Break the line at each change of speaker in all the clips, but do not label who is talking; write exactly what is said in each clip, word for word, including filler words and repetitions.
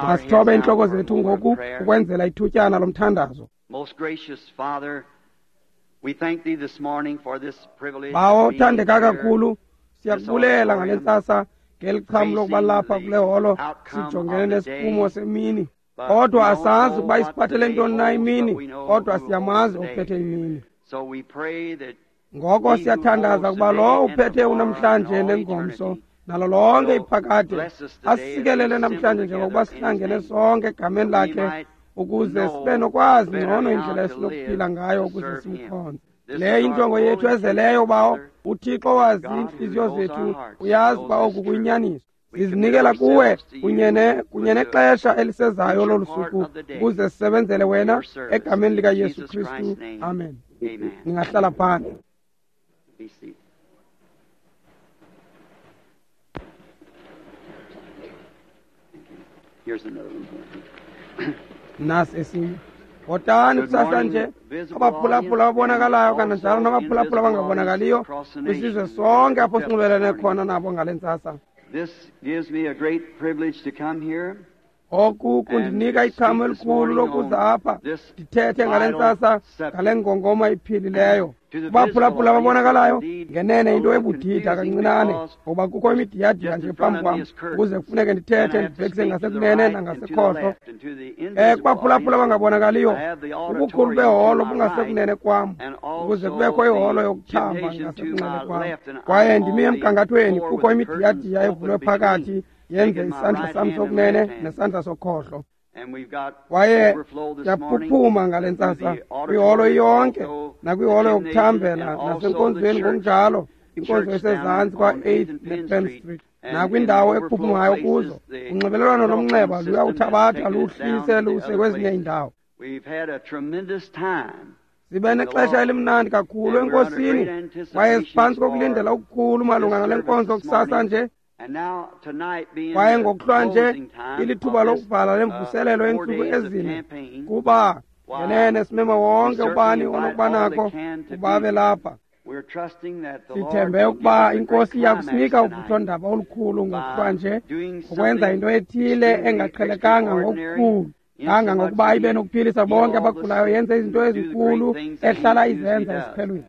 Masithobe iintloko zethu ngoku ukwenzela ithutyana lomthandazo. Bawo othandeka kakhulu, siyakubulela ngale ntsasa ngeli xham lokuba lapha kule holo sijongene nesiphumo semini. Kodwa asazi ukuba isiphathele ntoni na imini, kodwa siyamazi ophethe imini. Ngoko siyathandaza ukuba lowo uphethe unamhlanje nengomso nalo lonke iphakade asisikelele namhlanje njengokuba sihlangene sonke egameni lakhe ukuze sibe nokwazi ngcono indlela esinokuphila ngayo ukuze simkhonze. Le injongo yethu ezeleyo, bawo. UThixo wazi iintliziyo zethu, uyazi uba oku kuyinyaniso. Sizinikela kuwe kunye kunye nexesha elisezayo lolu suku ukuze sisebenzele wena egameni likaYesu Kristu. Amen. Ningahlala phandle. Nasi esinye. Bhotani kusasa nje abaphulaphula ababonakalayo kananjalo nabaphulaphula abangabonakaliyo kwisizwe sonke apho sinxibelene khona nabo ngale ntsasa. Oku kundinika ichamo elikhulu lokuza apha ndithethe ngale ntsasa ngale ngongoma iphilileyo. Kubaphulaphula ababonakalayo ngenene into ebudida kancinane ngoba kukho imidiyadiya nje phambi kwam ukuze kufuneke ndithethe ndibhekise ngasekunene nangasekhohlo. Um kubaphulaphula abangabonakaliyo ubukhulu beholo bungasekunene kwam ukuze kubekho iholo yokuthamba ngasekunxele kwam. Kwaye ndimi emgangathweni kukho imidiyadiya evulwe phakathi yenze isandla sam sokunene nesandla sokhohlo. Kwaye siyaphuphuma ngale ntsasa kwiholo iyonke nakwiholo yokuthambela nasenkonzweni ngokunjalo, inkonzo esezantsi kwa-eighth nePenn Street nakwindawo ekuphuphumayo kuzo. Unxibelelwano lomnxeba luyawuthabatha luhlise luse kwezinye iindawo. Sibe nexesha elimnandi kakhulu enkosini kwaye siphantsi kokulindela okukhulu malunga nale nkonzo kusasa nje. Kwaye ngokuhlwa nje ilithuba lokuvala lemvuselelo yeentsuku ezine kuba ngenene simema wonke ubani onokuba nako ukuba abe lapha. Sithembe ukuba inkosi iya kusinika uvuthondaba olukhulu ngokuhlwa nje ngokwenza into ethile engaqhelekanga ngokukhulu kangangokuba ibe nokuphilisa bonke abagulayo, yenze izinto ezinkulu ehlala izenza esiphelweni.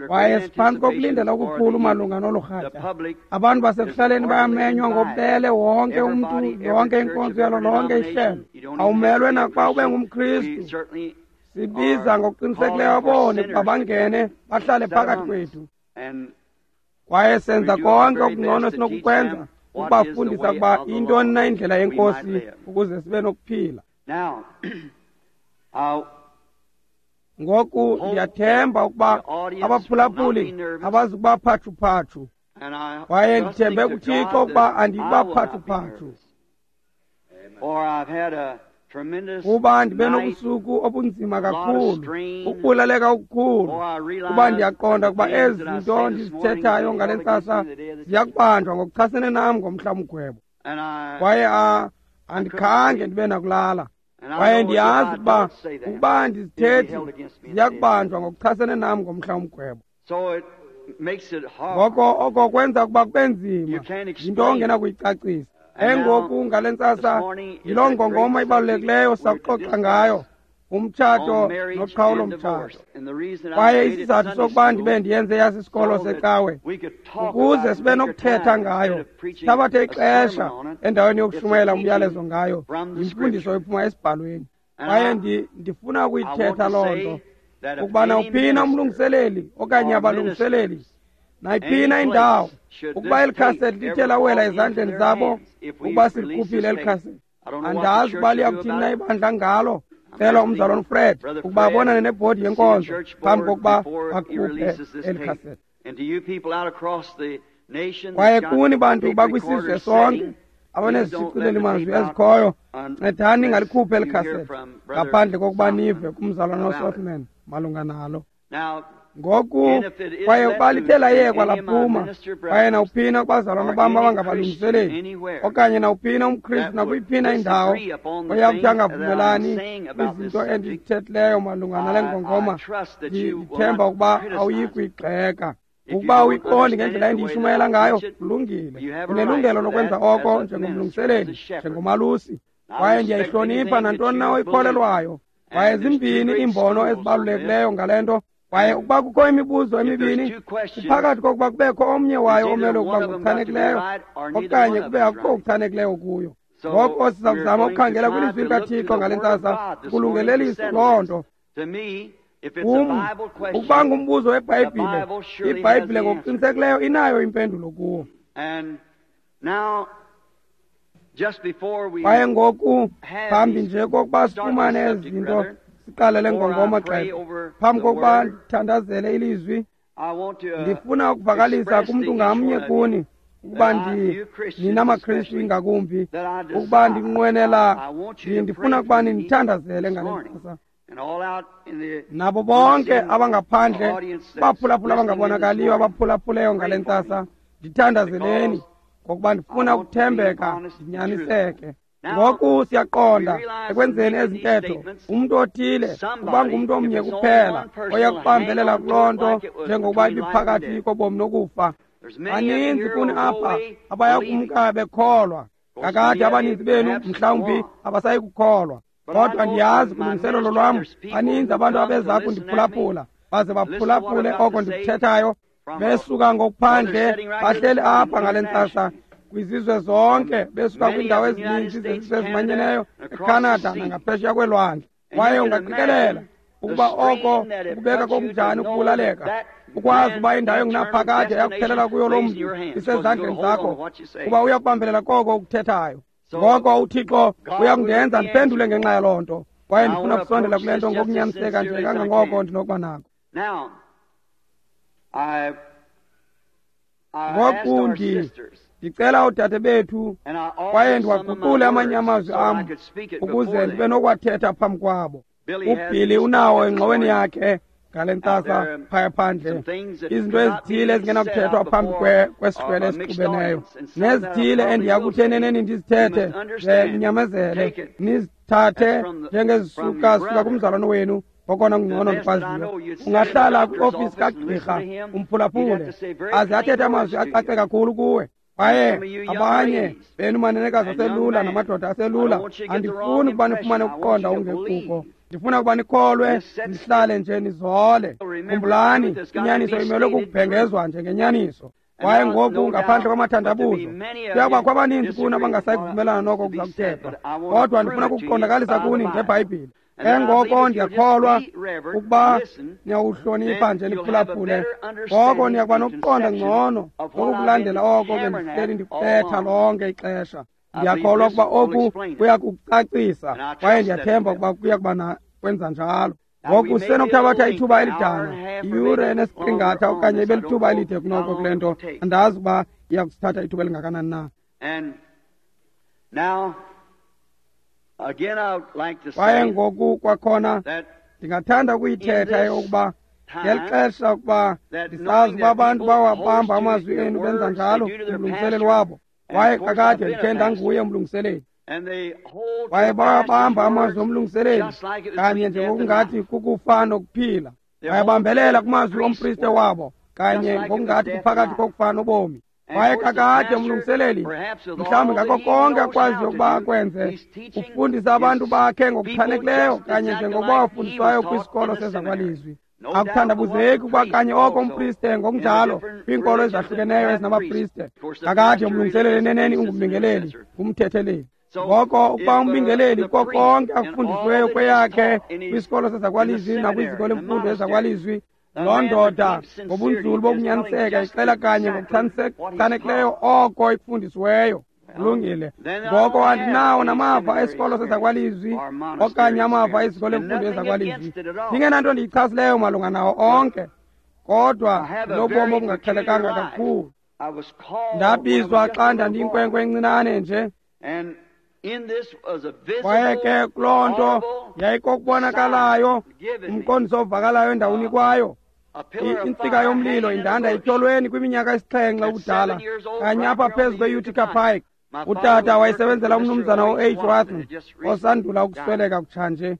Kwaye siphantsi kokulindela okukhulu malunga nolu rhatya. Abantu basekuhlaleni bayamenywa ngobubele, wonke umntu, yonke inkonzo yalo lonke ihlelo. Awumelwe nakuba ube ngumKristu. Sibiza ngokuqinisekileyo aboni ukuba bangene bahlale phakathi kwethu. Kwaye senza konke okungcono esinokukwenza ukubafundisa ukuba intoni na indlela yenkosi ukuze sibe nokuphila. Ngoku ndiyathemba ukuba abaphulaphuli abazukuba phatshu-phatshu. Kwaye ndithembe kuThixo ukuba andiyikuba phatshu-phatshu. Kuba ndibe nobusuku obunzima kakhulu, ukubulaleka okukhulu, kuba ndiyaqonda ukuba ezi zinto ndizithethayo ngale ntsasa ziyakubanjwa ngokuchasene nam ngomhla womgwebo. Kwaye andikhange ndibe nakulala. Kwaye ndiyazi ukuba ukuba andizithethi ziyakubanjwa ngokuchasene nam ngomhla womgwebo. Ngoko oko kwenza ukuba kube nzima, yinto ongenakuyicacisa. Engoku ngale ntsasa yiloo ngongoma ibalulekileyo sakuxoxa ngayo, umtshato noqhawulo-mtshato. Kwaye isizathu sokuba ndibe ndiyenze yasisikolo secawe ukuze sibe nokuthetha ngayo, sithabathe ixesha endaweni yokushumayela umyalezo ngayo, yimfundiso ephuma esibhalweni. Kwaye ndifuna ukuyithetha loo nto ukuba nawuphina umlungiseleli okanye abalungiseleli nayiphina indawo ukuba eli khasethi lithe lawela ezandleni zabo ukuba silikhuphile eli khasethi. Andazi ukuba liyakuthini na ibandla ngalo. Cela umzalwane uFred ukuba abonane nebhodi yenkonzo phambi kokuba akhuphe eli khasethi. Kwaye kuni bantu bakwisizwe sonke abanezishicileli mazwi ezikhoyo, ncedani ningalikhuphi eli khasethi ngaphandle kokuba nive kumzalwane uSothman malunga nalo. Ngoku kwaye ukuba lithe layekwa laphuma, kwaye nawuphina kubazalwana bam abangabalungiseleli okanye nawuphina umKristu nakuyiphina indawo oyakuthi angavumelani kwizinto endizithethileyo malunga nale ngongoma, ndithemba ukuba awuyi kuyigxeka. Ukuba uyiqondi ngendlela endiyishumayela ngayo, kulungile. Unelungelo lokwenza oko njengomlungiseleli, njengomalusi. Kwaye ndiyayihlonipha nantoni na oyikholelwayo. Kwaye zimbini iimbono ezibalulekileyo ngale nto. Kwaye ukuba kukho imibuzo emibini, kuphakathi kokuba kubekho omnye wayo omele ukuba ngokuchanekileyo okanye kube akukho okuchanekileyo kuyo. Ngoko siza kuzama ukukhangela kwilizwi likaThixo ngale ntsasa ukulungelelisa loo nto. Kum, ukuba ngumbuzo weBhayibhile, iBhayibhile ngokuqinisekileyo inayo impendulo kuwo. Kwaye ngoku, phambi nje kokuba sifumane ezi zinto, siqale le ngongoma xesha. Phambi kokuba ndithandazele ilizwi, ndifuna ukuvakalisa kumntu ngamnye kuni ukuba ndi nina maKristu ingakumbi, ukuba ndinqwenela, ndifuna ukuba nindithandazele ngale ntsasa. Nabo bonke abangaphandle, baphulaphula abangabonakaliyo abaphulaphuleyo ngale ntsasa, ndithandazeleni ngokuba ndifuna ukuthembeka ndinyaniseke. Ngoku siyaqonda ekwenzeni ezi ntetho, umntu othile uba ngumntu omnye kuphela oya kubambelela kuloo nto njengokuba ibiphakathi kobomi nokufa. Baninzi kuni apha abaya kumka bekholwa. Kakade abaninzi benu mhlawumbi abasayi kukholwa. Kodwa ndiyazi kulungiselelo lwam baninzi abantu abeza kundiphulaphula, baze baphulaphule oko ndikuthethayo, besuka ngokuphandle bahleli apha ngale ntsasa kwizizwe zonke, besuka kwiindawo ezininzi zezizwe ezimanyeneyo, eCanada nangaphesheya kwelwandle. Kwaye ungaqikelela ukuba oko kubeka kokunjani ukubulaleka, ukwazi uba indawo engunaphakade yakuphelela kuyo loo mntu isezandleni zakho, kuba uyakubambelela koko ukuthethayo. Ngoko uThixo uyakundenza ndiphendule ngenxa yaloo nto, kwaye ndifuna ukusondela kule nto ngokunyaniseka nje kangangoko ndinokuba nako. Ngoku ndicela oodade bethu, kwaye ndiwaguqule amanye amazwi am ukuze ndibe nokuwathetha phambi kwabo. UBilly unawo engxoweni yakhe ngale ntsasa phaya phandle izinto ezithile ezingenakuthethwa phambi kwesihlwele esixubeneyo, nezithile endiya kuthi eneneni ndizithethe ze ninyamezele, nizithathe njengezisuka suka kumzalwane wenu okona kungcono ndikwaziyo. Ungahlala kwiofisi kagqirha umphulaphule aze athethe amazwi acace kakhulu kuwe. Kwaye abanye benu manenekazi aselula namadoda aselula, andifuni ukuba nifumane ukuqonda okungekuko. Ndifuna ukuba nikholwe, nihlale nje nizole. Khumbulani, inyaniso imelwe kukubhengezwa njengenyaniso. Kwaye ngoku ngaphandle kwamathandabuzo, kuyakubakho abaninzi kuni abangasayi kuvumelana noko kuza kuthethwa, kodwa ndifuna ukuqondakalisa kuni ngeBhayibhile. Ke ngoko ndiyakholwa ukuba niyawuhlonipha nje niphulaphule, ngoko niyakuba nokuqonda ngcono ngokukulandela oko ke ndihleli ndikuthetha lonke ixesha. Ndiyakholwa ukuba oku kuya kukucacisa, kwaye ndiyathemba ukuba kuya kuba kwenza njalo. Ngoku sisenokuthabatha ithuba elidana, iyure enesiqingatha okanye ibe lithuba elide kunoko kule nto. Andazi ukuba iya kusithatha ithuba elingakanani na. Kwaye ngoku kwakhona ndingathanda ukuyithetha eyokuba ngeli xesha ukuba ndisazi ukuba abantu bawabamba amazwi enu benza njalo umlungiseleli wabo. Kwaye kakade ndikhe ndanguye umlungiseleli. Kwaye bawabamba amazwi omlungiseleli kanye njengokungathi kukufa nokuphila. Bayabambelela kumazwi ompriste wabo kanye ngokungathi kuphakathi kokufa nobomi. Kwaye kakade umlungiseleli mhlawumbi ngako konke akwaziyo ukuba akwenze, ufundisa abantu bakhe ngokuchanekileyo kanye njengokuba wafundiswayo kwisikolo sezakwalizwi. Akuthandabuzeki ukuba kanye oko umpriste ngokunjalo kwiinkolo ezahlukeneyo ezinabapriste. Kakade umlungiseleli eneneni ungumbingeleli, ngumthetheleli. Ngoko ukuba umbingeleli kuko konke akufundisiweyo kweyakhe kwisikolo sezakwalizwi nakwiziko lemfundo ezakwalizwi, loo ndoda ngobunzulu bokunyaniseka ixela kanye ngokuchanekileyo oko ikufundisiweyo. Kulungile. Ngoko andinawo namava esikolo sezakwalizwi okanye amava eziko lemfundo ezakwalizwi. Ndingenanto ndiyichasileyo malunga nawo onke, kodwa ndinobomi obungaqhelekanga kakhulu. Ndabizwa xa ndandiyinkwenkwe encinane nje. Kwaye ke kuloo nto yayikokubonakalayo, umqondiso ovakalayo endawunikwayo. Intsika yomlilo indanda etyholweni kwiminyaka esixhenxe ubudala, kanye apha phezu kwe-Utica Pike. Utata wayesebenzela umnumzana u-H. Watson osandula ukusweleka kutshanje.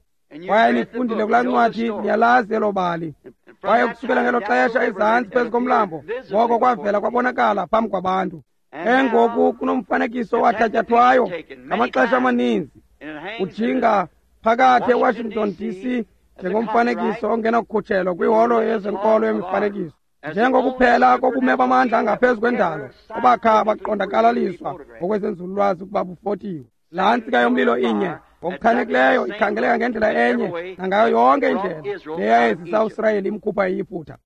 Kwaye nifundile kulaa ncwadi, niyalazi elo bali. Kwaye kusukela ngelo xesha ezantsi phezu komlambo, ngoko kwavela kwabonakala phambi kwabantu. Engoku kunomfanekiso owathatyathwayo ngamaxesha amaninzi ujinga phakathi eWashington D C njengomfanekiso ongenakukhutshelwa kwiholo yezenkolo yemifanekiso, njengokuphela kobume bamandla angaphezu kwendalo obakha baqondakalaliswa ngokwezenzululwazi ukuba bufotiwe. Laa ntsika yomlilo inye ngokuchanekileyo ikhangeleka ngendlela enye nangayo yonke indlela leyayezisa uSirayeli imkhupha eYiputa.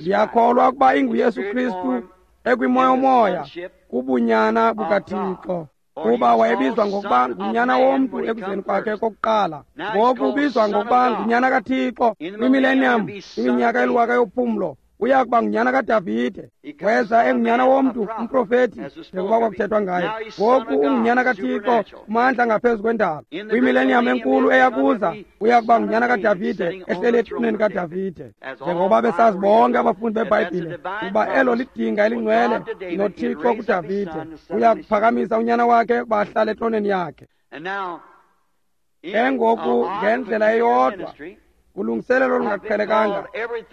Ndiyakholwa ukuba inguYesu Kristu ekwimoyomoya kubunyana bukaThixo, kuba wayebizwa ngokuba ngunyana womntu ekuzeni kwakhe kokuqala. Ngoku ubizwa ngokuba ngunyana kaThixo. Kwimillennium, iminyaka eliwaka yophumlo, uya kuba ngunyana kaDavide. Weza engunyana womntu, umprofeti, njengoba kwakuthethwa ngaye. Ngoku ungunyana kaThixo, kumandla ngaphezu kwendalo. Kwimillennium enkulu eyakuza, uya kuba ngunyana kaDavide, ehleli etroneni kaDavide. Njengoba besazi bonke abafundi beBhayibhile ukuba elo lidinga elingcwele noThixo kuDavide, uya kuphakamisa unyana wakhe ukuba ahlale etroneni yakhe. Engoku ngendlela eyodwa, ulungiselelo olungaqhelekanga,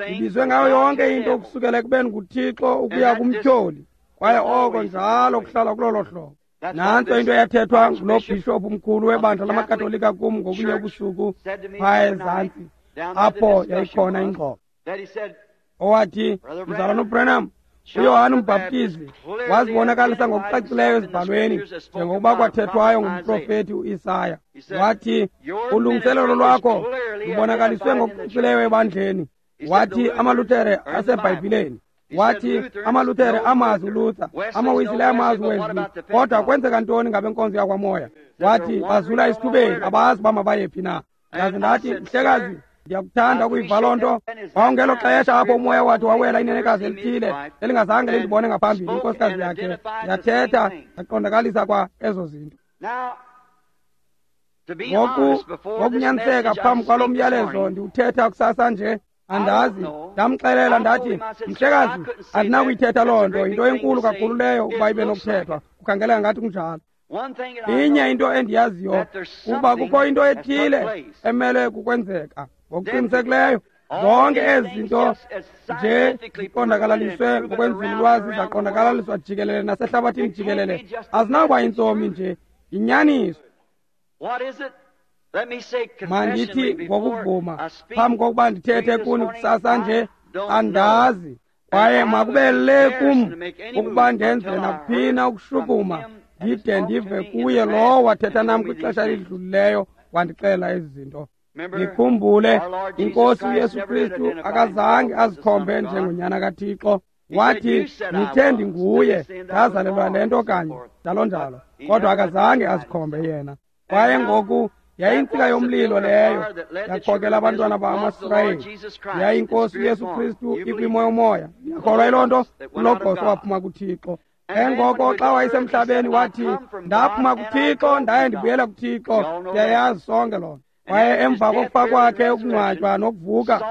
ibizwe ngayo yonke into ukusukela ekubeni nguThixo ukuya kumtyholi, kwaye oko njalo kuhlala kulolo hlobo. Nantso into eyathethwa ngulo bhishophu mkhulu webandla lamaKatolika kum ngobunye ubusuku phaya ezantsi apho yayikhona ingxoxo, owathi, Mzalwana uBranham, uYohane uMbhaptizi wazibonakalisa ngokucacileyo ezibhalweni njengokuba kwathethwayo ngumprofeti uIsaya. Wathi, ulungiselelo lwakho lubonakaliswe ngokucacileyo ebandleni. Wathi, amaLuthere aseBhayibhileni. Wathi, amaLuthere amazi uLuther, amaWisile amazi uWesley, kodwa kwenzeka ntoni ngabenkonzo yakwamoya? Wathi, bazula esithubeni, abazi uba mabayephi na. Ndaze ndathi, mhlekazi, ndiyakuthanda ukuyiva loo nto. Wawungelo xesha apho umoya wathi wawela inenekazi elithile elingazange lindibone ngaphambili, inkosikazi yakhe yathetha yaqondakalisa kwa ezo zinto. Ngoku ngokunyaniseka phambi kwalo myalezo ndiwuthetha kusasa nje, andazi. Ndamxelela ndathi, mhlekazi, andinakuyithetha loo nto, yinto enkulu kakhulu leyo ukuba ibe nokuthethwa, kukhangeleka ngathi kunjalo. Inye into endiyaziyo kuba kukho into ethile emele kukwenzeka ngokuqinisekileyo. Zonke ezi zinto nje ziqondakalaliswe ngokwenzululwazi, zaqondakalaliswa jikelele nasehlabathini jikelele, azinawuba yintsomi nje, yinyaniso. Mandithi ngokuvuma phambi kokuba ndithethe kuni kusasa nje, andazi. Kwaye makube le kum ukuba ndenze nakuphina ukushukuma ndide ndive kuye lowo wathetha nam kwixesha elidlulileyo wandixelela ezi zinto. Nikhumbule, iNkosi uYesu Kristu akazange azikhombe njengonyana kaThixo. Wathi, nithe ndinguye, ndazalelwa le nto kanye, njalo njalo, kodwa akazange azikhombe yena. Kwaye ngoku yayintsika yomlilo leyo yakhokela abantwana bamaSirayeli, yayinkosi uYesu Kristu ikwimoyomoya. Ndiyakholwa yiloo nto, uLogos owaphuma kuThixo. Engoko xa wayesemhlabeni wathi, ndaphuma kuThixo ndaye ndibuyela kuThixo. Ndiyayazi sonke loo nto. Kwaye emva kokufa kwakhe, ukungcwatywa nokuvuka,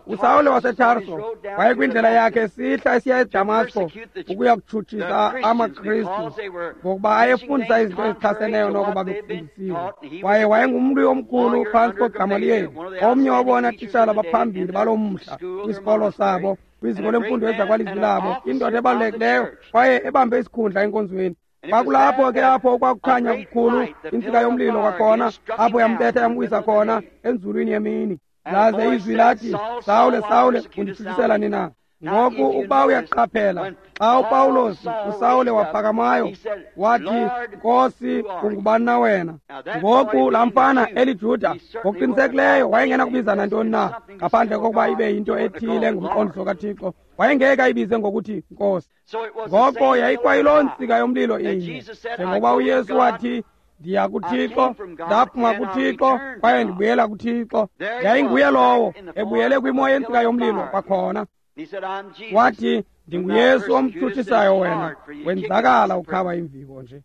uSawule waseTarso wayekwindlela yakhe esihla esiya eDamasko ukuya kutshutshisa amaKristu, ngokuba ayefundisa izinto ezichaseneyo noko babefundisiwe. Kwaye wayengumlwi omkhulu phantsi koGamaliyeli, omnye wabona tishala baphambili baloo mhla kwisikolo sabo, kwiziko lemfundo ezakwalizwi labo, indoda ebalulekileyo kwaye ebambe isikhundla enkonzweni. Kwakulapho ke apho kwakukhanya kukhulu intsika yomlilo kwakhona, apho yambetha yamwisa khona enzulwini yemini. Laze izwi lathi, Sawule, Sawule, unditshutshisela nina? Ngoku ukuba uyaqaphela, xa uPawulos uSawule waphakamayo wathi, Nkosi, ungubani na wena? Ngoku laa mfana eliJuda ngokuqinisekileyo wayengena kubiza nantoni na ngaphandle kokuba ibe yinto ethile ngumqondiso kaThixo. Wayengeke ayibize ngokuthi Nkosi. Ngoko yayikwayiloo ntsika yomlilo inye, njengokuba uYesu wathi, ndiya kuThixo, ndaphuma kuThixo kwaye ndibuyela kuThixo. Yayinguye lowo ebuyele kwimo yentsika yomlilo kwakhona. Wathi, ndinguYesu omtshutshisayo wena, wenzakala ukhaba imviko nje.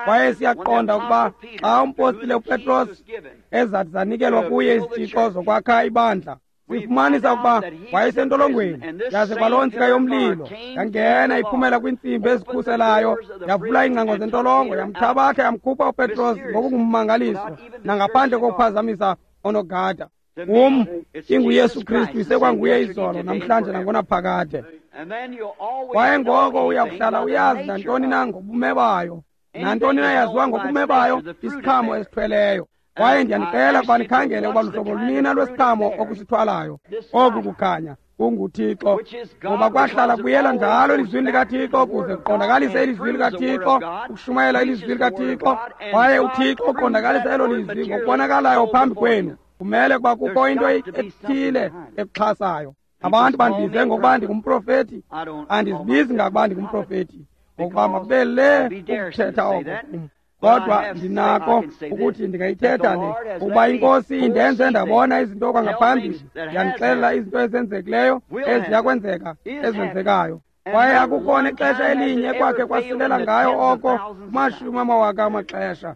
Kwaye siyaqonda ukuba xa umpostile uPetros ezathi zanikelwa kuye izitshixo zokwakha ibandla, sifumanisa ukuba wayesentolongweni, yaze kwaloo ntsika yomlilo yangena iphumela kwiintsimbi ezikhuselayo, yavula iingcango zentolongo, yamthabatha yamkhupha uPetros ngokungummangaliso nangaphandle kokuphazamisa onogada. Kum inguYesu Kristu isekwanguye izolo namhlanje nangonaphakade. Kwaye ngoko uyakuhlala uyazi nantoni na ngobume bayo, nantoni na yaziwa ngobume bayo, isiqhamo esithweleyo. Kwaye ndiyanicela ukuba nikhangele ukuba luhlobo lunina lwesiqhamo okusithwalayo. Oku kukhanya kunguThixo, ngoba kwahlala kuyela njalo elizwini likaThixo ukuze kuqondakalise ilizwi likaThixo, ukushumayela ilizwi likaThixo. Kwaye uThixo uqondakalisa elo lizwi ngokubonakalayo phambi kwenu. Kumele ukuba kukho into ethile ekuxhasayo. Abantu bandibize ngokuba ndingumprofethi, andizibizi ngakuba ndingumprofethi, ngokuba makube le ukuthetha oko kum. Kodwa ndinako ukuthi ndingayithetha le, ukuba iNkosi indenze ndabona izinto kwangaphambili, yandixelela izinto ezenzekileyo, eziya kwenzeka, ezenzekayo. Kwaye akukhona ixesha elinye kwakhe kwasilela ngayo oko kumashumi amawaka amaxesha.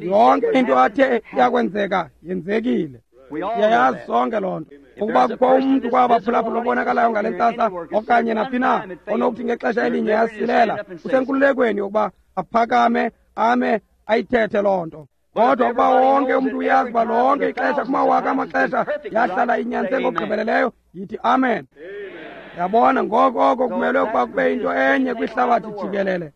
Yonke into athe yakwenzeka yenzekile. Siyayazi sonke loo nto. Ukuba kukho umntu kwabaphulaphula obonakalayo ngale ntsasa okanye naphi na onokuthi ngexesha elinye yasilela, usenkululekweni yokuba aphakame ame ayithethe loo nto. Kodwa ukuba wonke umntu uyazi uba lonke ixesha kumawaka amaxesha yahlala inyanise ngokugqibeleleyo, yithi amen. Yabona, ngoko oko kumelwe ukuba kube into enye kwihlabathi jikelele.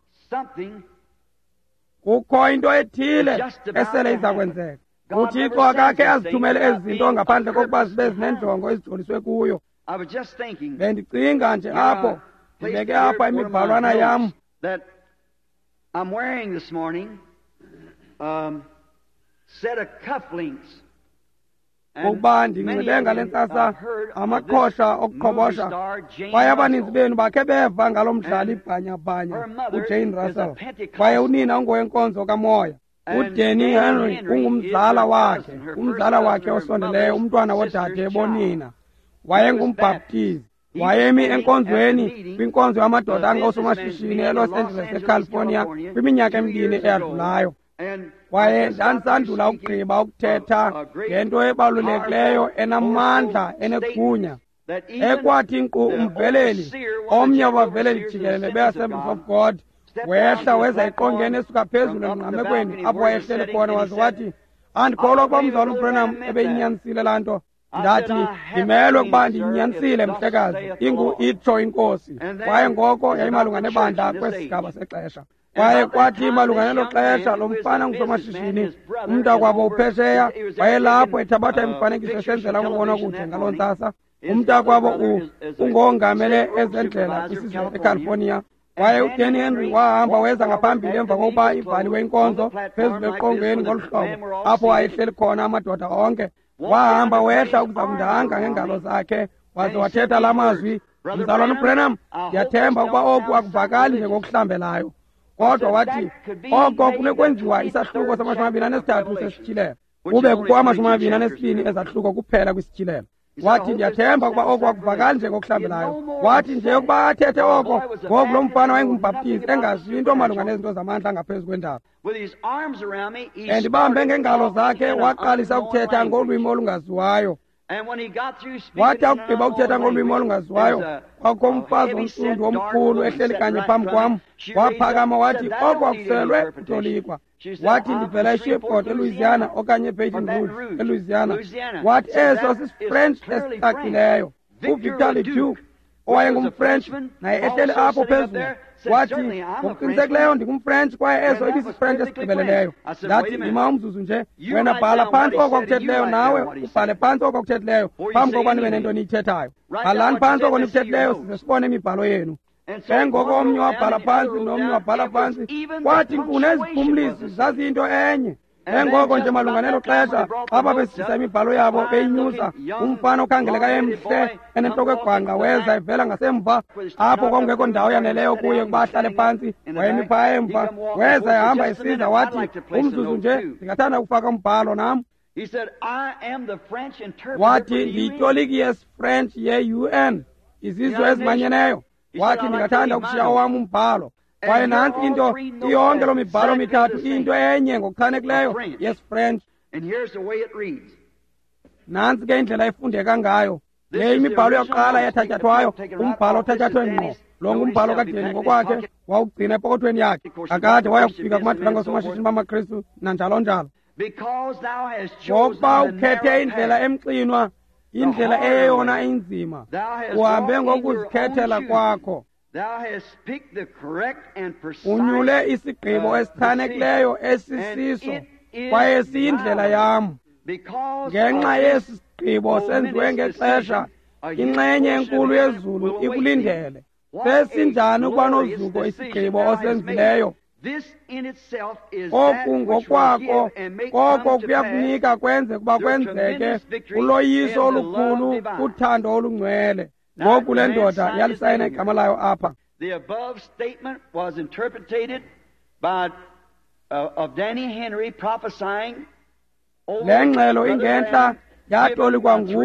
Kukho into ethile esele iza kwenzeka. UThixo akakhe azithumele ezi zinto ngaphandle kokuba zibe zinenjongo ezijoliswe kuyo. Bendicinga nje apho, ndibeke apha imibhalwana yam
I'm wearing this morning, um, set of cufflinks.
Ukuba ndinxibe ngale ntsasa amaqhosha okuqhobosha. Kwaye abaninzi benu bakhe beva ngalo mdlali bhanyabhanya uJane Russell. Kwaye unina ungowenkonzo kamoya. UDanny Henry ungumzala wakhe, umzala wakhe osondeleyo, umntwana wodade bonina. Wayengumbhaptizi. Wayemi enkonzweni kwinkonzo yamadoda angoosomashishini eLos Angeles eCalifornia kwiminyaka emibini eyadlulayo. Kwaye ndandisandula ukugqiba ukuthetha ngento ebalulekileyo enamandla enegunya ekwathi nkqu umveleli, omnye wabaveleli jikelele be-Assemblies of God, wehla weza eqongeni esuka phezulu engqamekweni apho wayehleli khona, waze wathi, andikholwa ukuba umzalwana uBranham ebeyinyanisile laa nto. Ndathi, ndimelwe ukuba ndinyanisile mhlekazi, ingu itsho iNkosi. Kwaye ngoko yayimalunga nebandla kwesigaba sexesha. Kwaye kwathi malunga nelo xesha lo mfana ngusomashishini, umntakwabo uphesheya wayelapho ethabatha imifanekiso esenzela ukubona kude ngaloo ntsasa. Umntakwabo ungongamele ezendlela kwisizwe eCalifornia. Kwaye uDanny Henry wahamba weza ngaphambili emva kokuba ivaliwe inkonzo phezulu eqongeni ngolu hlobo apho wayehleli khona amadoda onke. Wahamba wehla ukuza kundanga ngeengalo zakhe waze wathetha la mazwi, Mzalwana uBranham, ndiyathemba ukuba oku akuvakali njengokuhlambelayo. Kodwa wathi oko kunokwenziwa isahluko samashumi amabini anesithathu sesityhilelo, kube kukho amashumi amabini anesibini ezahluko kuphela kwisityhilelo. Wathi ndiyathemba ukuba oko akuvakali njengokuhlambelayo. Wathi nje ukuba athethe oko, ngoku lo mfana wayengumbhaptizi engazi into malunga nezinto zamandla angaphezu kwendaba. Endibambe ngeengalo zakhe waqalisa ukuthetha ngolwimi olungaziwayo. Wathi akugqiba ukuthetha ngolwimi olungaziwayo, kwakho umfazi omsundu omkhulu ehleli kanye phambi kwam. Waphakama wathi oko akuselwe kutolikwa. Wathi ndivela eShreveport eLouisiana okanye eBaton Rouge eLouisiana. Wathi eso sisiFrench esicacileyo. UVictor Leduc owayengumFrench naye ehleli apho phezulu wathi ngokuqinisekileyo ndingumFrench kwaye eso ibisiFrench esigqibeleleyo. Ndathi ndima umzuzu nje, wena bhala phantsi oko akuthethileyo nawe ubhale phantsi oko akuthethileyo phambi kokuba nibe nento niyithethayo. Bhalani phantsi oko nikuthethileyo size sibone imibhalo yenu. Ke ngoko omnye wabhala phantsi nomnye wabhala phantsi, kwathi nkqu neziphumlisi zaziyinto enye. Ke ngoko nje malunga nelo xesha xa babesisa imibhalo yabo beyinyusa, umfana okhangeleka emhle enentloko egwangqa weza evela ngasemva apho kwakungekho ndawo yaneleyo kuye ukuba ahlale phantsi. Wayemi phaya emva, weza ehamba esiza wathi, umzuzu nje ndingathanda ukufaka umbhalo nam. Wathi ndiyitoliki yesiFrench ye-U N, izizwe ezimanyeneyo. Wathi ndingathanda ukushiya owam umbhalo. Kwaye nantsi into, iyonke loo mibhalo mithathu iyinto enye ngokuchanekileyo yesiFrench. Nantsi ke indlela efundeka ngayo. Le imibhalo yokuqala yathatyathwayo, umbhalo othatyathwe ngqo. Lo ngumbhalo kaDanny ngokwakhe, wawugcina epokothweni yakhe. Kakade waya kufika kumadoda angosomashishini bamaKristu nanjalo njalo. Ngokuba ukhethe indlela emxinwa, indlela eyeyona inzima, uhambe ngokuzikhethela kwakho. Unyule isigqibo esichanekileyo esisiso, kwaye siyindlela yam. Ngenxa yesi sigqibo senziwe ngexesha, inxenye enkulu yezulu ikulindele. Sesinjani ukuba nozuko isigqibo osenzileyo? Oku ngokwako koko kuyakunika kwenze kuba kwenzeke uloyiso olukhulu kuthando olungcwele. Ngoku le ndoda yalisayina igama layo apha.
The above statement was interpreted by uh, of Danny Henry prophesying.
Le ngxelo ingentla yatolikwa ngu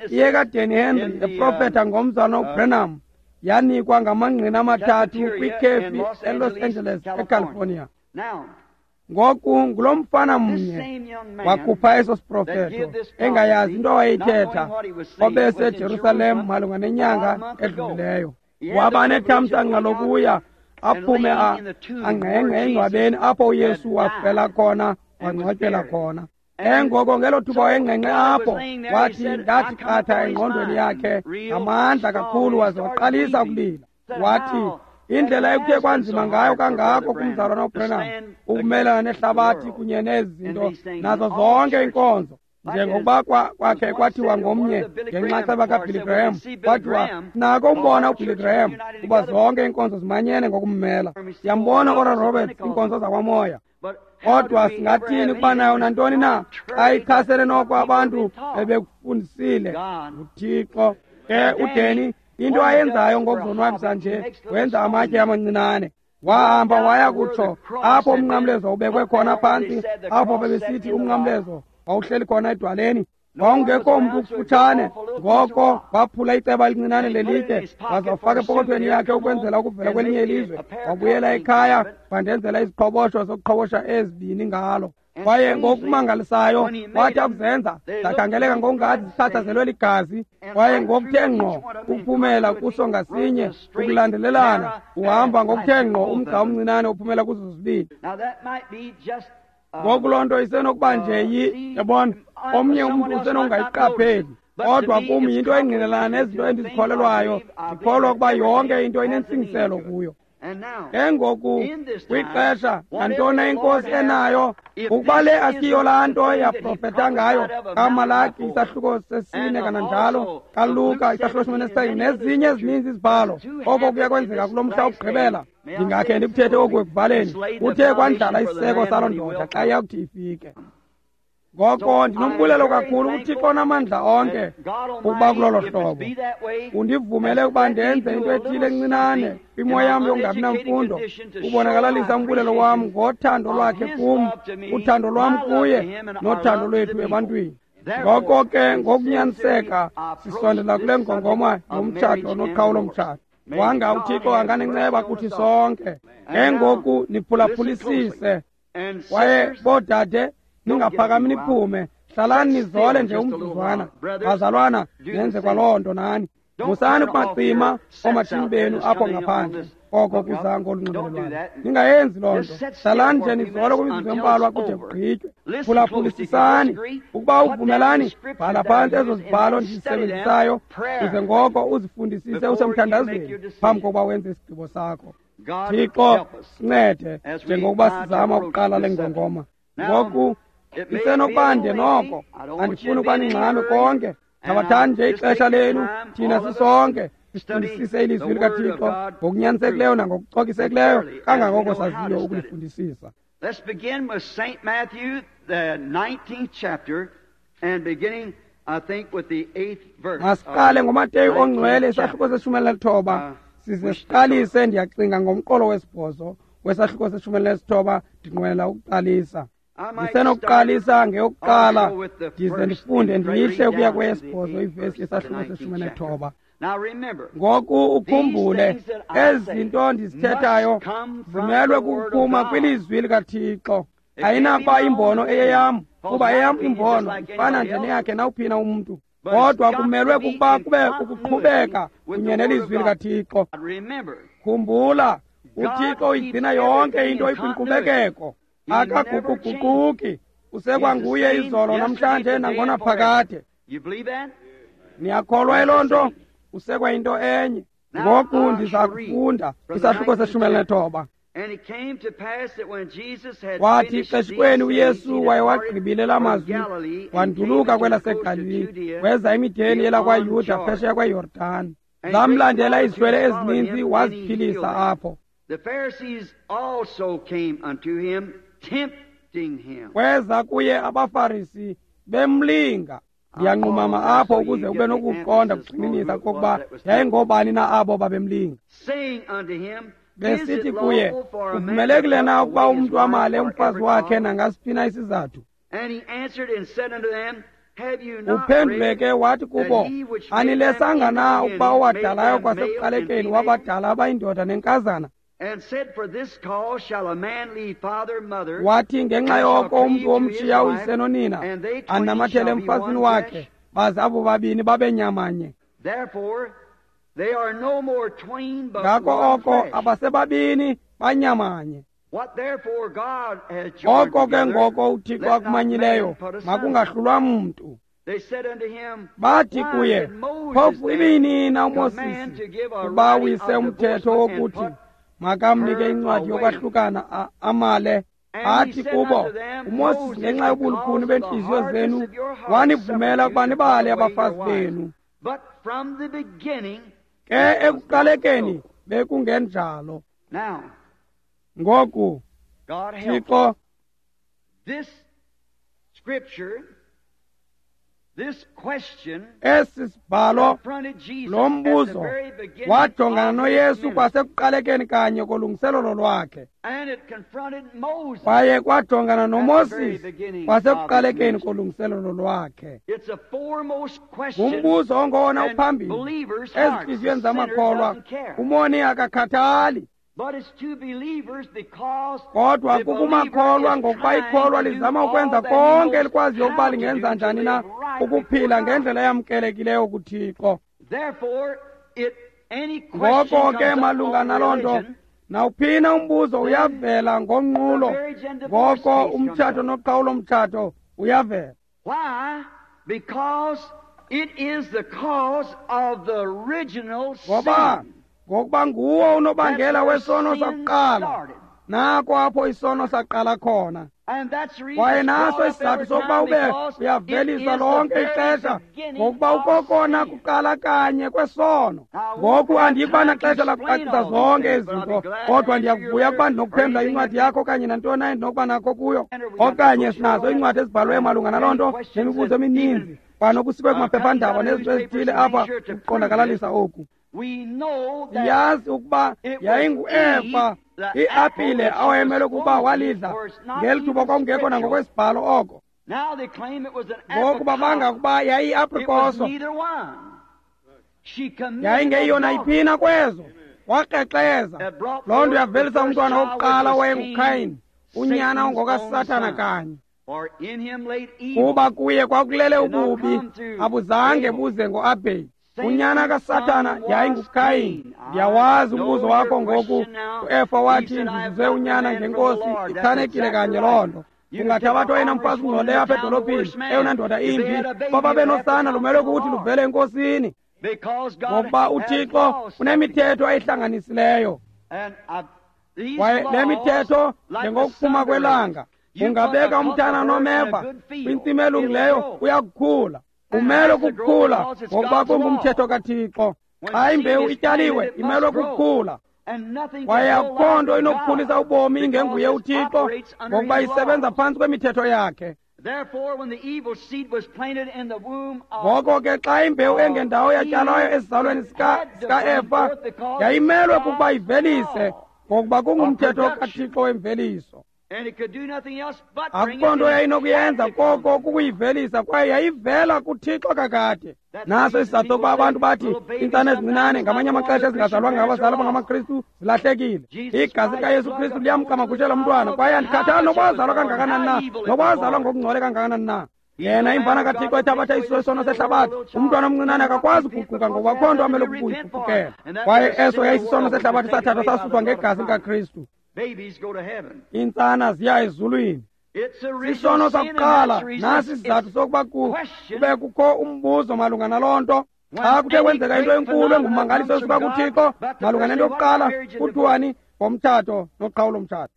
iyekaDanny Henry eprofetha ngomzana uBranham, yanikwa ngamangqina amathathu kwikhefi eLos Angeles eCalifornia. Ngoku ngulo mfana mnye wakhupha eso siprofeto engayazi into awayithetha, obeseJerusalem malunga nenyanga edlulileyo. Waba nethamsanqa lokuya aphume angqengqe engcwabeni apho uYesu wafela khona wangcwatyelwa khona. Engoko ngelo thuba wayengqengqe apho, wathi ndathi qatha engqondweni yakhe ngamandla kakhulu, waze waqalisa ukulila. Wathi indlela ekuthe kwanzima ngayo kangako kumzalwana uBranham ukumelana nehlabathi kunye nezi zinto nazo zonke iinkonzo, njengokuba kwakhe kwathiwa ngomnye ngenxaxheba kaBilly Graham, kwathiwa nako umbona uBilly Graham kuba zonke iinkonzo zimanyene ngokummela. Siyambona Oral Roberts, iinkonzo zakwamoya. Kodwa singathini ukuba nayo nantoni na xa ichasene noko abantu bebekufundisile nguThixo? Ke uDanny into ayenzayo ngokuzonwabisa nje, wenza amatye amancinane. Wahamba waya kutsho apho umnqamlezo ubekwe khona phantsi, apho bebesithi umnqamlezo wawuhleli khona edwaleni. Wawungekho mntu kufutshane, ngoko waphula iceba elincinane lelitye waze wafaka epokothweni yakhe ukwenzela ukuvela kwelinye ilizwe. Wabuyela ekhaya wandenzela iziqhobosho zokuqhobosha ezibini ngalo. Kwaye ngokumangalisayo wathi akuzenza zakhangeleka ngokungathi zichatshazelwe ligazi, kwaye ngokuthe ngqo ukuphumela kuso ngasinye ukulandelelana, uhamba ngokuthe ngqo umgca omncinane uphumela kuzo zozibini. Ngoku loo nto isenokuba nje yi, yabona, omnye umntu usenokungayiqapheli, kodwa kum yinto engqinelana nezinto endizikholelwayo. Ndikholwa ukuba yonke into inentsingiselo kuyo. Ke ngoku kwixesha nantoni inkosi enayo, ukuba le asiyo laa nto yaprofetha ngayo kaMalaki isahluko sesine, kananjalo kaLuka isahluko seshumi nesixhenxe nezinye ezininzi izibhalo, oko kuya kwenzeka kulo mhla wokugqibela. Ndingakhe ndikuthethe oku ekuvaleni, kuthe kwandlala isiseko saloo ndoda xa iyakuthi ifike. Ngoko ndinombulelo kakhulu kuThixo onamandla onke ukuba kulolo hlobo undivumele ukuba ndenze into ethile encinane kwimo yam yokungabi namfundo, ubonakalalisa umbulelo wam ngothando lwakhe kum, uthando lwam kuye, nothando lwethu ebantwini. Ngoko ke ngokunyaniseka sisondela kule ngongoma yomtshato noqhawulo-mtshato. Wanga uThixo anganenceba kuthi sonke. Ke ngoku niphulaphulisise, kwaye boodade ningaphakami niphume, hlalani nizole nje umzuzwana. Bazalwana, nenze kwaloo nto nani. Musani ukubacima oomatshini benu apho ngaphandle, oko kuza ngolunxibelelwano. Ningayenzi loo nto. Hlalani nje nizole kwimizuzu embalwa kude kugqitywe. Phulaphulisisani. Ukuba uvumelani, bhala phantsi ezo zibhalo ndizisebenzisayo, uze ngoko uzifundisise usemthandazweni phambi kokuba wenze isigqibo sakho. Thixo sincede njengokuba sizama ukuqala le ngongoma. Ngoku isenokuba nde noko, andifuni ukuba ningxame konke. Thabathani nje ixesha lenu, thina sisonke sifundisise ilizwi likaThixo ngokunyanisekileyo nangokucokisekileyo kangangoko saziyo ukulifundisisa.
Let's begin with Saint Matthew, the nineteenth chapter, and beginning, I think, with the eighth verse.
Masiqale ngoMateyu ongcwele isahluko seshumi elinesithoba, size siqalise ndiyacinga ngomqolo wesibhozo wesahluko seshumi elinesithoba. Ndinqwenela ukuqalisa. Ndisenokuqalisa ngeyokuqala ndize ndifunde ndiyihle ukuya kweyesibhozo ivesi yesahluko seshumi elinethoba. Ngoku ukhumbule, ezi zinto ndizithethayo zimelwe kukuphuma kwilizwi likaThixo. Ayinakuba imbono eyeyam, kuba eyam imbono ifana nje neyakhe nawuphina umntu, kodwa kumelwe kukuba kube kukuqhubeka kunye nelizwi likaThixo. Khumbula, uThixo uyigcina yonke into ikwinkqubekeko, akaguquguquki, Usekwanguye izolo namhlanje nangonaphakade. Niyakholwa yiloo nto? Usekwa into enye. Ngoku ndiza kufunda isahluko seshumi elinethoba. Kwathi xeshikweni uYesu wayewagqibile la mazwi, wanduluka kwelaseGalili, weza emideni yelakwaYuda phesheya kweYordani. Zamlandela izihlwele ezininzi, waziphilisa apho. Kweza kuye abaFarisi bemlinga. Ndiyanqumama apho ukuze ube nokuqonda kugxininisa kokuba yayingobani na abo babemlinga. Besithi kuye, kuvumelekile na ukuba umntu amale umfazi wakhe nangasiphi na isizathu? Uphendule ke wathi kubo, anilesanga na ukuba owadalayo kwasekuqalekeni wabadala abayindoda nenkazana? Wathi ngenxa yoko umntu womtshiya uyise nonina, anamathele emfazini wakhe, baze abo babini babe nyamanye. Ngako oko abasebabini banyamanye. Oko ke ngoko uThixo akumanyileyo makungahlulwa mntu. Bathi kuye, phofu ibiyinina uMosisi ukuba awise umthetho wokuthi makamnike incwadi yokwahlukana amale? Athi kubo, uMosisi ngenxa yobulukhuni beentliziyo zenu wanivumela ukuba nibale abafazi benu. Ke ekuqalekeni bekungenjalo. Ngoku, Thixo, esi sibhalo, lo mbuzo wajongana noYesu kwasekuqalekeni kanye kolungiselelo lwakhe, kwaye kwajongana noMoses kwasekuqalekeni kolungiselelo lwakhe. Ngumbuzo ongowona uphambili ezintliziyweni zamakholwa. Umoni akakhathali, kodwa kukumakholwa, ngokuba ikholwa lizama ukwenza konke elikwaziyo ukuba lingenza njani na ukuphila ngendlela eyamkelekileyo kuThixo. Ngoko ke malunga naloo nto, nawuphina umbuzo uyavela ngonqulo, ngoko umtshato noqhawulo-mtshato uyavela. Ngoba ngokuba nguwo unobangela wesono sakuqala. Nako apho isono saqala khona. Kwaye naso isizathu sokuba ube uyavelisa lonke ixesha, ngokuba ukokona kuqala kanye kwesono. Ngoku andiyikuba naxesha lakucacisa zonke ezi zinto, kodwa ndiyakuvuya ukuba ndinokuphendula incwadi yakho okanye nantoni na endinokuba nakho kuyo, okanye sinazo iincwadi ezibhalweyo malunga naloo nto nemibuzo emininzi, kwanokusikwe kumaphephandaba nezinto ezithile apha ukuqondakalalisa oku. Siyazi ukuba yayinguEva iapile awayemele ukuba walidla ngeli thuba kwakungekho nangokwesibhalo oko. Ngoku babanga ukuba yayiyiaprikoso, yayingeyona iphina kwezo. Wakrexeza. Loo nto yavelisa umntwana wokuqala owayenguKhayini, unyana ongokaSathana kanye. Kuba kuye kwakulele ububi, abuzange buze ngoAbheli. Unyana kaSathana yayinguKhayini. Ndiyawazi umbuzo wakho ngoku. UEfa wathi, ndizuze unyana ngenkosi. Ichanekile kanye loo nto. Ungathabatha oyena mfazi ungcolileyo apha edolophini, eyona ndoda imbi, baba benosana lumelwe kukuthi luvele enkosini, ngokuba uThixo unemithetho ayihlanganisileyo. Kwaye le mithetho, njengokuphuma kwelanga, ungabeka umntana nomeva kwintsimi elungileyo, uyakukhula. Umelwe kukukhula ngokuba kungumthetho kaThixo. Xa imbewu ityaliwe, imelwe kukukhula. Kwaye akukho nto inokukhulisa ubomi ingenguye uThixo, ngokuba isebenza phantsi kwemithetho yakhe. Ngoko ke xa imbewu engendawo yatyalwayo esizalweni sikaEfa, yayimelwe kukuba ivelise, ngokuba kungumthetho kaThixo wemveliso. Akukho nto yayinokuyenza koko kukuyivelisa, kwaye yayivela kuThixo kakade. Naso isizathu sokuba abantu bathi iintsana ezincinane ngamanye amaxesha ezingazalwanga ngabazali abangamaKristu zilahlekile. Igazi likaYesu Kristu liyamqamagushela umntwana, kwaye andikhathali noba wazalwa kangakanani na, noba wazalwa ngokungcole kangakanani na. Yena imvana kaThixo ethabatha isono sehlabathi, umntwana omncinane akakwazi ukuguquka ngoba akukho nto amele ukuyiguqukela. Kwaye eso yayisisono sehlabathi sathathwa sasuswa ngegazi likaKristu. Iintsana ziya ezulwini. Sisono sakuqala, nasi isizathu sokuba kube kukho umbuzo malunga naloo nto. Xa kuthe kwenzeka into enkulu engummangaliso esuka kuThixo malunga nento yokuqala, kuthiwani ngomtshato noqhawulo-mtshato?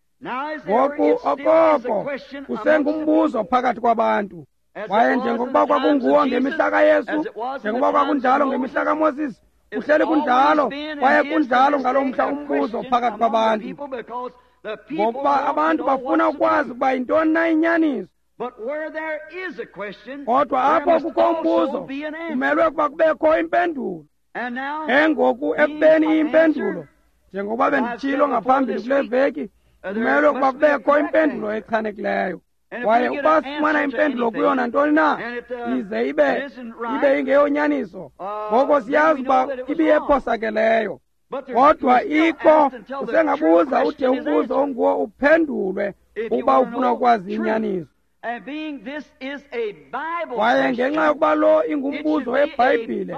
Ngoku okoko kusengumbuzo phakathi kwabantu. Kwaye njengokuba kwakunguwo ngemihla kaYesu, njengokuba kwakunjalo ngemihla kaMoses, kuhleli kunjalo, kwaye kunjalo ngalo mhla umbuzo phakathi kwabantu, ngokuba abantu bafuna ukwazi ukuba yintoni na inyaniso. Kodwa apho kukho umbuzo, kumelwe ukuba kubekho impendulo. Engoku ekubeni iyimpendulo, njengokuba benditshilo ngaphambili kule veki, kumelwe ukuba kubekho impendulo echanekileyo. Kwaye ukuba sifumana impendulo kuyo nantoni na, ize ibe ibe ingeyonyaniso, ngoko siyazi uba ibiyephosakeleyo. Kodwa ikho usengabuza ude umbuzo onguwo uphendulwe ukuba ufuna ukwazi inyaniso. Kwaye ngenxa yokuba lo ingumbuzo weBhayibhile,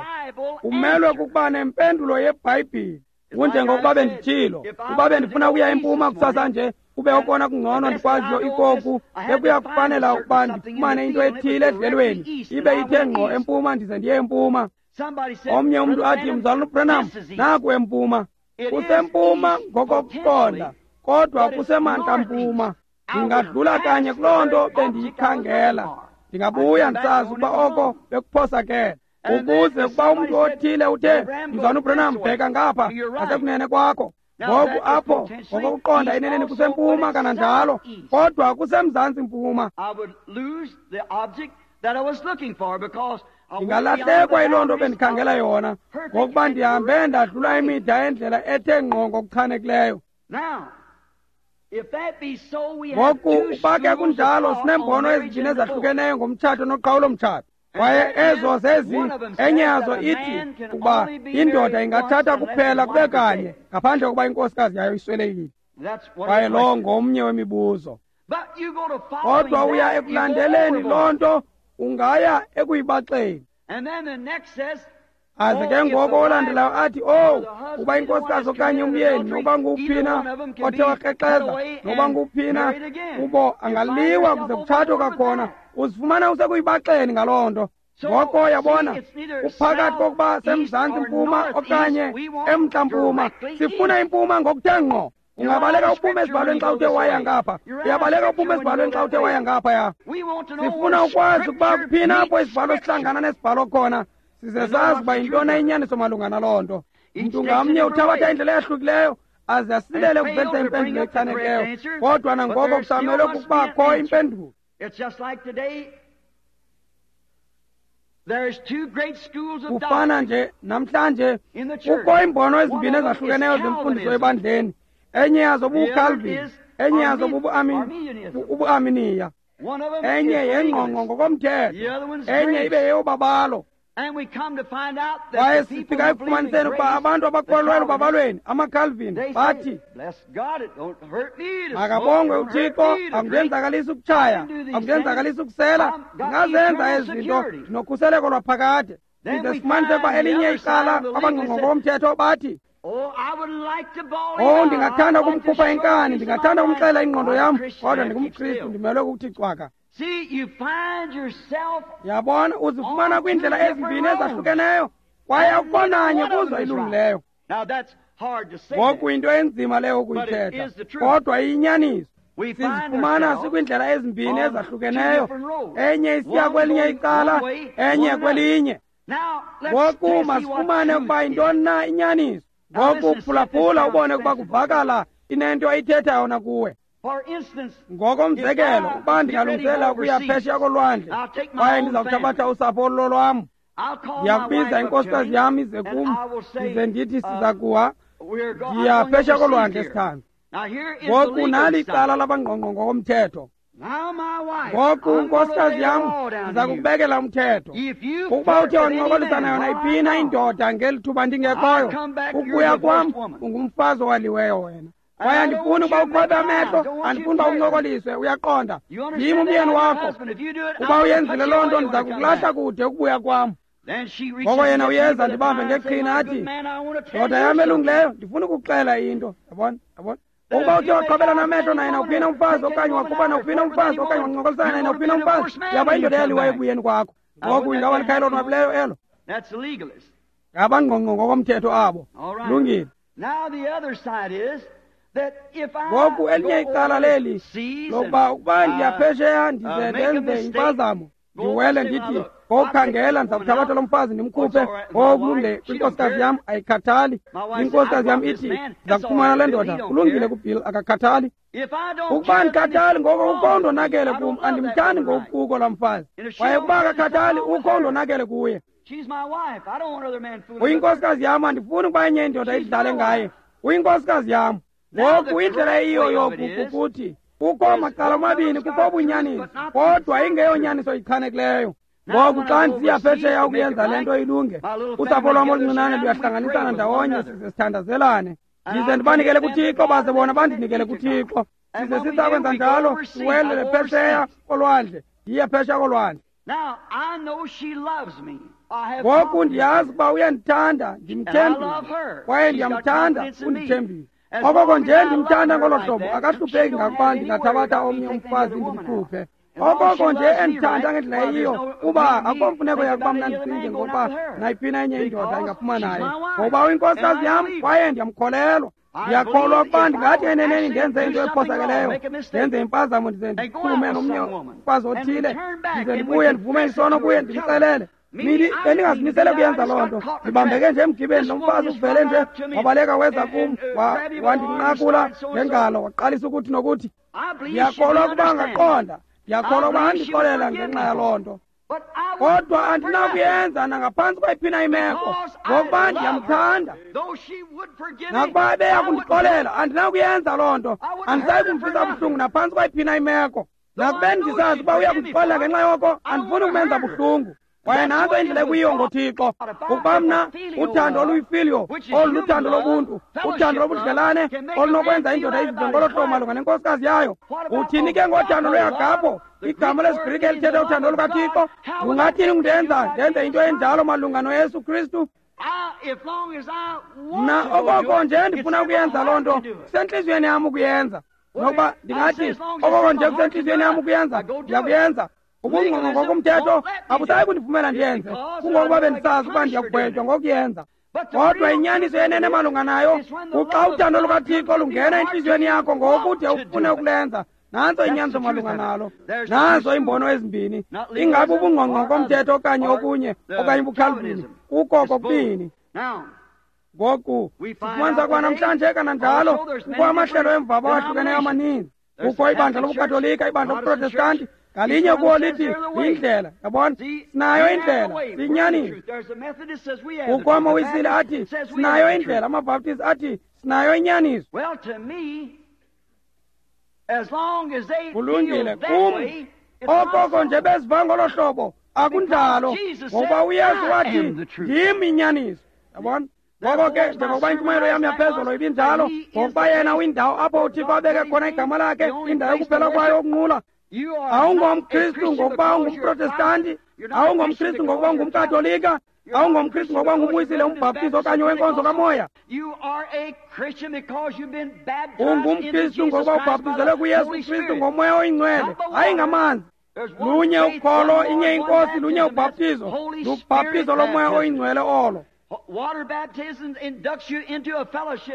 umelwe kukuba nempendulo yeBhayibhile. Kunjengokuba benditshilo, ukuba bendifuna ukuya empuma kusasa nje, kube okona kungcono ndikwaziyo ikoku, bekuya kufanela ukuba ndifumane into ethile edlelweni, ibe ithe ngqo empuma, ndize ndiye empuma. Omnye umntu athi, Mzalwana uBranham, naku empuma. Kusempuma ngokokuqonda, kodwa kusemantla mpuma. Ndingadlula kanye kuloo nto bendiyikhangela, ndingabuya ndisazi ukuba oko bekuphosakele. Ukuze ukuba umntu othile uthe, Mzalwana uBranham, bheka ngapha ngasekunene kwakho. Ngoku apho ngokokuqonda eneneni kusempuma kananjalo, kodwa kusemzantsi mpuma. Ndingalahlekwa yiloo nto bendikhangela yona, ngokuba ndihambe ndadlula imida yendlela ethe ngqo ngokuchanekileyo. Ngoku uba ke kunjalo, sineembono ezibini ezahlukeneyo ngomtshato noqhawulo-mtshato. Kwaye ezo zezi, enye yazo ithi ukuba indoda ingathatha kuphela kube kanye ngaphandle kokuba inkosikazi yayo iswelekile. Kwaye lowo ngomnye wemibuzo. Kodwa uya ekulandeleni loo nto, ungaya ekuyibaxeni. Aze ke ngoko olandelayo athi, owu, uba inkosikazi okanye umyeni, nokuba nguwuphina othe wakrexeza, nokuba nguwuphina kubo angaliwa kuze kutshatwe kwakhona, uzifumana usekuyibaxeni ngaloo nto. Ngoko yabona, uphakathi kokuba semzantsi mpuma okanye emntla mpuma, sifuna impuma ngokuthe ngqo. Ungabaleka uphume esibhalweni xa uthe waya ngapha, uyabaleka uphume esibhalweni xa uthe waya ngapha ya. Sifuna ukwazi ukuba kuphina apho isibhalo sihlangana nesibhalo khona, size sazi uba yintoni inyaniso malunga naloo nto. Mntu ngamnye uthabatha indlela eyahlukileyo aze asilele ukuvelisa impendulo echanekileyo, kodwa nangoko kusamelwe kukubakho impendulo. Kufana nje namhlanje kukho iimbono ezimbini ezahlukeneyo zemfundiso ebandleni. Enye yazo bubuCalvin, enye yazo bubuArminiya, enye yengqongqo ngokomthetho, enye ibe yeyobabalo. Kwaye sifika ekufumaniseni ukuba abantu abakholelwa elubabalweni, amaCalvin, bathi, makabongwe uThixo, akundenzakalisi ukutshaya, akundenzakalisi ukusela, ndingazenza ezi zinto, ndinokhuseleko lwaphakade. Size sifumanise ukuba elinye icala abangqongqo ngokomthetho bathi, oh, ndingathanda ukumkhupha inkani, ndingathanda ukumxelela ingqondo yam, kodwa ndingumKristu, ndimelwe kukuthi cwaka. Yabona, uzifumana kwiindlela ezimbini ezahlukeneyo, kwaye akukho nanye kuzo ilungileyo. Ngoku into enzima leyo ukuyithetha, kodwa iyinyaniso. Sizifumana sikwiindlela ezimbini ezahlukeneyo, enye isiya kwelinye icala, enye kwelinye. Ngoku masifumane ukuba yintoni na inyaniso. Ngoku phulaphula ubone ukuba kuvakala inento ayithethayo na kuwe. Ngokomzekelo, ukuba ndingalungisela ukuya phesheya kolwandle, kwaye ndiza kuthabatha usapho olulolwam, ndiyakubiza inkosikazi yam ize kum, ndize ndithi siza kuwa, ndiya phesheya kolwandle sithando. Ngoku nali icala labangqongqo ngokomthetho. Ngoku nkosikazi yam, ndiza kukubekela umthetho. Ukuba uthe wancokolisana yona iphina indoda ngeli thuba ndingekhoyo, ukubuya kwam ungumfazi owaliweyo wena. Kwaye andifuni uba uqhwabe amehlo, andifuni uba uncokoliswe, uyaqonda. Ndim umyeni wakho. Uba uyenzile loo nto, ndiza kukulahla kude ukubuya kwam. Ngoko yena uyeza ndibambe ngeqhina athi, ndoda yam elungileyo, ndifuna ukukuxela into. Yabona, yabona. Ukuba uthe waqabelana amehlo naye nawuphina umfazi okanye wakhupha nawuphina umfazi okanye wancokolisana naye nawuphina umfazi, yaba indoda eyaliweyo ekubuyeni kwakho. Ngoku ingaba likhaya elonwabileyo elo? Ngabangqongqo ngokomthetho abo. Lungile. Ngoku elinye icala leli lokuba ukuba ndiyaphesheya ndize ndenze impazamo, ndiwele ndithi ngokukhangela ndiza kuthabatha lo mfazi ndimkhuphe, ngokulungile kwinkosikazi yam ayikhathali. Inkosikazi yam ithi ndiza kufumana le ndoda, kulungile kuBill, akakhathali. Ukuba andikhathali ngoko ukho undonakele kum, andimthandi ngokukuko laa mfazi. Kwaye ukuba akakhathali ukho undonakele kuye. Uyinkosikazi yam, andifuni ukuba enye indoda idlale ngaye. Uyinkosikazi yam. Ngoku indlela eyiyo yoku kukuthi kukho macala omabini, kukho ubunyaniso, kodwa ingeyonyaniso ichanekileyo. Ngoku xa ndisiya phesheya ukuyenza le nto ilunge, usapho lwam oluncinane luyahlanganisana ndawonye size sithandazelane. Ndize ndibanikele kuThixo, baze bona bandinikele kuThixo. Size sisakwenza njalo, siwelele phesheya kolwandle, ndiye phesheya kolwandle. Ngoku ndiyazi ukuba uyandithanda, ndimthembile, kwaye ndiyamthanda, undithembile. Okoko nje ndimthanda ngolo hlobo, akahlupheki ngakuba ndingathabatha omnye umfazi ndimkhuphe. Okoko nje endithanda ngendlela eyiyo, kuba akukho mfuneko yakuba mna ndicinge ngokuba nayiphina enye indoda ingaphuma naye, ngokuba uyinkosikazi yam kwaye ndiyamkholelwa. Ndiyakholwa ukuba ndingathi eneneni ndenze into ephosakeleyo, ndenze impazamo, ndize ndiphume nomnye umfazi othile, ndize ndibuye ndivume isono kuye ndimxelele. Bendingazimisele kuyenza loo nto, ndibambeke nje emgibeni. Lo mfazi uvele nje wabaleka weza kum, wandinqakula ngengalo, waqalisa ukuthi nokuthi. Ndiyakholwa ukuba angaqonda, ndiyakholwa ukuba andixolela ngenxa yaloo nto, kodwa andinakuyenza nangaphantsi kwayiphina imeko, ngokuba ndiyamthanda. Nakuba ebeya kundixolela, andinakuyenza loo nto, andisayi kumvisa buhlungu naphantsi kwayiphina imeko. Nakubeni ndisazi uba uya kundixolela ngenxa yoko, andifuni kumenza buhlungu. Kwaye nantso indlela ekuyiyo ngoThixo, ukuba mna uthando oluyifiliyo, olu luthando lobuntu, uthando lobudlelane olunokwenza indoda izive ngolo hlobo malunga nenkosikazi yayo. Uthini ke ngothando lweagapho, igama lesiGrike elithetha uthando lukaThixo? Ungathini undenza ndenze into enjalo malunga noYesu Kristu? Mna okoko nje ndifuna ukuyenza loo nto, kusentliziyweni yam ukuyenza. Nokuba ndingathi okoko nje kusentliziyweni yam ukuyenza, ndiyakuyenza. Ubungqongqo ngokomthetho abusayi kundivumela ndiyenze, kungokuba bendisazi ukuba ndiyakugwetywa ngokuyenza. Kodwa inyaniso yenene malunga nayo kuxa uthando lukaThixo lungena entliziyweni yakho ngokude ufune ukulenza. Nantso inyaniso malunga nalo. Nazo iimbono ezimbini, ingabe ubungqongqo komthetho okanye okunye okanye ubuKalvini, kukho kokubini. Ngoku sifumanisa kwa namhlanje kananjalo kukho amahlelo emvaba awahlukeneyo amaninzi. Kukho ibandla lobuKatolika, ibandla lobuProtestanti, ngalinye kuwo lithi yindlela. Yabona, sinayo indlela, siyinyaniso. Kukho amaWisile athi sinayo indlela, amaBaptist athi sinayo inyaniso. Kulungile kum, okoko nje beziva ngolo hlobo, akunjalo, ngokuba uYesu wathi ndim inyaniso. Yabona? Ngoko ke njengokuba intshumayelo yam yaphezolo ibinjalo, ngokuba yena uyindawo apho uThixo abeke khona igama lakhe, indawo yokuphela kwayo yokunqula. AwungomKristu ngokuba ungumProtestanti, awungomKristu ngokuba ungumKatolika, awungomKristu ngokuba ungumWisile, umbhaptizi okanye wenkonzo kamoya. UngumKristu ngokuba ubhaptizelwe kuYesu Kristu ngoMoya oyiNgcwele, hayi ngamanzi. Lunye ukholo, inye inkosi, lunye ubhaptizo, lubhaptizo loMoya oyiNgcwele olo.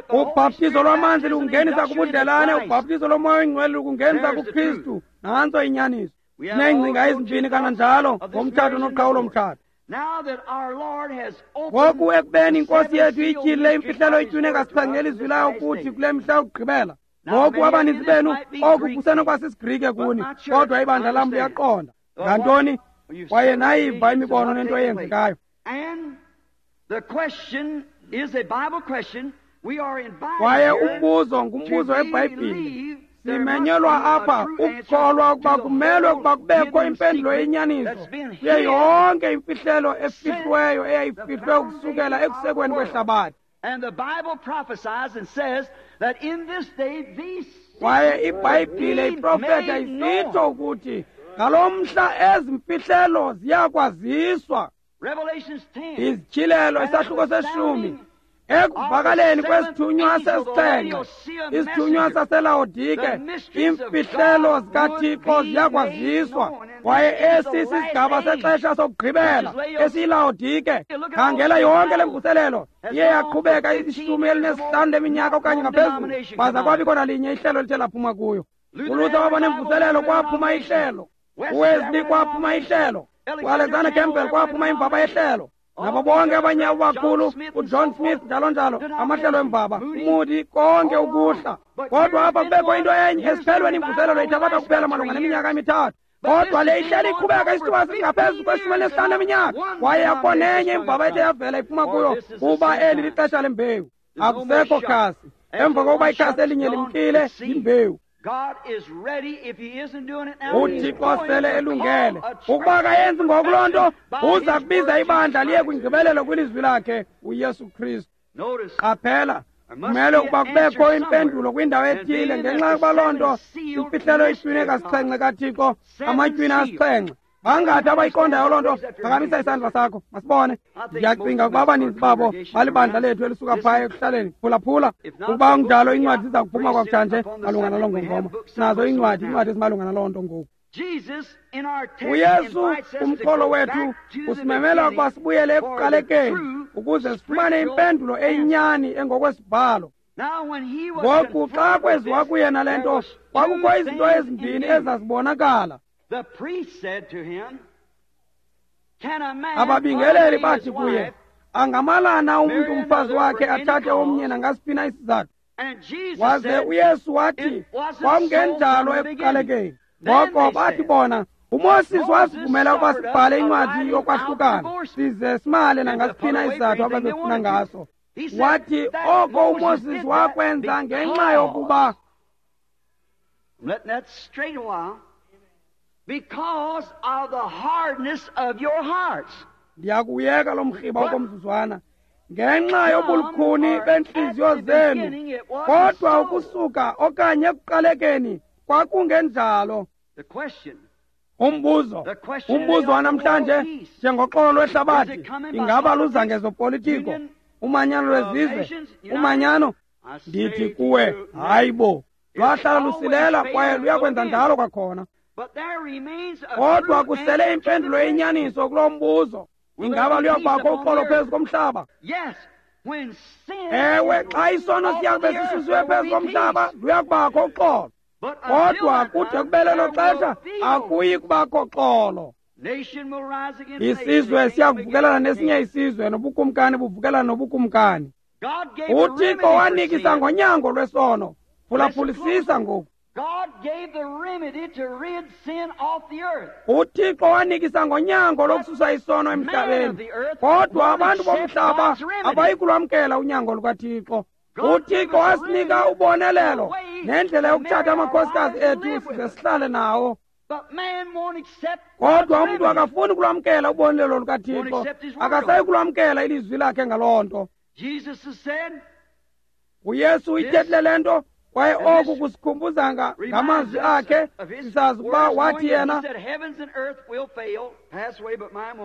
Ubhaptizo lwamanzi lukungenisa kubudlelane, ubhaptizo loMoya oyiNgcwele lukungenisa kuKristu. Nantso inyaniso. Sineengcinga ezimbini kananjalo ngomtshato noqhawulo mtshato. Ngoku ekubeni inkosi yethu ityhilile imfihlelo itywine kasixhenxe elizwi layo kuthi kule mihla yokugqibela. Ngoku abaninzi benu oku kusenokwasisiGrike kuni, kodwa ibandla lam liyaqonda ngantoni, kwaye nayiva imibono nento eyenzekayo. Kwaye umbuzo ngumbuzo weBhayibhile. Simenyelwa apha ukukholwa ukuba kumelwe ukuba kubekho impendulo yenyaniso kuyo yonke imfihlelo efihliweyo eyayifihlwe ukusukela ekusekweni kwehlabathi. Kwaye iBhayibhile iprofetha isitsho ukuthi ngalo mhla ezi mfihlelo ziyakwaziswa. Izityhilelo isahluko seshumi Ekuvakaleni kwesithunywa sesixhenxe, isithunywa saseLawodike, iimfihlelo zikaThixo ziyakwaziswa. Kwaye esi sisigaba sexesha sokugqibela esiyiLawodike. Khangela yonke le mvuselelo iye yaqhubeka ishumi elinesihlanu leminyaka okanye ngaphezulu, kwaza kwabikho nalinye ihlelo elithe laphuma kuyo. ULuther waba nemvuselelo, kwaphuma ihlelo. UWesley kwaphuma ihlelo. UAlexander Campbell kwaphuma imvaba yehlelo. Nabo bonke abanye abakhulu, uJohn Smith njalo njalo, amahlelo emvaba, uMoody, konke ukuhla. Kodwa apha kubekho into enye esiphelweni, imvuselelo ithabatha kuphela malunga neminyaka emithathu. Kodwa le ihleli iqhubeka isithuba singaphezu kweshumi elinesihlanu leminyaka, kwaye akukho nenye imvaba ethe yavela iphuma kuyo, kuba eli lixesha lembewu. Akusekho khasi. Emva kokuba ikhasi elinye limkile, yimbewu. UThixo sele elungele. Ukuba akayenzi ngoku loo nto, uza kubiza ibandla liye kwingqibelelo kwilizwi lakhe, uYesu Kristu. Qaphela, kumele ukuba kubekho impendulo kwindawo ethile, ngenxa yokuba loo nto imfihlelo itywine kasixhenxe kaThixo, amatywina asixhenxe. Bangathi abayiqondayo loo nto, phakamisa isandla sakho, masibone. Ndiyacinga ukuba abaninzi babo balibandla lethu elisuka phaya ekuhlaleni. Phulaphula, ukuba kunjalo iincwadi ziza kuphuma kwakutshanje malunga naloo ngongoma. Sinazo iincwadi, iincwadi ezimalunga naloo nto ngoku. UYesu, umxholo wethu, usimemela ukuba sibuyele ekuqalekeni ukuze sifumane impendulo eyinyani engokwesibhalo. Ngoku xa kweziwa kuye nale nto, kwakukho izinto ezimbini ezazibonakala. Ababingeleli bathi kuye, angamalana umntu umfazi wakhe athathe omnye nangasiphi na isizathu? Waze uYesu wathi, kwakungenjalo ekuqalekeni. Ngoko bathi bona, uMoses wasivumela ukuba sibhale incwadi yokwahlukana, size simale nangasiphi na isizathu ababefuna ngaso. Wathi oko uMoses wakwenza ngenxa yokuba
because of the hardness of your hearts.
Ndiyakuyeka lo mrhiba okomzuzwana, ngenxa yobulukhuni bentliziyo zenu. Kodwa ukusuka okanye ekuqalekeni kwakungenjalo. Umbuzo, umbuzo wanamhlanje, njengoxolo lwehlabathi, ingaba luza ngezopolitiko, umanyano lwezizwe, umanyano? Ndithi kuwe, hayi bo, lwahlala lusilela kwaye luyakwenza njalo kwakhona. Kodwa kusele impendulo eyinyaniso kulo mbuzo. Ingaba luyakubakho uxolo phezu komhlaba? Ewe, xa isono siyakube sisusiwe phezu komhlaba, luyakubakho uxolo. Kodwa kude kube lelo xesha, akuyi kubakho xolo. Isizwe siyakuvukelana nesinye isizwe, nobukumkani buvukelana nobukumkani. UThixo wanikisa ngonyango lwesono. Phulaphulisisa ngoku. UThixo wanikisa ngonyango lokususa isono emhlabeni, kodwa abantu bomhlaba abayi kulwamkela unyango lukaThixo. UThixo wasinika ubonelelo nendlela yokuthatha amakhosikazi ethu size sihlale nawo, kodwa umntu akafuni kulwamkela ubonelelo lukaThixo, akasayi kulwamkela ilizwi lakhe ngaloo nto. UYesu uyithethile le nto, kwaye oku kusikhumbuza ngamazwi akhe. Sisazi ukuba wathi yena,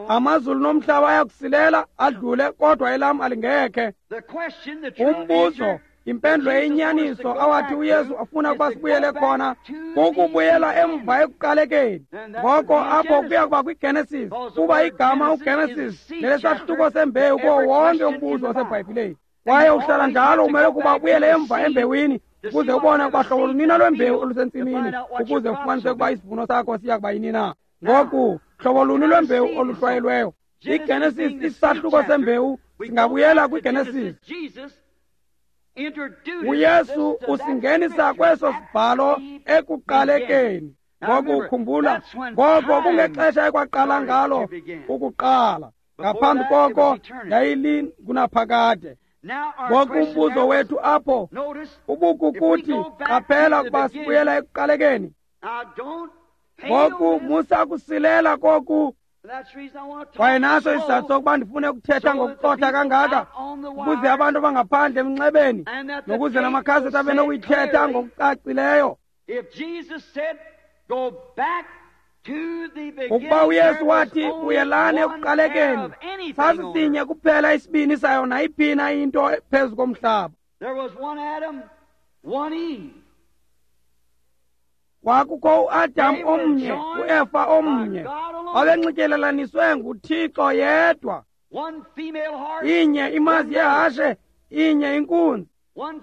amazulu nomhlaba ayakusilela adlule, kodwa elam alingekhe. Umbuzo, impendulo eyinyaniso awathi uYesu afuna ukuba sibuyele khona kukubuyela emva ekuqalekeni. Ngoko apho kuya kuba kwiGenesis, kuba igama uGenesis lelesahluko sembewu kuwo wonke umbuzo waseBhayibhileni. Kwaye uhlala njalo umele ukuba ubuyele emva embewini, ukuze ubone ukuba hlobo lunina lwembewu olusentsimini, ukuze ufumanise ukuba isivuno sakho siya kuba yini na. Ngoku, hlobo luni lwembewu oluhlwayelweyo? IGenesis, isahluko sembewu, singabuyela kwiGenesis. UYesu usingenisa kweso sibhalo ekuqalekeni. Ngoku khumbula, ngoko kungexesha ekwaqala ngalo ukuqala. Ngaphambi koko yayilingunaphakade. Ngoku umbuzo wethu apho ubukukuthi, qaphela ukuba sibuyela ekuqalekeni. Ngoku musa kusilela koku. Kwaye naso isizathu sokuba ndifune ukuthetha ngokuxotha kangaka, ukuze abantu abangaphandle emnxebeni nokuze namakhaseti abe nokuyithetha ngokucacileyo. Ukuba uYesu wathi buyelani ekuqalekeni, sasisinye kuphela isibini sayo nayiphina into phezu komhlaba. Kwakukho uAdam omnye, uEfa omnye, babenxityelelaniswe nguThixo yedwa. Inye imazi yehashe, inye inkunzi.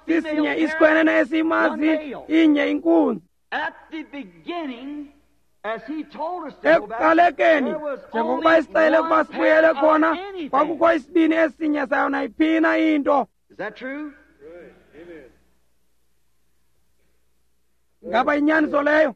Sisinye isikhwenene esiyimazi, inye inkunzi. Ekuqalekeni, njengokuba isixele ukuba sibuyele khona, kwakukho isibini esinye sayo nayiphina into. Ngaba inyaniso leyo?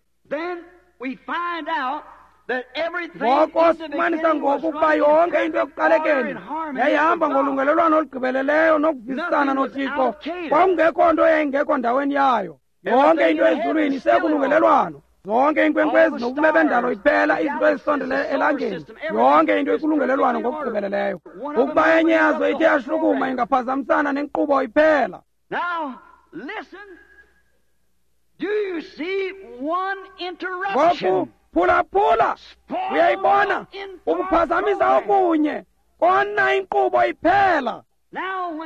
Ngoko sifumanisa ngoku ukuba yonke into ekuqalekeni yayihamba ngolungelelwano olugqibeleleyo nokuvisisana noThixo. Kwakungekho nto yayingekho ndaweni yayo. Yonke into ezulwini isekulungelelwano. Zonke iinkwenkwezi nobume bendalo iphela, izinto ezisondele elangeni, yonke into ikulungelelwano ngokugqibeleleyo. Ukuba enye yazo ithe yashukuma ingaphazamisana nenkqubo iphela. Ngoku phulaphula, uyayibona ukuphazamisa okunye kona inkqubo iphela.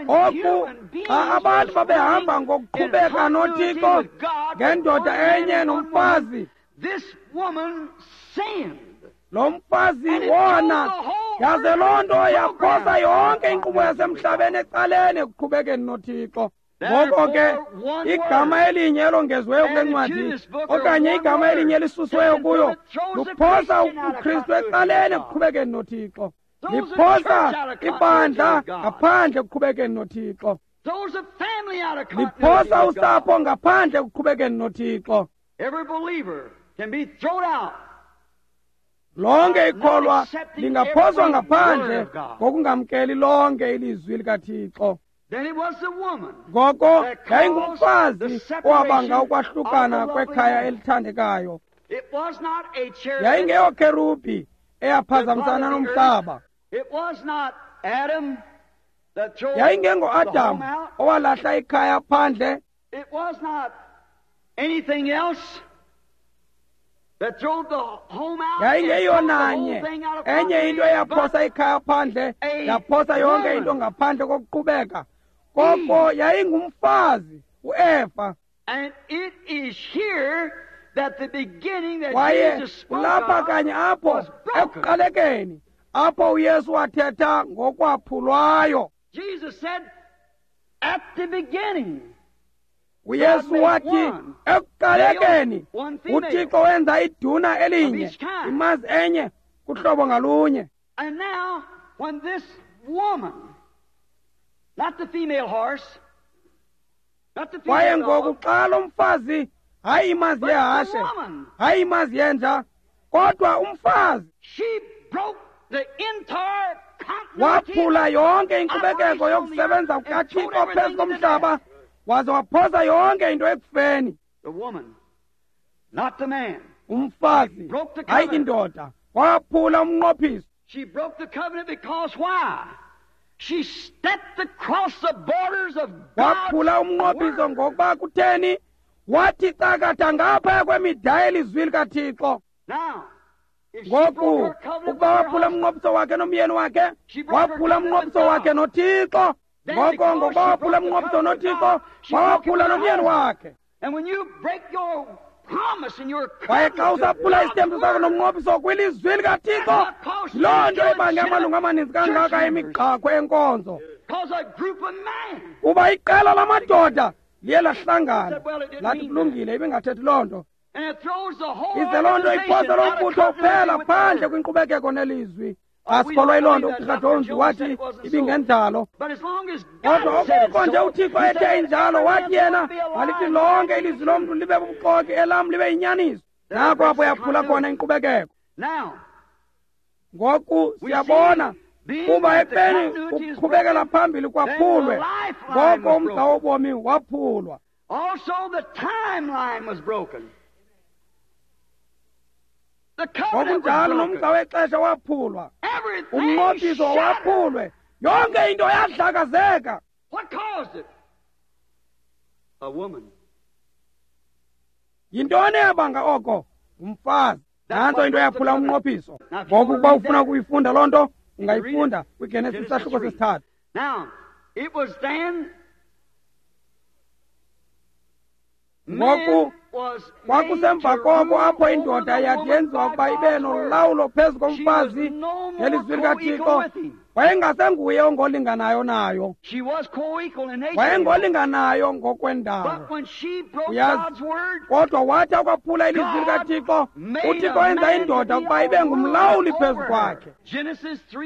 Oku xa abantu babehamba ngokuqhubeka noThixo ngendoda enye nomfazi, lo mfazi wona, yaze loo nto yaphosa yonke inkqubo yasemhlabeni ecaleni ekuqhubekeni noThixo. Ngoko ke igama elinye elongeziweyo kule ncwadi okanye igama elinye elisusiweyo kuyo luphosa uKristu ecaleni ekuqhubekeni noThixo. Liphosa ibandla ngaphandle ekuqhubekeni noThixo. Liphosa usapho ngaphandle ekuqhubekeni noThixo. Lonke ikholwa lingaphoswa ngaphandle ngokungamkeli lonke ilizwi likaThixo. Ngoko yayingumfazi owabanga ukwahlukana kwekhaya elithandekayo. Yayingeyokherubhi eyaphazamisana nomhlaba. Yayingengo-Adam owalahla ikhaya phandle. Yayingeyiyo nanye enye into eyaphosa ikhaya phandle, yaphosa yonke into ngaphandle kokuqhubeka. Koko yayingumfazi uEfa. Kwaye kulapha kanye apho ekuqalekeni apho uYesu wathetha ngokwaphulwayo. uYesu wathi ekuqalekeni uThixo wenza iduna elinye, imazi enye kuhlobo ngalunye. Kwaye ngoku xa lo mfazi, hayi imazi yehashe, hayi imazi yenja, kodwa umfazi waphula yonke inkqubekeko yokusebenza kukaThixo phezu komhlaba, waze waphosa yonke into ekufeni. Umfazi, hayi indoda, waphula umnqophiso. Waphula umnqophiso ngokuba kutheni? Wathi cakatha ngaphaya kwemida yelizwi likaThixo. Ngoku ukuba waphula umnqophiso wakhe nomyeni wakhe, waphula umnqophiso wakhe noThixo. Ngoko ngokuba waphula umnqophiso noThixo, waphula nomyeni wakhe. Kwaye xa usaphula isithembiso sakho nomnqophiso kwilizwi likaThixo, loo nto ibange amalungu amaninzi kangaka emigqakhwe enkonzo. Kuba iqela lamadoda liye lahlangana lathi kulungile, ibingathethi loo nto. Ize loo nto iphosa loo mbutho uphela phandle kwinkqubekeko nelizwi. Asikholwa yiloo nto. UGqirha Jones wathi ibingenjalo, kodwa okukho nje uThixo ethe injalo, wathi yena malithi lonke ilizwi lomntu libe bubuxoki, elam libe yinyaniso. Nako apho yaphula khona inkqubekeko. Ngoku siyabona kuba ekubeni ukuqhubekela phambili kwaphulwe, ngoko umgca wobomi waphulwa. Ngokunjalo nomgca wexesha waphulwa, umnqophiso waphulwe, yonke into yadlakazeka. Yintoni eyabanga oko? Umfazi. Nantso into eyaphula umnqophiso. Ngoku ukuba ufuna ukuyifunda loo nto, ungayifunda kwiGenesis isahluko sesithathu. Ngoku kwakusemva koko apho indoda yathi yenziwa ukuba ibe nolawulo phezu komfazi ngelizwi likaThixo. Wayengasenguye ongolinganayo nayo, wayengolinganayo ngokwendalo, uyazi. Kodwa wathi akwaphula ilizwi likaThixo, uThixo wenza indoda ukuba ibe ngumlawuli phezu kwakhe.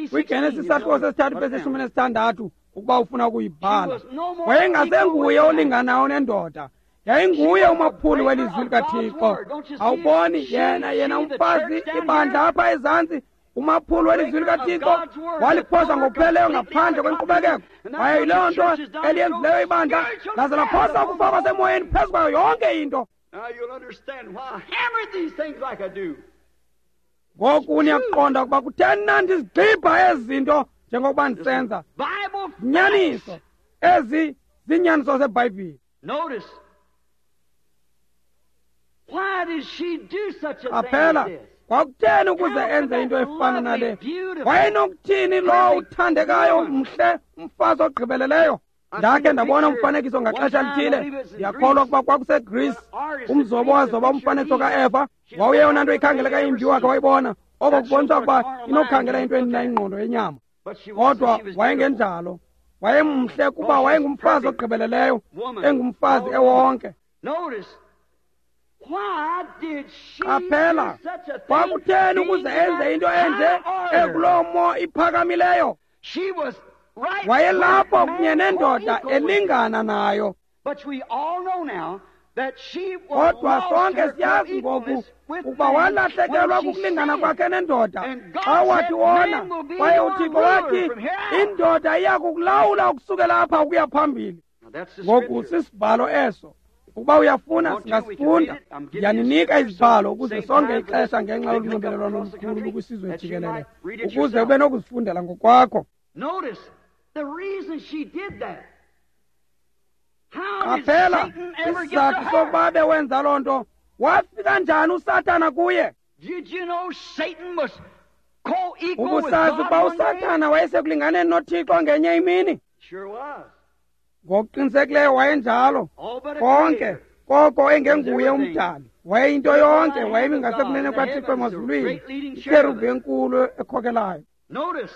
KwiGenesis isahluko sesithathu vesi ishumi nesithandathu, ukuba ufuna ukuyibhala, wayengasenguye olinganayo nendoda, yayinguye umaphuli welizwi likaThixo. Awuboni yena yena umfazi ibandla apha ezantsi, umaphuli welizwi likaThixo waliphosa ngokupheleleyo ngaphandle kwenkqubekeko. Kwaye yiloo nto eliyenzileyo ibandla, laze laphosa ukufa kwasemoyeni phezu kwayo yonke into. Ngoku niyakuqonda ukuba kutheni na ndizigxibha ezi zinto njengokuba ndisenza. Nyaniso ezi ziinyaniso zeBhayibhile. Qaphela, kwakutheni ukuze enze into efana nale? Wayenokuthini lowo uthandekayo mhle umfazi ogqibeleleyo? Ndakhe ndabona umfanekiso ngaxesha lithile, ndiyakholwa ukuba kwakuseGreece, umzobo wazoba umfanekiso kaEva. Wawuyeyona nto ikhangeleka imbi wakhe wayibona, oko kubonisa ukuba inokukhangela into endina ingqondo yenyama. Kodwa wayengenjalo, wayemhle kuba wayengumfazi ogqibeleleyo, engumfazi ewonke. Qaphela, kwakutheni ukuze enze into enje ekuloo mo iphakamileyo? Wayelapho kunye nendoda elingana nayo. Kodwa sonke siyazi ngoku ukuba walahlekelwa kukulingana kwakhe nendoda xa wathi wona, kwaye uThixo wathi indoda iya kukulawula ukusukela apha ukuya phambili. Ngoku sisibhalo eso. Ukuba uyafuna singasifunda. Ndiyaninika izibhalo ukuze sonke ixesha ngenxa yolunxibelelwano olukhulu lukwisizwe jikelele, ukuze ube nokuzifundela ngokwakho. Qaphela isizathu sokuba abe wenza loo nto. Wafika njani uSathana kuye? Ubusazi ukuba uSathana wayesekulinganeni noThixo ngenye imini? Ngokuqinisekileyo wayenjalo. Konke koko engenguye umdali, wayeyinto yonke, wayemi ngasekunene kwaThixo emazulwini, ikerubhi enkulu ekhokelayo.
Notice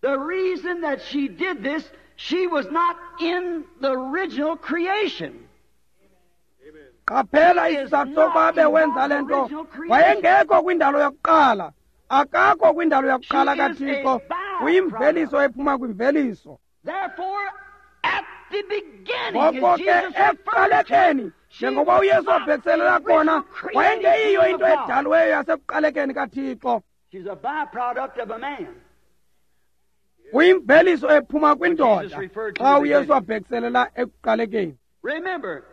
the reason that she did this, she was not in the original creation.
Qaphela isizathu sokuba abe wenza le nto, wayengekho kwindalo yokuqala, akakho kwindalo yokuqala kaThixo, uyimveliso ephuma kwimveliso.
Therefore, at the beginning,
ngoko ke ekuqalekeni, njengoba uYesu wabhekiselela khona, wayengeyiyo into edaliweyo yasekuqalekeni kaThixo.
She's a byproduct of a man.
Uyimveliso ephuma kwindoda xa uYesu wabhekiselela ekuqalekeni.
Remember,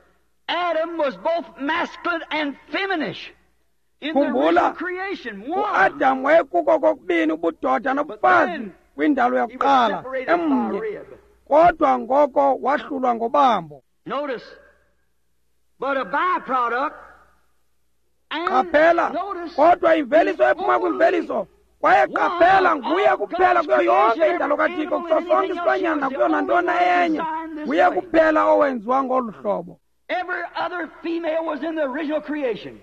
Adam was both masculine and feminine in the
Khumbula,
original creation. One,
uAdam wayekuko kokubini ubudoda nobufazi kwindalo
he was
yokuqala
separated by a
emnye,
rib.
kodwa ngoko wahlulwa ngobambo.
Notice, but a byproduct. And
Qaphela,
notice,
kodwa imveliso ephuma
only
kwimveliso, kwaye qaphela nguye kuphela kuyo yonke indalo kaThixo, kuso sonke isilwanyana nakuyo nantoni enye, nguye kuphela owenziwa ngolu hlobo.
Every other female was in the original creation.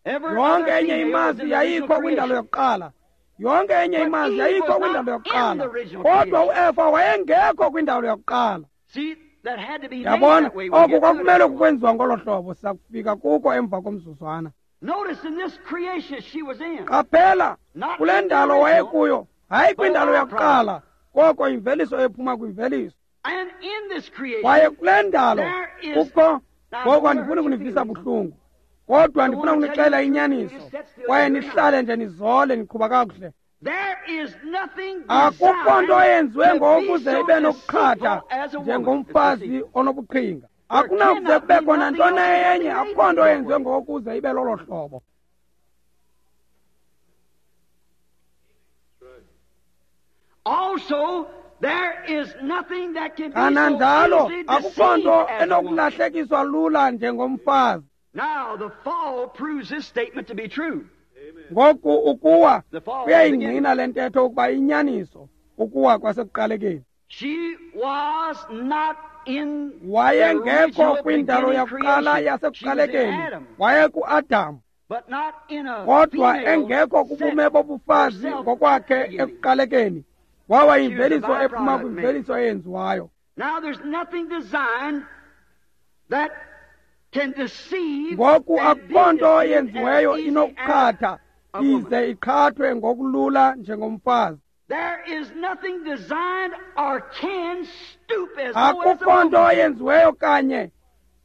Every
Yonke
other
enye
female was
imazi
in the original
yayikho kwindalo
creation.
yokuqala. Yonke enye
But
imazi
Eve
yayikho
was
kwindalo
not in
yokuqala,
the original
kodwa
creation.
uEva wayengekho kwindalo yokuqala.
See, that had to be made
Yabona,
that way. We'll
oku
get to it
kwakumele
afterwards.
kukwenziwa ngolo hlobo, sizakufika kuko emva komzuzwana.
Notice in this creation she was in.
Qaphela,
Not
kule
in the
ndalo
original,
wayekuyo, hayi kwindalo
but
yokuqala, koko imveliso ephuma kwimveliso.
And in this creation,
Kwaye kule ndalo
there is
kukho,
Now,
ngoku
don't
andifuni
hurt your
kunivisa
feelings.
buhlungu, kodwa ndifuna
wanna tell
kunixela
you the truth,
inyaniso,
you just sit still
kwaye
and you're
nihlale nje nizole niqhuba kakuhle.
There is nothing
Akukho nto
designed
eyenziwe
to be
ngokuze
so
ibe nokuqhatha
deceitful as a woman.
njengomfazi onobuqhinga. Akunakuze
cannot
kubekho
be
nantoni
nothing else
enye,
made
akukho nto
that
eyenziwe
way.
ngokuze ibe lolo hlobo.
Also, There is nothing that can be so
Kananjalo
easily
akukho
deceived
nto
as a woman.
enokulahlekiswa lula njengomfazi.
Now, the fall proves this statement to be true.
Ngoku ukuwa
The fall
kuyayingqina le ntetho ukuba inyaniso, ukuwa kwasekuqalekeni.
She was not in the
Wayengekho
original
kwindalo
beginning
yakuqala
creation. She was in
yasekuqalekeni,
Adam,
wayekuAdam,
but not in a
kodwa
female
engekho kubume
sense
bobufazi
herself
ngokwakhe
at the beginning.
ekuqalekeni. Wawa yimveliso
She was a
ephuma
byproduct
kwimveliso eyenziwayo.
Now there's nothing designed that can deceive
Ngoku
and be
akukho nto
deceived
yenziweyo
as easy
inokuqhatha
as a woman.
ize iqhathwe ngokulula njengomfazi.
There is nothing designed or can stoop as low as a
Akukho nto
woman.
yenziweyo kanye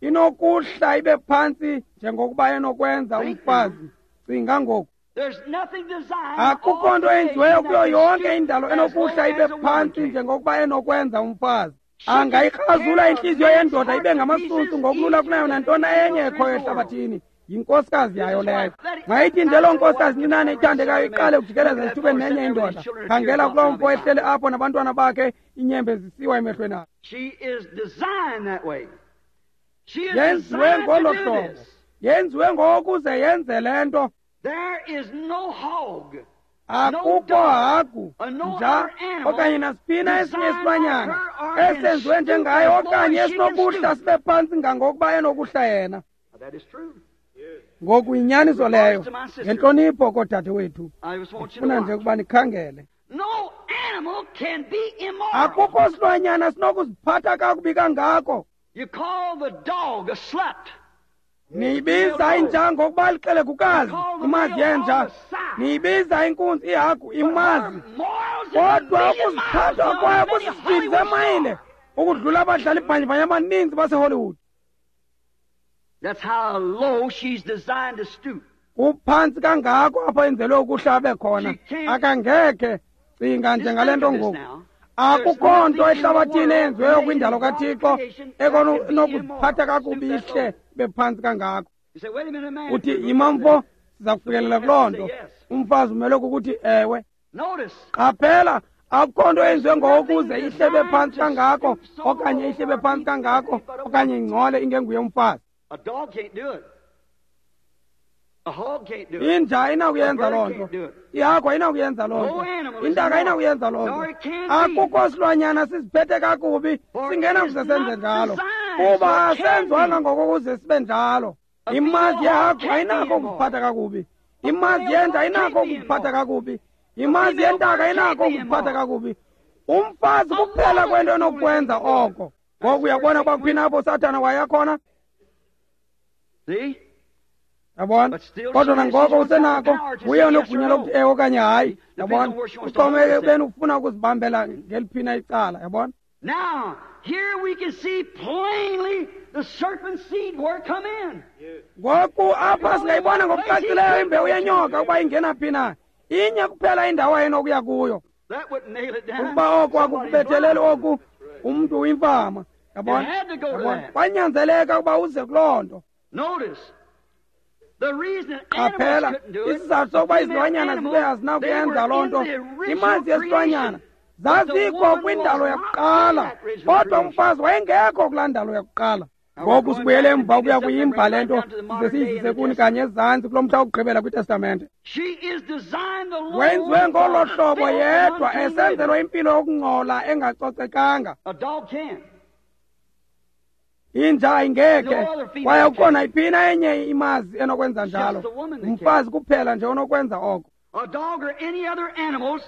inokuhla ibe phantsi njengokuba enokwenza
Think
umfazi. Cinga ngoku.
There's nothing designed
Akukho
all
nto yenziweyo
creation
kuyo
that can
yonke
stoop
indalo
as low
enokuhla ibe
as a woman
phantsi
can.
njengokuba enokwenza umfazi.
She can
Angayikrazula
tear a
intliziyo
man's
yendoda
heart
ibe
to
ngamasusu
pieces
ngokulula kunayo
easier than
nantoni
any
enye
other
ekhoyo
in the world.
ehlabathini. Yinkosikazi yayo
This is
leyo.
why-
Mayithi nje loo nkosikazi ncinane ithandekayo iqale ukujikeleza esithubeni nenye indoda. Khangela kuloo mfo ehleli apho nabantwana bakhe, inyembe zisiwa emehlweni akhe.
She is designed that way. She is
Yenziwe
designed to
ngolo
do
hlobo.
this.
Yenziwe ngokuze yenze le nto.
There is no hog,
Akukho hagu, nja okanye nasiphina esinye isilwanyana esenziwe njengaye okanye esinokuhla sibe phantsi ngangokuba enokuhla yena.
That is true.
Ngoku yinyaniso leyo. Ngentlonipho koodade wethu,
I just want you to
ndifuna nje
watch.
ukuba nikhangele.
No animal can be immoral.
Akukho silwanyana sinokuziphatha kakubi kangako.
You call the dog a slut.
Niyibiza inja ngokuba lixelegukazi, imazi yenja. Niyibiza inkunzi ihagu, imazi.
Her morals is a
Kodwa
million miles
ukuziphatha
above
kwayo
many
kusisipili
Hollywood
zemayile
stars.
ukudlula abadlali bhanyabhanya abaninzi baseHollywood.
That's how low she's designed to stoop.
Kuphantsi kangako apho enzelwe ukuhla abe khona. Akangekhe cinga
Just
njengale
think
nto
of this
ngoku.
now.
Akukho nto ehlabathini eyenziweyo kwindalo kaThixo ekonokuziphatha kakubi ihle bephantsi kangako.
You say, wait a minute, man.
Uthi yima mfo, siza kufikelela kuloo nto. Umfazi umele kukuthi ewe.
Notice.
Qaphela, akukho nto eyenziwe ngokuze ihle bephantsi kangako okanye ihle bephantsi kangako okanye ingcole ingenguye umfazi.
A dog can't do it. A hog can't do it.
Inja ayinakuyenza loo nto, ihagu ayinakuyenza loo nto, intaka ayinakuyenza loo nto. Akukho silwanyana siziphethe kakubi singenakuze senze njalo, kuba asenziwanga ngokokuze sibe njalo. Imazi yehagu ayinako ukuziphatha kakubi, imazi yenja ayinako ukuziphatha kakubi, imazi yentaka ayinako ukuziphatha kakubi. Umfazi kuphela kwento enokwenza oko. Ngoku uyabona ukuba kuphina apho uSathana wayakhona.
See?
Yabona? Kodwa nangoko usenako, uye onegunya lokuthi ewe okanye hayi. Yabona? Uxhomekeke ekubeni ufuna ukuzibambela ngeliphina icala. Yabona?
Now, here we can see plainly the serpent seed where it come in.
Ngoku apha singayibona ngokucacileyo imbewu yenyoka ukuba ingena phi na. Inye kuphela indawo ayenokuya kuyo.
That wouldn't nail it down.
Ukuba oku
Somebody's
akukubetheleli
blind.
oku, umntu uyimfama. Yabona?
It had to go to
Yabona?
that.
Kwanyanzeleka ukuba uze kuloo nto.
Notice, the reason animals
Qaphela,
couldn't do it,
isizathu sokuba
the female
izilwanyana zibe
animals, they
azinakuyenza
were
loo
in
nto,
the original
imazi yesilwanyana
creation. But the
zazikho
woman
kwindalo
was not in
yakuqala,
that original
kodwa
creation.
umfazi wayengekho kulaa ndalo yakuqala.
Now we're
Ngoku
going
sibuyele
back and
emva
pick
ukuya
this up and bring
kuyimba
it
le
right
nto
down to the
size
modern day in
siyizise
the
kuni
Testament.
kanye ezantsi kulo mhla wokugqibela kwiTestamente.
She is designed alone
Wenziwe ngolo
for
hlobo
filth and
yedwa
unclean
esenzelwa
living.
impilo yokungcola engacocekanga.
A dog can.
Inja ayingekhe,
No other female
kwaye akukho
can.
nayiphina enye imazi enokwenza
It's just
njalo.
the woman that can.
Umfazi kuphela nje onokwenza oko.
A dog or any other animals,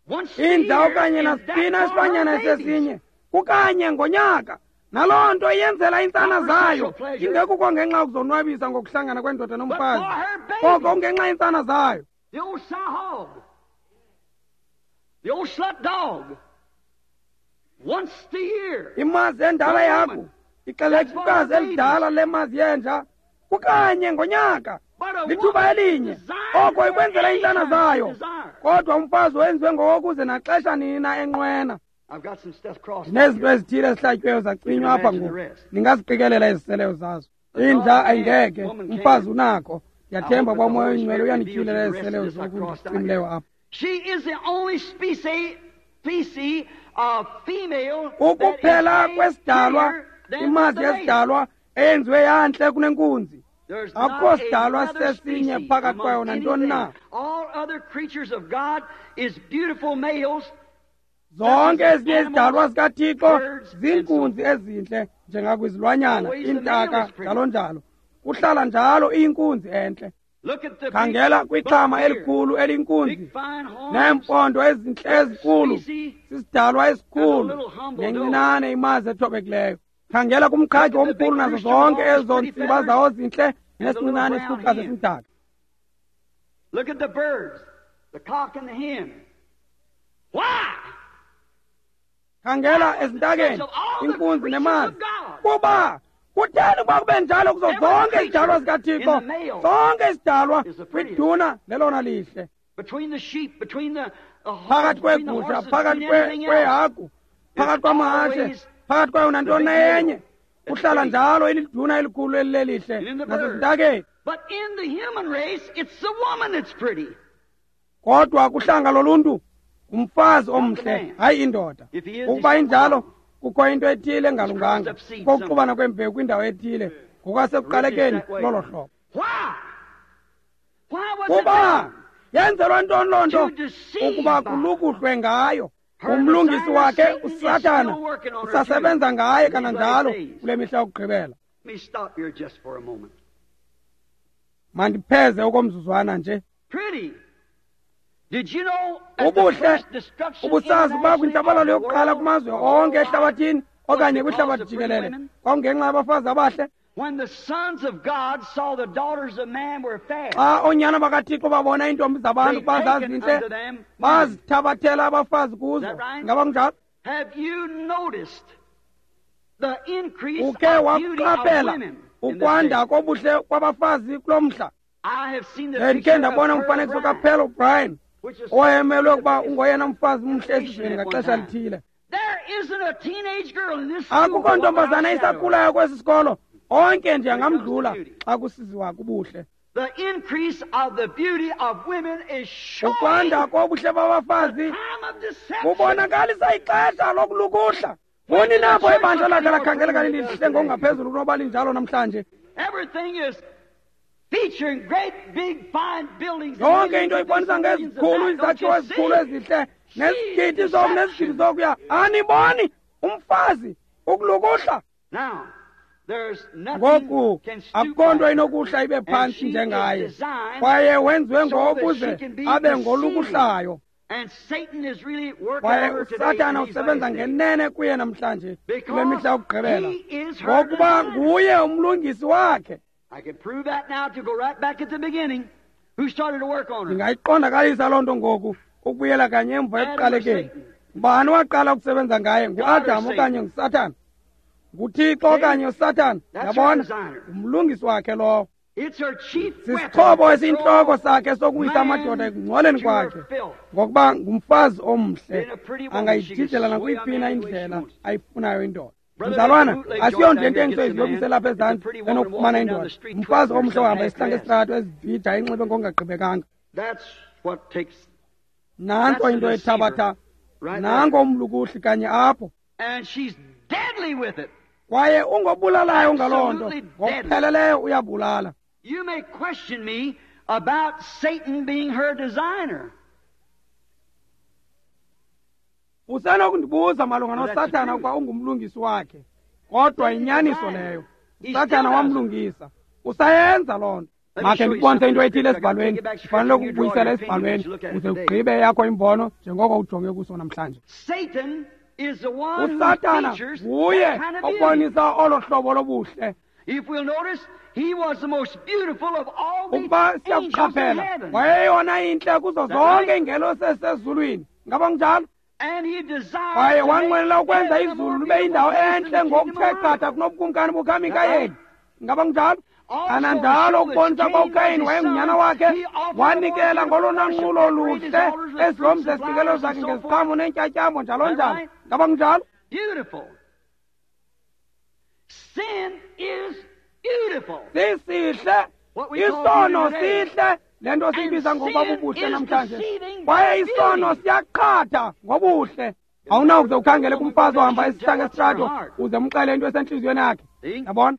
once a
Inja
year,
okanye
is that
nasiphina
for her
isilwanyana
babies.
esesinye kukanye ngonyaka, naloo nto iyenzela iintsana
Not for
zayo,
sexual pleasure,
ingekuko ngenxa yokuzonwabisa ngokuhlangana kwendoda
but
nomfazi,
for her
koko
babies.
kungenxa yeentsana zayo.
The old sow hog, the old slut dog, once a year.
Imazi endala
The
yaku
woman.
ixelekukazi elidala lemazi yenja kukanye ngonyaka,
But a
lithuba
woman
elinye,
designed
oko
for
ikwenzela
any
iintsana
time
zayo.
she desire.
Kodwa umfazi wenziwe ngokokuze naxesha nini na enqwena.
I've got some stuff crossed out
Ndinezinto
here.
ezithile ezihlatyiweyo zacinywa apha
Imagine the
ngoku,
rest.
ningaziqikelela eziseleyo zazo.
The
Inja
dog can,
ayingekhe,
woman
umfazi
can.
unakho.
I hope
Ndiyathemba
that
uba
the
uMoya
Holy
oyiNgcwele
Spirit reveals
uyanityhilela
you the rest of
eziseleyo
this I
zoku
crossed out
ndicimileyo
here.
apha.
She is the only species, species
Ukuphela kwesidalwa, imazi yesidalwa eyenziwe yantle kunenkunzi. Akukho sidalwa sesinye phakathi kwayo nantoni na. Zonke ezinye izidalwa zikaThixo ziinkunzi ezintle njengakwizilwanyana, iintaka, njalo njalo. Kuhlala njalo iyinkunzi entle. Khangela kwixhama elikhulu eliyinkunzi neempondo ezintle ezikhulu, sisidalwa esikhulu nencinane imazi ethobekileyo. Khangela kumqhagi omkhulu nazo zonke ezo ntsiba zawo zintle nesincinane isiphukazi esimdaka.
Look at the birds, the cock and the hen. Why?
Khangela ezintakeni, inkunzi nemazi. Kuba kutheni ukuba kube njalo kuzo zonke izidalwa zikaThixo? Zonke izidalwa kwiduna lelona lihle. Phakathi kweegusha, phakathi kweehagu, phakathi kwamahashe, phakathi kwayo nantoni enye, kuhlala njalo iliduna elikhulu elilelihle nasezintakeni. Kodwa kuhlanga loluntu ngumfazi omhle, hayi indoda. Ukuba injalo, kukho into ethile engalunganga, kokuxubana kwembewu kwindawo ethile ngokwasekuqalekeni lolo hlobo. Kuba yenzelwa ntoni loo nto? Ukuba kulukuhlwe ngayo. Umlungisi wakhe uSathana usasebenza ngaye kananjalo kule mihla yokugqibela. Mandipheze okomzuzwana nje. Ubuhle ubusazi uba kwintshabalalo yokuqala kumazwe onke ehlabathini okanye kwihlabathi jikelele kwakungenxa yabafazi abahle. Xa oonyana bakaThixo babona iintombi zabantu ukuba zazintle, bazithabathela abafazi kuzo. Ngaba kunjalo? Ukhe wakuqaphela ukwanda kobuhle kwabafazi kulo mhla? Ndikhe ndabona umfanekiso kaPearl O'Brien, owayemelwe ukuba ungoyena mfazi mhle esizweni ngaxesha lithile. Akukho ntombazana isakhulayo kwesi sikolo, onke nje angamdlula xa kusiziwa kubuhle. Ukwanda kobuhle babafazi kubonakalisa ixesha lokulukuhla. Kuni napho ibandla lakhe lakhangeleka lilihle ngokungaphezulu kunoba linjalo namhlanje. Yonke into ibonisa ngezikhulu izakhiwo ezikhulu ezihle nezigidi zoku nezigidi zokuya. Aniboni umfazi ukulukuhla? Ngoku akukho nto inokuhla ibe phantsi njengaye, kwaye wenziwe ngokuze abe ngolukuhlayo. Kwaye uSathana usebenza ngenene kuye namhlanje kule mihla yokugqibela, ngokuba nguye umlungisi wakhe. Ndingayiqondakalisa loo nto ngoku ukubuyela kanye emva ekuqalekeni. Ngubani waqala ukusebenza ngaye? NguAdam okanye nguSathana? NguThixo okanye uSathana? Yabona, ngumlungisi wakhe lowo. Sisixhobo esiyintloko sakhe sokuwisa amadoda ekungcoleni kwakhe, ngokuba ngumfazi omhle angayijijela nakwiyiphi na indlela ayifunayo indoda. Mzalwana, asiyonto intengiso ezilobise lapha ezantsi enokufumana indoda. Umfazi omhle ohamba isihlanga esitrato ezibhida inxibe ngokungagqibekanga. Nantso into ethabatha, nanko umlukuhli kanye apho. Kwaye ungobulalayo ngaloo nto, ngokupheleleyo uyabulala.
You may question me about Satan being her designer.
Usenokundibuza malunga noSathana ukuba ungumlungisi wakhe, kodwa yinyaniso leyo. uSathana wamlungisa, usayenza loo nto. Makhe ndikubonise into ethile esibhalweni, ndifanele ukubuyisela esibhalweni uze ugqibe yakho imbono njengoko ujonge kuso namhlanje. uSathana nguye obonisa olo hlobo lobuhle. Ukuba siyakuqaphela, wayeyona intle kuzo zonke iingelosi ezisezulwini. Ngaba kunjalo? Kwaye wanqwenela ukwenza izulu libe yindawo entle ngokuthe qatha kunobukumkani bukaMikayeli. Ngaba kunjalo? Kananjalo ukubonisa uba uKayini wayengunyana wakhe, wanikela ngolona nqulo luhle ezilomza isinikelo zakhe ngeziqhamo neentyatyambo njalo njalo. Ngaba kunjalo? Sisihle isono, sihle le nto siyibiza ngokuba bubuhle namhlanje. Kwaye isono siyaqhatha ngobuhle. Awunawuze ukhangele kumfazi ohamba esihlange esitrato uze umxele into esentliziyweni yakhe. Yabona?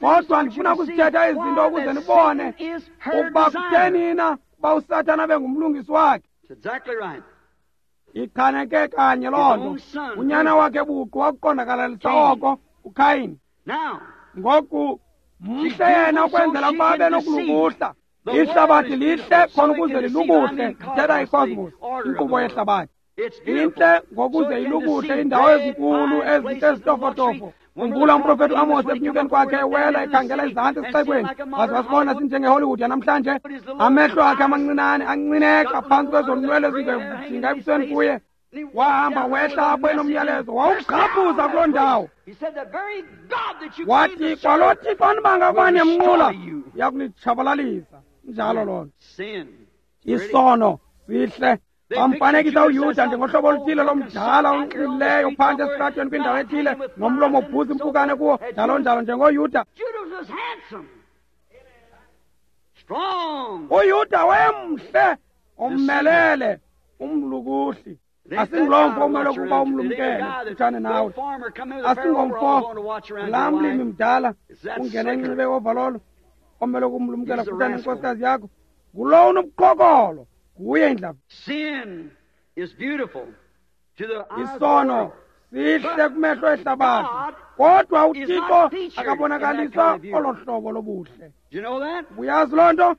Kodwa ndifuna ukuzithetha ezi zinto ukuze nibone ukuba kutheni na uba uSathana abe ngumlungisi wakhe. Ichaneke kanye loo nto. Unyana wakhe buqu wakuqondakalalisa oko uKhayini. Ngoku mhle yena ukwenzela ukuba abe nokulukuhla. Ihlabathi lihle khona ukuze lilukuhle. Ndithetha icosmos, inkqubo yehlabathi. Intle ngokuze ilukuhle, indawo ezinkulu ezintle ezitofotofo. Khumbula umprofeti uAmos ekunyukeni kwakhe ewela ekhangela izantsi esixekweni, waze wasibona sinjengeHollywood yanamhlanje. Amehlo akhe amancinane ancineka phantsi kwezo nwele zingevujinga ebusweni kuye. Wahamba wehla apho enomyalezo, wawugqaphuza kuloo ndawo. Wathi kwalo Thixo anibanga ukuba niyamnqula uyakunitshabalalisa. Njalo loo nto. Isono sihle. Bamfanekisa uYuda njengohlobo oluthile lomdala onxilileyo phantsi esitratweni kwindawo ethile nomlomo ubhuza impukane kuwo, njalo njalo njengoYuda. UYuda wayemhle, ommelele, umlukuhli. Asinguloo mfo umele ukuba umlumkele kufutshane nawe. Asingomfo laa mlimi mdala ungena enxibe overall omele ukumlumkela kufutshane nenkosikazi yakho. Ngulowo unobuqhokolo. Nguye indlava. Isono sihle kumehlo ehlabathi, kodwa uThixo akabonakaliswa olo hlobo lobuhle. Uyazi loo nto?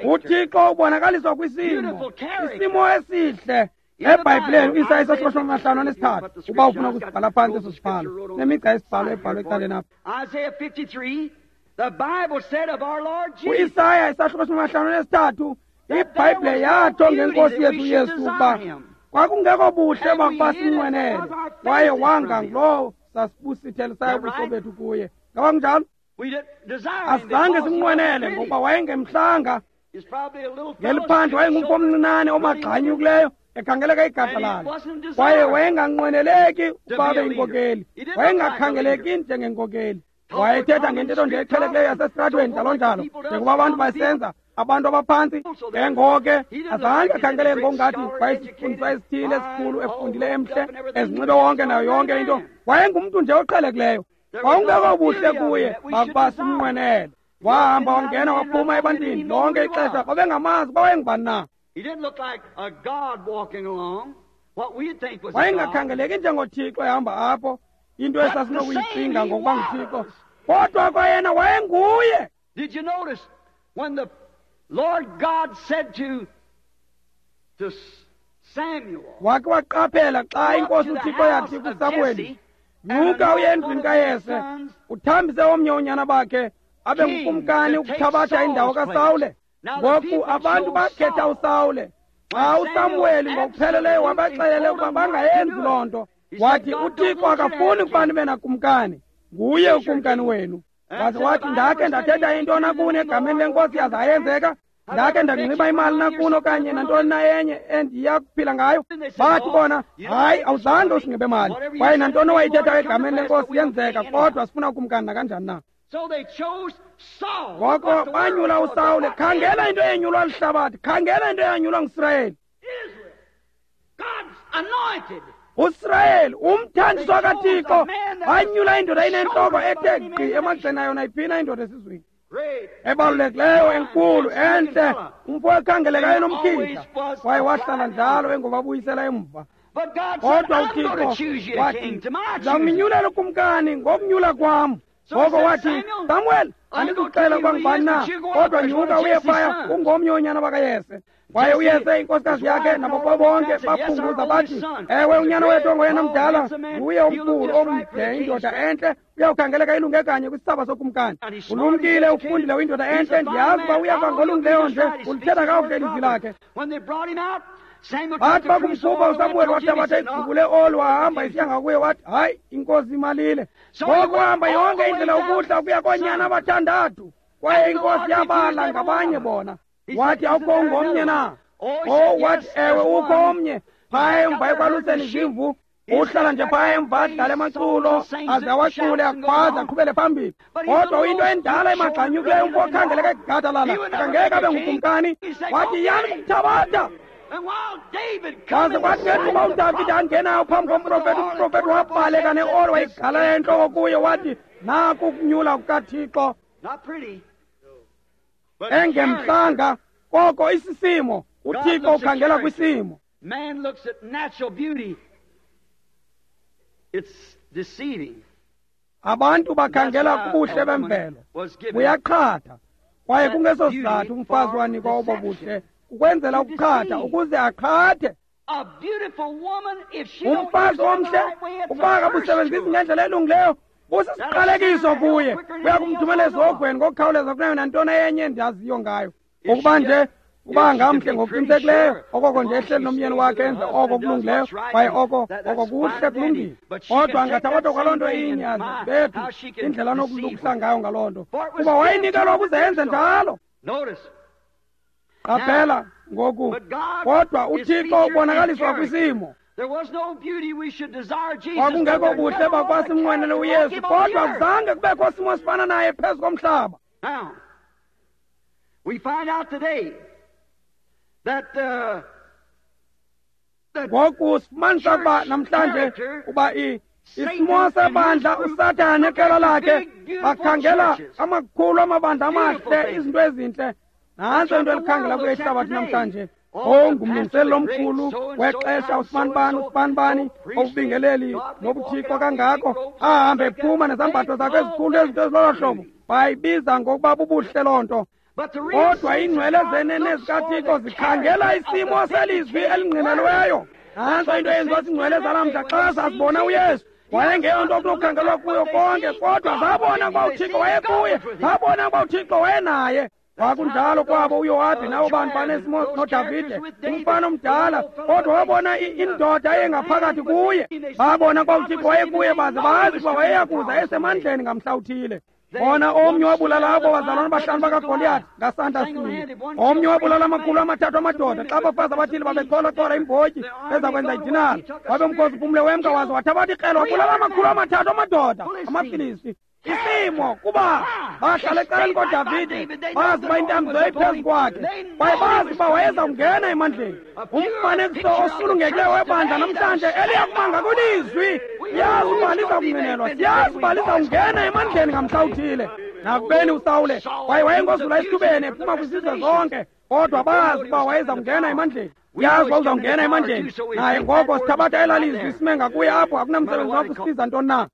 UThixo ubonakaliswa kwisimo, isimo esihle. EBhayibhileni uIsaya isahluko amahlanu anesithathu, uba ufuna ukusibhala phantsi eso sibhalo, nemigca yesibhalo ebhalwe ecaleni apha. UIsaya isahluko amahlanu anesithathu, iBhayibhile yatsho ngenkosi yethu uYesu ukuba kwakungekho buhle bakuba sinqwenele, kwaye wanga ngulowo sasibusithelisayo ubuso bethu kuye. Ngaba kunjalo? Asizange simnqwenele ngokuba wayengemhlanga. Ngeliphandle wayengumfo omncinane omagxanyukileyo, ekhangeleka igadlalala, kwaye wayenganqweneleki ukuba abe yinkokeli. Wayengakhangeleki njengenkokeli. Wayethetha ngentetho nje eqhelekileyo yasesitratweni, njalo njalo, njengoba abantu basenza, abantu abaphantsi. Ke ngoke azange akhangeleke ngokungathi wayesifundiswa esithile esikhulu, efundile, emhle, ezinxibe wonke nayo yonke into. Wayengumntu nje oqhelekileyo. Kwakungekho buhle kuye bakuba simnqwenele. Wahamba wangena waphuma ebantwini lonke ixesha, babengamazi uba wayengubani na. Wayengakhangeleki njengoThixo ehamba apho, into esasinokuyicinga ngokuba nguThixo, kodwa kwayena wayenguye.
Did you notice when the Lord God said to, to Samuel,
wake waqaphela xa inkosi uThixo yathi kuSamuweli, nyuka uye endlwini kaYese, uthambise omnye unyana bakhe abe ngukumkani ukuthabatha indawo kaSawule. Ngoku abantu bakhetha uSawule. Xa uSamuweli ngokupheleleyo wabaxelele ukuba bangayenzi loo nto, wathi uThixo akafuni ukuba nibe nakumkani, nguye ukumkani wenu. Waze wathi ndakhe ndathetha into nakuni egameni lenkosi yaze ayenzeka, ndakhe ndanxiba imali nakuni okanye nantoni na enye endiya kuphila ngayo. Bathi bona, hayi, awuzange usinxibe mali, kwaye nantoni owayithethayo egameni lenkosi yenzeka, kodwa sifuna ukumkani nakanjani na. Ngoko banyula uSawule. Khangela into eyenyulwa lihlabathi, khangela into eyanyulwa nguSirayeli. USirayeli, umthandiswa kaThixo, wanyula indoda inentloko ethe gqi emagxeni ayo nayiphina indoda esizweni, ebalulekileyo, enkulu, entle, umfo ekhangeleka enomkhitha, kwaye wahlala njalo engobabuyisela emva. Kodwa uThixo wathi, ndizawuminyulela ukumkani ngokunyula kwam. Ngoko wathi, Samuel, andikuxela ukuba ngubani na, kodwa nyuka uye phaya, ungomnye wonyana bakaYese. Kwaye uYese, inkosikazi yakhe, nabo bonke baphunguza bathi, ewe, unyana wethu ongoyena mdala nguye omkhulu, omde, indoda entle, uyawukhangeleka ilunge kanye kwisithaba sokumkani. Ulumkile, ufundile, uyindoda entle, ndiyazi uba uyakuba ngolungileyo nje, ulithetha kakuhle ilizwi lakhe. Bathi bakumkhupha uSamuweli, wathabatha igubu leoli, wahamba isiya ngakuye, wathi, hayi, inkosi imalile. Ngoko wahamba yonke indlela ukuhla ukuya koonyana abathandathu, kwaye inkosi yabala ngabanye bona. Wathi, awukho ungomnye na? Oh, wathi, ewe, ukho omnye phaya emva ekwaluseni izimvu. Uhlala nje phaya emva adlale amaculo, aze awacule, akhwaze, aqhubele phambili. Kodwa uyinto endala emagxanyukileyo, umfo okhangeleka egadalala, akangeke abe ngukumkani. Wathi, yani kumthabatha. Kwaze kwathi ngethuba uDavide angenayo phambi komprofethi, umprofethi wabhaleka neoli wayigalela entloko kuye wathi, naku ukunyula kukaThixo. Engemhlanga koko isisimo. UThixo ukhangela kwisimo.
Man looks at natural beauty. It's deceiving.
Abantu bakhangela kubuhle bemvelo, buyaqhatha. Kwaye kungeso sizathu umfazi wanikwa obo buhle, ukwenzela ukuqhatha, ukuze aqhathe. Umfazi omhle ukuba akabusebenzisi ngendlela elungileyo busisiqalekiso kuye, kuya kumthumela ezihogweni ngokukhawuleza kunayo nantoni enye endiyaziyo ngayo. Ukuba nje uba ngamhle ngokuqinisekileyo, okoko nje ehleli nomyeni wakhe enze oko kulungileyo, kwaye oko oko kuhle kulungile. Kodwa angathabatha kwaloo nto inye azibethu indlela anokulungisa ngayo ngaloo nto, kuba wayinikelwa ukuze enze njalo. Qaphela ngoku, kodwa uThixo ubonakaliswa kwisimo. Kwakungekho buhle bakwasimnqwenele uYesu, kodwa kuzange kubekho simo sifana naye phezu komhlaba.
We find out today that uh,
ngoku sifumanisa ukuba namhlanje uba isimo sebandla uSathane neqela lakhe bakhangela amakhulu amabandla amahle, izinto ezintle. Nantso into elikhangela kuyo ihlabathi namhlanje. Ongumlungiseleli omkhulu wexesha usibanibani usibanibani obubingeleli nobuthixo kangako, ahambe ephuma nezambatho zakhe ezikhulu ezinto ezilolo hlobo, bayibiza ngokuba bubuhle loo nto. Kodwa iingcwele zenene zikaThixo zikhangela isimo selizwi elingqinelweyo. Nantso into eyenziwa ziingcwele zalamhla xa zazibona uYesu. Wayengeyonto okunokukhangelwa kuyo konke, kodwa zabona ukuba uThixo wayekuye, zabona ukuba uThixo wayenaye. Kwakunjalo kwabo uYowabi nabo bantu banesimo noDavide, umfana omdala, kodwa wabona indoda eyengaphakathi kuye. Babona ukuba uThixo wayekuye, baze bazi ukuba wayeyakuza esemandleni ngamhla uthile. Bona omnye wabulala abo bazalwana bahlanu bakaGoliath ngasandla sinye, omnye wabulala amakhulu amathathu amadoda xa abafazi abathile babechola-chola imbotyi bezakwenza idinala. Wabe umkhosi uphumle wemka waze wathabatha ikrele wabulala amakhulu amathathu amadoda amaFilisti. Isimo kuba bahlala ecaleni koDavide, bazi uba intambiso yayiphezu kwakhe, kwaye bazi uba wayeza kungena emandleni. Umfanekiso osulungekileyo webandla namhlanje eliyakubanga kwilizwi, siyazi uba liza kungenelwa, siyazi uba liza kungena emandleni ngamhla uthile. Nakubeni uSawule kwaye wayengozula esithubeni ephuma kwizizwe zonke, kodwa bazi uba wayeza kungena emandleni. Uyazi uba uzawungena emandleni naye. Ngoko sithabatha elaa lizwi sime ngakuye apho, akunamsebenzi wakho usibiza ntoni na.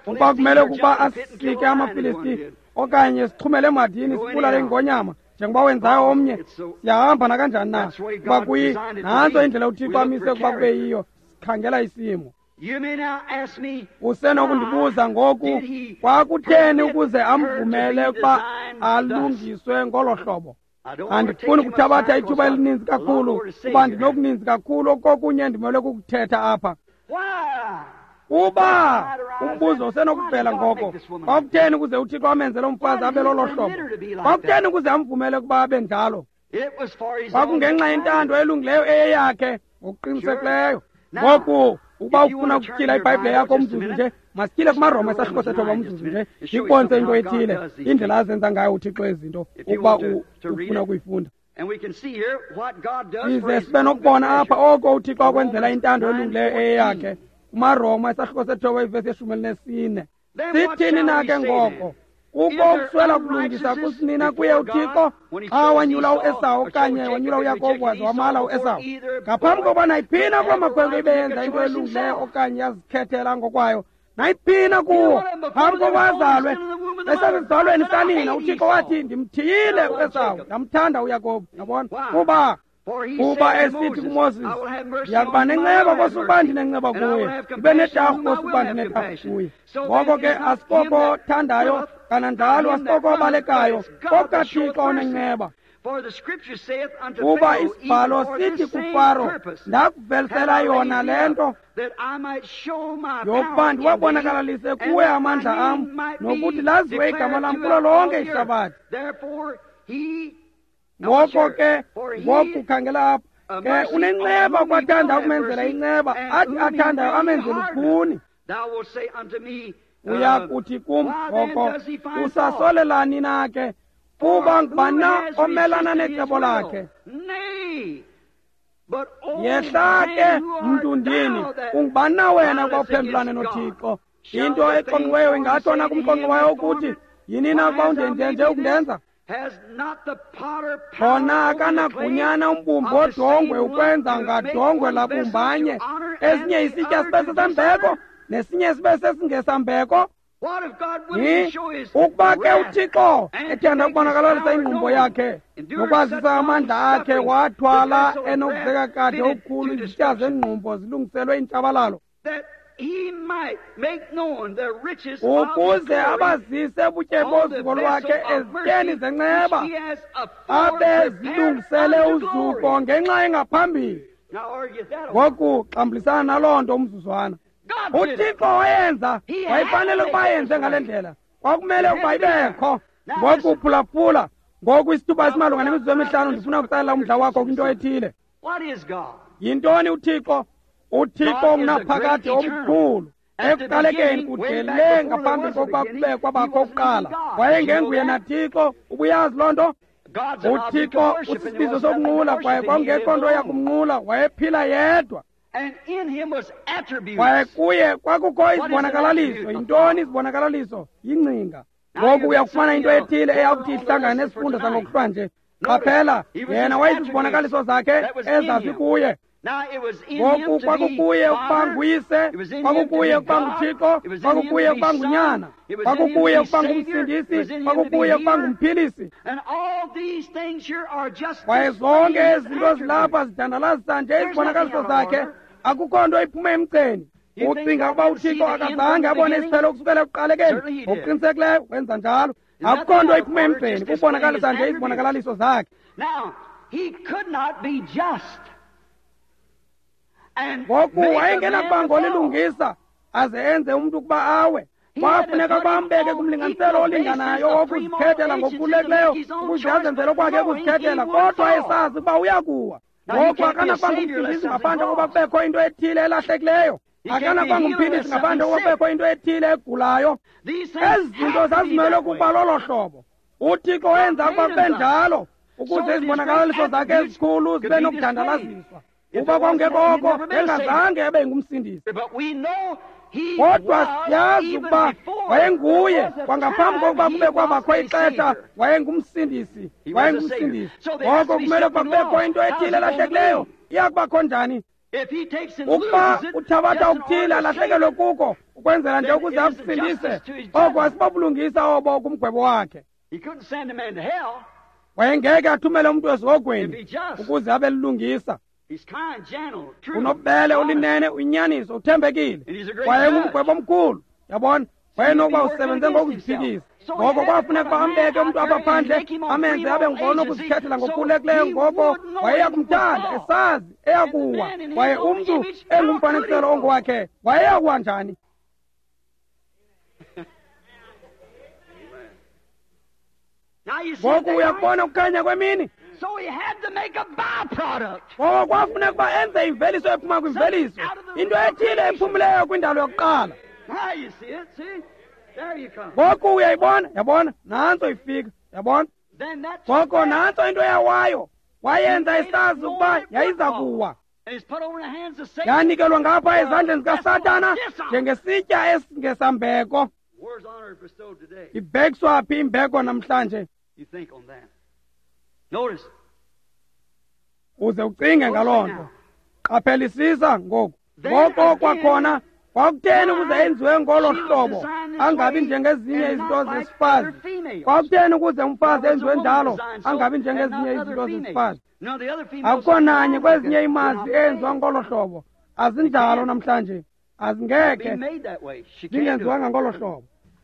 Ukuba kumele ukuba asike amaFilisti okanye sixhumele emadini sibulale ingonyama njengoba wenzayo omnye, siyahamba nakanjani na. Kuba kuyi nantso indlela uThixo amise ukuba kube yiyo. Sikhangela isimo. Usenokundibuza ngoku, kwakutheni ukuze amvumele ukuba alungiswe ngolo hlobo? Andifuni kuthabatha ithuba elininzi kakhulu, kuba ndinokuninzi kakhulu okokunye ndimele kukuthetha apha. Uba umbuzo usenokuvela ngoko, kwakutheni ukuze uThixo amenze lo mfazi abe lolo hlobo? Kwakutheni ukuze amvumele ukuba abe njalo? Kwakungenxa yentando elungileyo eyeyakhe ngokuqinisekileyo. Ngoku ukuba ufuna ukutyhila iBhayibhile yakho umzuzu nje, masityhile kumaRoma isahluko sethoba umzuzu nje, ndikubonise into ethile, indlela azenza ngayo uThixo izinto, ukuba ufuna ukuyifunda. Size sibe nokubona apha oko uThixo akwenzela intando elungileyo eyeyakhe. kumaRoma isahluko sethoba ivesi yeshumi elinesine. Sithini na ke ngoko? Kukho ukuswela kulungisa kusinina kuye uThixo xa wanyula uEsawu okanye wanyula uYakobi waze wamala uEsawu? Ngaphambi kokuba nayiphina kuloo makhwenkwe ibeyenza into elungileyo okanye yazikhethela ngokwayo, nayiphina kuwo phambi kokuba azalwe esesizalweni sikanina, uThixo wathi, ndimthiyile uEsawu, ndamthanda uYakobi. Yabona? Kuba kuba esithi kuMoses, ndiyakuba nenceba kosukuba ndinenceba kuye, ndibe netarhu kosukuba ndinetarhu kuye. Ngoko ke asikoko thandayo, kananjalo asikoko obalekayo, kokukaThixo onenceba. Kuba isibhalo sithi kuFaro, ndakuvelisela yona le nto yokuba ndiwabonakalalise kuwe amandla am, nokuthi laziwe igama lam kulo lonke ihlabathi. Ngoko ke, ngoku khangela apha, ke unenceba kwathanda ukumenzela inceba, athi athandayo amenzele lukhuni. Uya kuthi kum ngoko, usasolelani na ke? Kuba ngubani na omelana necebo lakhe? Yehla ke mntundini, ungubani na wena ukuba uphendulane noThixo? Into exonxiweyo ingatsho na kumxonxi wayo ukuthi, yini na ukuba undenjenje ukundenza? Khona akanagunyana umbumbi wodongwe ukwenza ngadongwe labumbanye esinye isitya sibe sesambeko nesinye sibe sesingesambeko? Ukuba ke uThixo ethanda ukubonakalisa ingqumbo yakhe nokwazisa amandla akhe, wathwala enokuzeka kade okukhulu izitya zengqumbo zilungiselwe intshabalalo, ukuze abazise ubutyebi bozuko lwakhe ezityeni zenceba abe zilungisele uzuko ngenxa engaphambili. Ngoku xambulisana naloo nto umzuzwana. UThixo wayenza, wayefanele ukuba ayenze ngale ndlela, kwakumele ukuba ibekho. Ngoku phulaphula, ngoku isithuba esimalunga nemizuzu emihlanu ndifuna ukutsalela umdla wakho kwinto ethile. Yintoni uThixo? UThixo ungunaphakade omkhulu. Ekuqalekeni kude le ngaphambi kokuba kube kwabakho kuqala, wayengenguye naThixo. Ubuyazi loo nto? UThixo usisibizo sokunqula, kwaye kwakungekho nto yakumnqula, wayephila yedwa. Kwaye kuye kwakukho izibonakalaliso. Yintoni izibonakalaliso? Yingcinga. Ngoku uyakufumana into ethile eyakuthi ihlangane nesifundo sangokuhlwa nje. Qaphela, yena wayezizibonakaliso zakhe ezazikuye. Ngoku kwakukuye ukuba nguyise, kwakukuye ukuba nguThixo, kwakukuye ukuba ngunyana, kwakukuye ukuba ngumsindisi, kwakukuye ukuba ngumphilisi. Kwaye zonke ezi zinto zilapha zidandalazisa nje izibonakaliso zakhe. Akukho nto iphume emgceni. Ucinga ukuba uThixo akazange abone isiphelo kusukela ekuqalekeni? Ngokuqinisekileyo wenza njalo. Akukho nto iphume emgceni, kubonakalisa nje izibonakalaliso zakhe. Ngoku wayengenakuba ngolilungisa aze enze umntu ukuba awe. Kwafuneka ukuba ambeke kumlinganiselo olinganayo wokuzikhethela ngokukhululekileyo ukuze azenzele okwakhe ukuzikhethela, kodwa esazi ukuba uyakuwa. Ngoku akanakuba ngumsindisi ngaphandle kokuba kubekho into ethile elahlekileyo. Akanakuba ngumphilisi ngaphandle kokuba kubekho into ethile egulayo. Ezi zinto zazimelwe ukuba lolo hlobo. UThixo wenza ukuba kube njalo ukuze izibonakalaliso zakhe ezikhulu zibe nokudandalaziswa. Uba kwakungekho oko, engazange ebe ngumsindisi. Kodwa siyazi ukuba wayenguye kwangaphambi kokuba kube kwabakho ixesha, wayengumsindisi, wayengumsindisi. Ngoko kumele ukuba kubekho into ethile elahlekileyo. Iya kubakho njani? Ukuba uthabatha okuthile alahlekelwe kuko ukwenzela nje ukuze akusindise, oko asibobulungisa obo kumgwebo wakhe. Wayengeke athumele umntu esihogweni ukuze abe lilungisa. Unobubele, ulinene, uyinyaniso, uthembekile, kwaye ngumgwebo omkhulu. Yabona, wayenokuba usebenze ngokuziphikisa. Ngoko kwafuneka uba ambeke umntu apha phandle, amenze abe ngonokuzikhethela ngokukhululekileyo. Ngoko wayeya kumthanda esazi eyakuwa, kwaye umntu engumfanekiselo ongowakhe wayeyakuwa njani? Ngoku uyakubona ukukhanya kwemini. Ngoko kwafuneka uba enze imveliso ephuma kwimveliso, into ethile ephumileyo kwindalo yokuqala. Ngoku uyayibona, yabona, nantso ifika, yabona. Ngoko nantso into eyawayo, wayenza isazi ukuba yayiza kuwa. Yanikelwa ngapha ezandleni zikaSathana njengesitya esingesambeko. Ibhekiswa phi imbeko namhlanje? Uze ucinge ngaloo nto. Qaphelisisa ngoku. Ngoko kwakhona kwakutheni ukuze enziwe ngolo hlobo angabi njengezinye izinto zesifazi? Kwakutheni ukuze umfazi enziwe njalo angabi njengezinye izinto zesifazi? Akukho nanye kwezinye imazi eyenziwa ngolo hlobo. Azinjalo namhlanje, azingekhe zingenziwanga ngolo hlobo,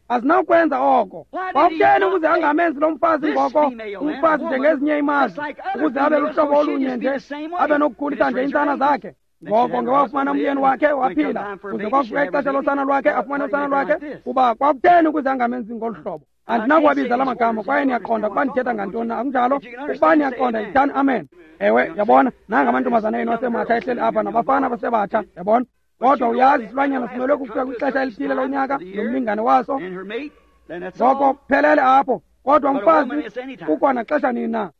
azinawukwenza oko. Kwakutheni ukuze angamenzi lo mfazi ngoko umfazi njengezinye imazi, ukuze abe luhlobo olunye nje, abe nokukhulisa nje iintsana zakhe? Ngoko ngewafumana umyeni wakhe waphila, kuze kwafika ixesha losana lwakhe afumane usana lwakhe. Kuba kwakutheni ukuze angamenzi ngolu hlobo? Andinakuwabiza la magama, kwaye niyaqonda ukuba ndithetha ngantoni na, akunjalo? Ukuba niyaqonda yithani amen. Ewe, yabona, nanga amantombazana enu asematsha ehleli apha nabafana abasebatsha, yabona. Kodwa uyazi isilwanyana simelwe kufika kwixesha elithile lonyaka nomlingane waso, ngoko phelele apho. Kodwa umfazi kukho naxesha nini na?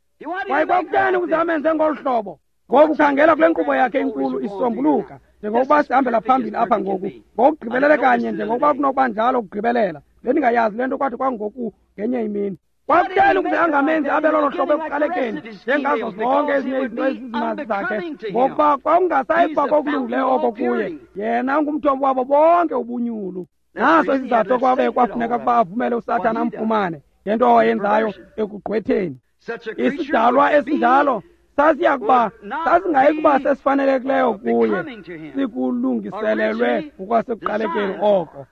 Kwaye kwakutheni ukuze amenze ngolu hlobo? Ngoku khangela kule nkqubo yakhe inkulu isombuluka njengokuba sihambela phambili apha ngoku ngokugqibelele kanye njengokuba kunokuba njalo ukugqibelela. Bendingayazi le nto kwathi kwangoku ngenye imini. Kwakutheni ukuze angamenzi abe lolo hlobo ekuqalekeni njengazo zonke ezinye izinto ezizimazi zakhe, ngokuba kwakungasayiba kokulungileyo oko kuye. Yena ungumthombo wabo bonke ubunyulu. Naso isizathu kwabe kwafuneka ukuba avumele uSathana amfumane ngento awayenzayo ekugqwetheni. Isidalwa esinjalo sasiya kuba sasingayi kuba sesifanelekileyo kuye, sikulungiselelwe ngokwasekuqalekeni oko.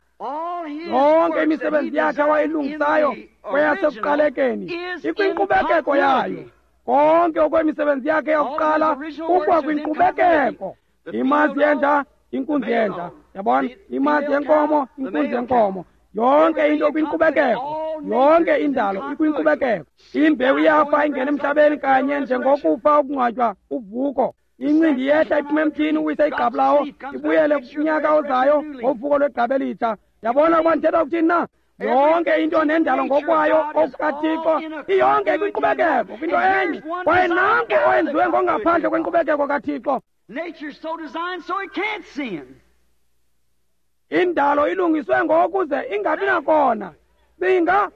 Yonke imisebenzi yakhe awayilungisayo kweyasekuqalekeni ikwinkqubekeko yayo. Konke okwemisebenzi yakhe yakuqala kukwa kwinkqubekeko. Imazi yenja, inkunzi yenja, yabona? Imazi yenkomo, inkunzi yenkomo. Yonke into kwinkqubekeko, yonke indalo ikwinkqubekeko. Imbewu iyafa ingena emhlabeni kanye njengokufa ukungcwatywa uvuko. Incindi yehla iphuma emthini uwise igqabi lawo ibuyele kunyaka ozayo ngovuko lwegqabi elitsha. Yabona ukuba ndithetha ukuthini na? Yonke into nendalo ngokwayo okukaThixo iyonke ikwinkqubekeko, kwinto enye. Kwaye nanku owenziwe ngongaphandle kwenkqubekeko kaThixo. Indalo ilungiswe ngokuze ingabi nakona. Cinga,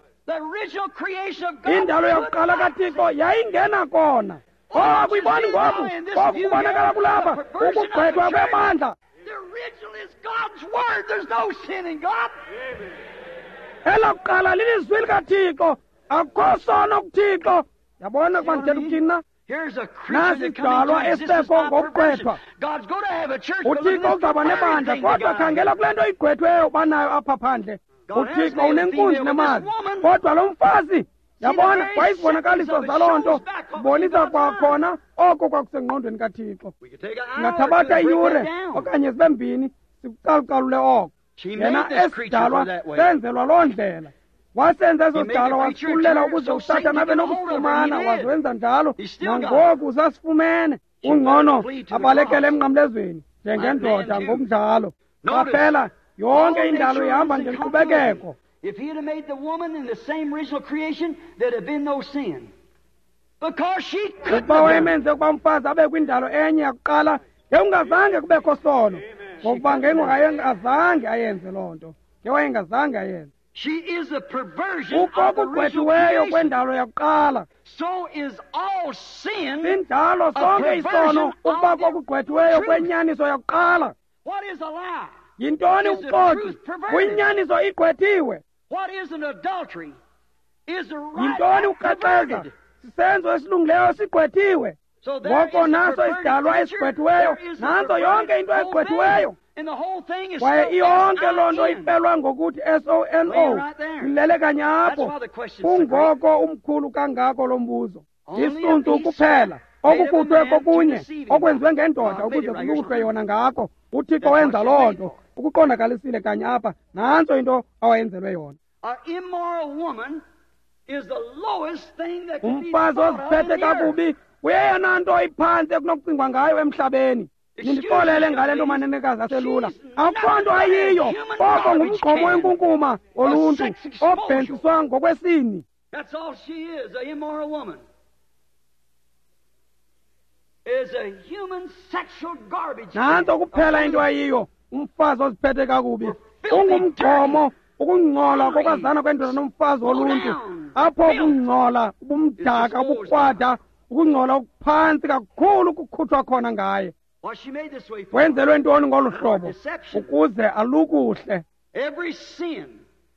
indalo yakuqala kaThixo yayingena kona. Oh, akuyiboni ngoku, ngoku kubonakala kulapha ukugqwethwa kwebandla. Elakuqala lilizwi likaThixo, akukho sono kuThixo. Yabona ukuba ndithetha ukuthini na? Nasi isidalwa esisekho ngokugqwethwa. UThixo uzawuba nebandla, kodwa khangela kule nto igqwethweyo banayo apha phandle. UThixo unenkunzi nemazi, kodwa lo mfazi, yabona, kwayizibonakaliso zaloo nto zibonisa kwakhona oko kwakusengqondweni kaThixo. Singathabatha iyure okanye zibe mbini sikucalucalule oko. Yena esidalwa senzelwa loo ndlela. Wasenza eso sidalwa wasikhululela ukuze uSathana abe nokusifumana, wazenza njalo. Nangoku usasifumene. Ungcono abalekele emnqamlezweni njengendoda ngokunjalo. Qaphela, yonke indalo ihamba ngenkqubekeko.
If he had made the woman in the same original creation, there'd have been no sin. Because she couldn't.
Ukuba wayemenze ukuba umfazi abe kwindalo enye yakuqala, ngekungazange kubekho sono. Ngokuba ngengazange ayenze loo nto. Ngewayengazange ayenze.
She is a perversion of the original
Ukokugqwethiweyo
creation.
kwendalo yakuqala.
So is all sin.
Sinjalo sonke isono ukuba kokugqwethiweyo kwenyaniso yakuqala.
What is a lie?
Yintoni ubuxoki? Kuyinyaniso igqwethiwe.
What is an adultery? Is the right
Yintoni ukukrexeza? Sisenzo esilungileyo sigqwethiwe.
So there
Ngoko
is a
naso
perverted
isidalwa
creature,
esigqwethiweyo,
there is a
nantso yonke into
perverted whole
egqwethiweyo.
thing. And the whole thing is
Kwaye
spelled
iyonke loo nto
S I N.
ipelwa ngokuthi S O N O.
Right there.
Ilele kanye
That's
apho.
why the question's so great.
Kungoko umkhulu kangako lo mbuzo.
Only a
Isuntu
piece
kuphela
made of a
okufuthwe
man to
kokunye
deceive him.
okwenziwe ngendoda
God made
ukuze
it right here.
kuluhlwe yona ngako. UThixo
That's
wenza
what
loo
she made
nto.
for.
Ukuqondakalisile kanye apha. Nantso into awayenzelwe yona.
An immoral woman is the lowest thing that can be
Umfazi
thought of
oziphethe
in the earth.
kakubi uyeyona nto iphantsi ekunokucingwa ngayo emhlabeni. Nindixolele ngale nto manenekazi aselula. Akukho nto ayiyo koko ngumgqomo wenkunkuma woluntu obhentsiswa ngokwesini.
That's all she is, an immoral woman. Is a human sexual garbage can.
Nantso kuphela into ayiyo umfazi oziphethe kakubi. Ungumgqomo, ukungcola kokwazana kwendoda nomfazi woluntu. Apho ukungcola, ubumdaka, ubukrwada, ukungcola okuphantsi kakhulu kukhutshwa khona ngaye.
What she made this way for.
Wenzelwe ntoni ngolu hlobo? Ukuze alukuhle.
Every sin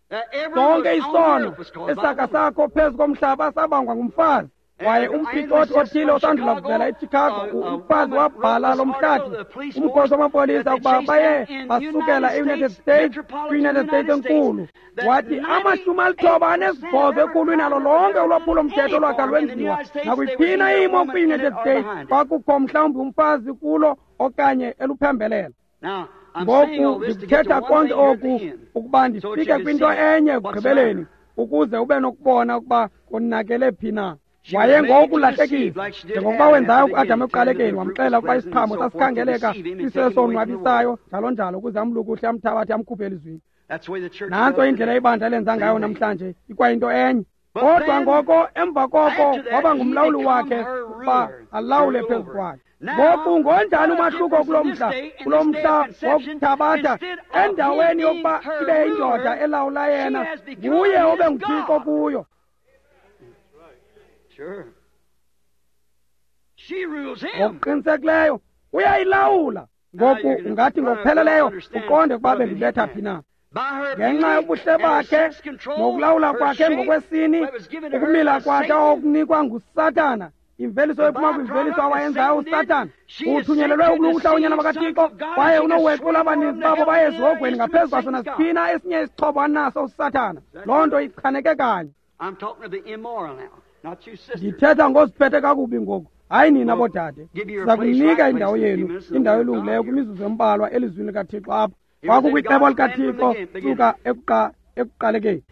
that ever
Sonke
was on
isono
earth was caused by
esakha
a woman.
sakho phezu komhlaba sabangwa ngumfazi. Kwaye umphicothi othile osandula kuvela eChicago, umfazi wabhala lo mhlathi umkhosi wamapolisa ukuba baye basukela eUnited States kwi-United States enkulu. Wathi amashumi alithoba anesibhozo ekhulwini alo lonke ulwaphulo-mthetho olwakha lwenziwa nakwiphina imo kwi-United States kwakukho mhlawumbi umfazi kulo okanye eluphembelela.
Now, I'm saying all
Ngoku
this to get to
ndikuthetha
one
konke
thing here at
oku
the end.
ukuba
So
ndifike
that you can
kwinto
see
enye
what's
ekugqibeleni
the
ukuze ube nokubona ukuba konakele phi na.
She was made to
Wayengokulahlekisa
deceive like she did
njengokuba
Adam
wenzayo
at the
kuAdam
beginning,
ekuqalekeni,
telling him the
wamxelela
fruit
ukuba
was
isiqhamo
pleasant and so forth, to
sasikhangeleka
deceive him and take him away from the
sisesonwabisayo njalo njalo ukuze amlukuhle amthabathe amkhuphe elizwini.
That's the way the church
Nantso
does
indlela
today.
ibandla elenza ngayo
Same thing.
namhlanje, ikwayinto enye.
But
Kodwa
then,
ngoko emva koko
after that,
waba
he
ngumlawuli
become
wakhe
her
ukuba
ruler,
alawule
rule
phezu
over.
kwakhe. Ngoku ngonjani umahluko kulo mhla, kulo mhla wokuthabatha endaweni yokuba ibe indoda elawula yena, nguye obe nguThixo kuyo. Ngokuqinisekileyo uyayilawula. Ngoku ungathi ngokupheleleyo uqonde ukuba bendibetha phi na. Ngenxa yobuhle bakhe nokulawula kwakhe ngokwesini, ukumila kwakhe okunikwa nguSathana, imveliso ephuma kwimveliso awayenzayo uSathana, uthunyelelwe ukulukuhla unyana bakaThixo, kwaye unowexula abaninzi babo baye ezihogweni ngaphezu kwaso nasiphina esinye isixhobo anaso uSathana. Loo nto ichaneke kanye. Ndithetha ngoziphethe kakubi ngoku, hayi nina bodade. Siza kunika indawo yenu, indawo elungileyo kwimizuzu embalwa elizwini likaThixo apha. Kwakukwicebo likaThixo suka ekuqalekeni.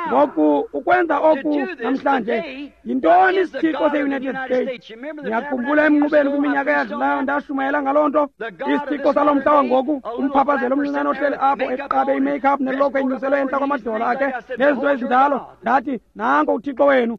Ngoku ukwenza oku namhlanje, yintoni isithixo se-United States? Ndiyakhumbula emnqubeni kwiminyaka eyadlulayo ndashumayela ngaloo nto. Isithixo salo mhla wangoku, umphaphazelo omncinane ohleli apho eqabe i-makeup nelokhwe enyuselwe entla kwamadolo akhe nezinto ezinjalo, ndathi nanko uThixo wenu.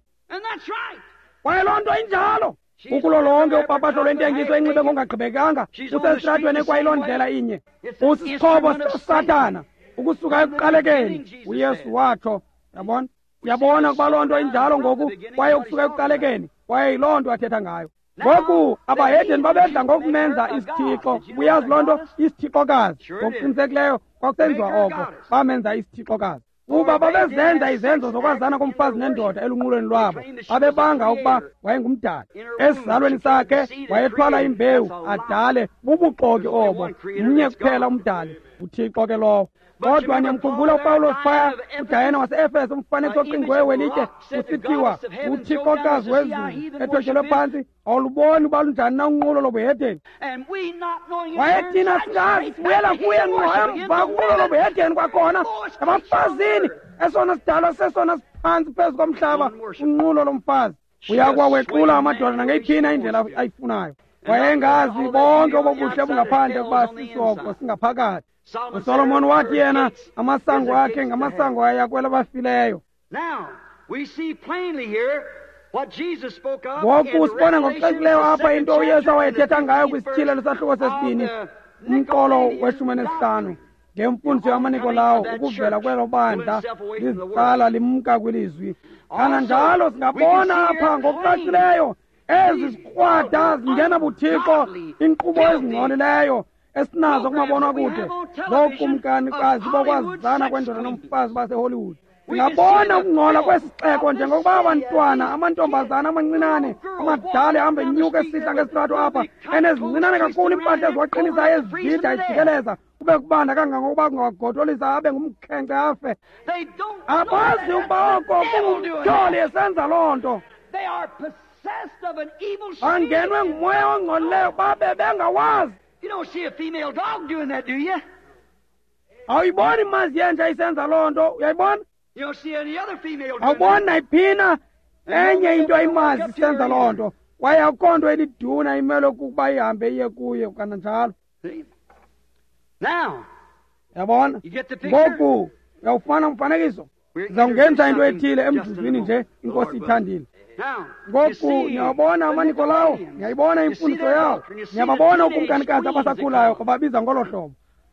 Kwaye loo nto injalo. Kukulo lonke upapasho lwentengiso enxibe ngokungagqibekanga, usesitratweni ekwayiloo ndlela inye. Usisixhobo sikaSathana ukusuka ekuqalekeni, uYesu watsho. Yabona? Uyabona ukuba loo nto injalo ngoku, kwaye ukusuka ekuqalekeni, kwaye yiloo nto athetha ngayo. Ngoku abahedeni babedla ngokumenza isithixo. Uyazi loo nto, isithixokazi. Ngokuqinisekileyo kwakusenziwa oko, bamenza isithixokazi. Kuba babezenza izenzo zokwazana komfazi nendoda elunqulweni lwabo, babebanga ukuba wayengumdali. Esizalweni sakhe wayethwala imbewu adale. Bubuxoki obo. Mnye kuphela umdali, uThixo ke lowo. Kodwa niyamkhumbula uPawulos phaya uDayana wase-Efeso, umfanekiso oqingqiweyo welitye, kusithiwa uthixokazi wezulu ethotyelwe phantsi. Awuluboni uba lunjani na unqulo lobuhedeni? Kwaye thina singazi, sibuyela kuye ngqo emva kunqulo lobuhedeni kwakhona ebafazini, esona sidalwa sesona siphantsi phezu komhlaba, unqulo lomfazi. Uyakuwawexula amadoda nangeyiphina indlela ayifunayo. Wayengazi bonke obobuhle bungaphandle ukuba sisoko singaphakathi. uSolomon wathi yena amasango akhe ngamasango aya kwelabafileyo. Ngoku sibona ngokucacileyo apha into uYesu awayethetha ngayo kwisityhilelo sahluko sesibini, umqolo weshumi nesihlanu, ngemfundiso yamaNikolawo, ukuvela kwelo bandla lizitsala limka kwilizwi. Kananjalo singabona apha ngokucacileyo ezi zikrwada zingena buThixo, inkqubo ezingcolileyo esinazo kumabonwakude zookumkanikazi bokwazana kwendoda nomfazi baseHollywood. Singabona ukungcola kwesixeko njengokuba abantwana, amantombazana amancinane, amadala ehamba enyuka esihla ngesitrato apha, enezincinane kakhulu iimpahla eziwaqinisayo ezibhida ejikeleza, kube kubanda kangangokuba kungawagotolisa abe ngumkhenkce afe. Abazi ukuba oko kungumtyholi esenza loo nto. Bangenwe ngumoya ongcolileyo babe bengawazi.
You don't see a female dog doing that, do you?
Awuyiboni imazi yenja isenza loo nto, uyayibona?
You don't see any other female doing that.
Awuboni nayiphina enye into imazi isenza loo nto, kwaye akukho nto eliduna imele ukuba ihambe iye kuye kananjalo.
Now,
yabona? Ngoku uyawufumana umfanekiso. Sizawungenza into ethile emzuzwini nje, iNkosi ithandile. Ngoku niyawabona amaNikolawo, niyayibona imfundiso yawo, niyababona ukumkanikazi abasakhulayo ababiza ngolo hlobo,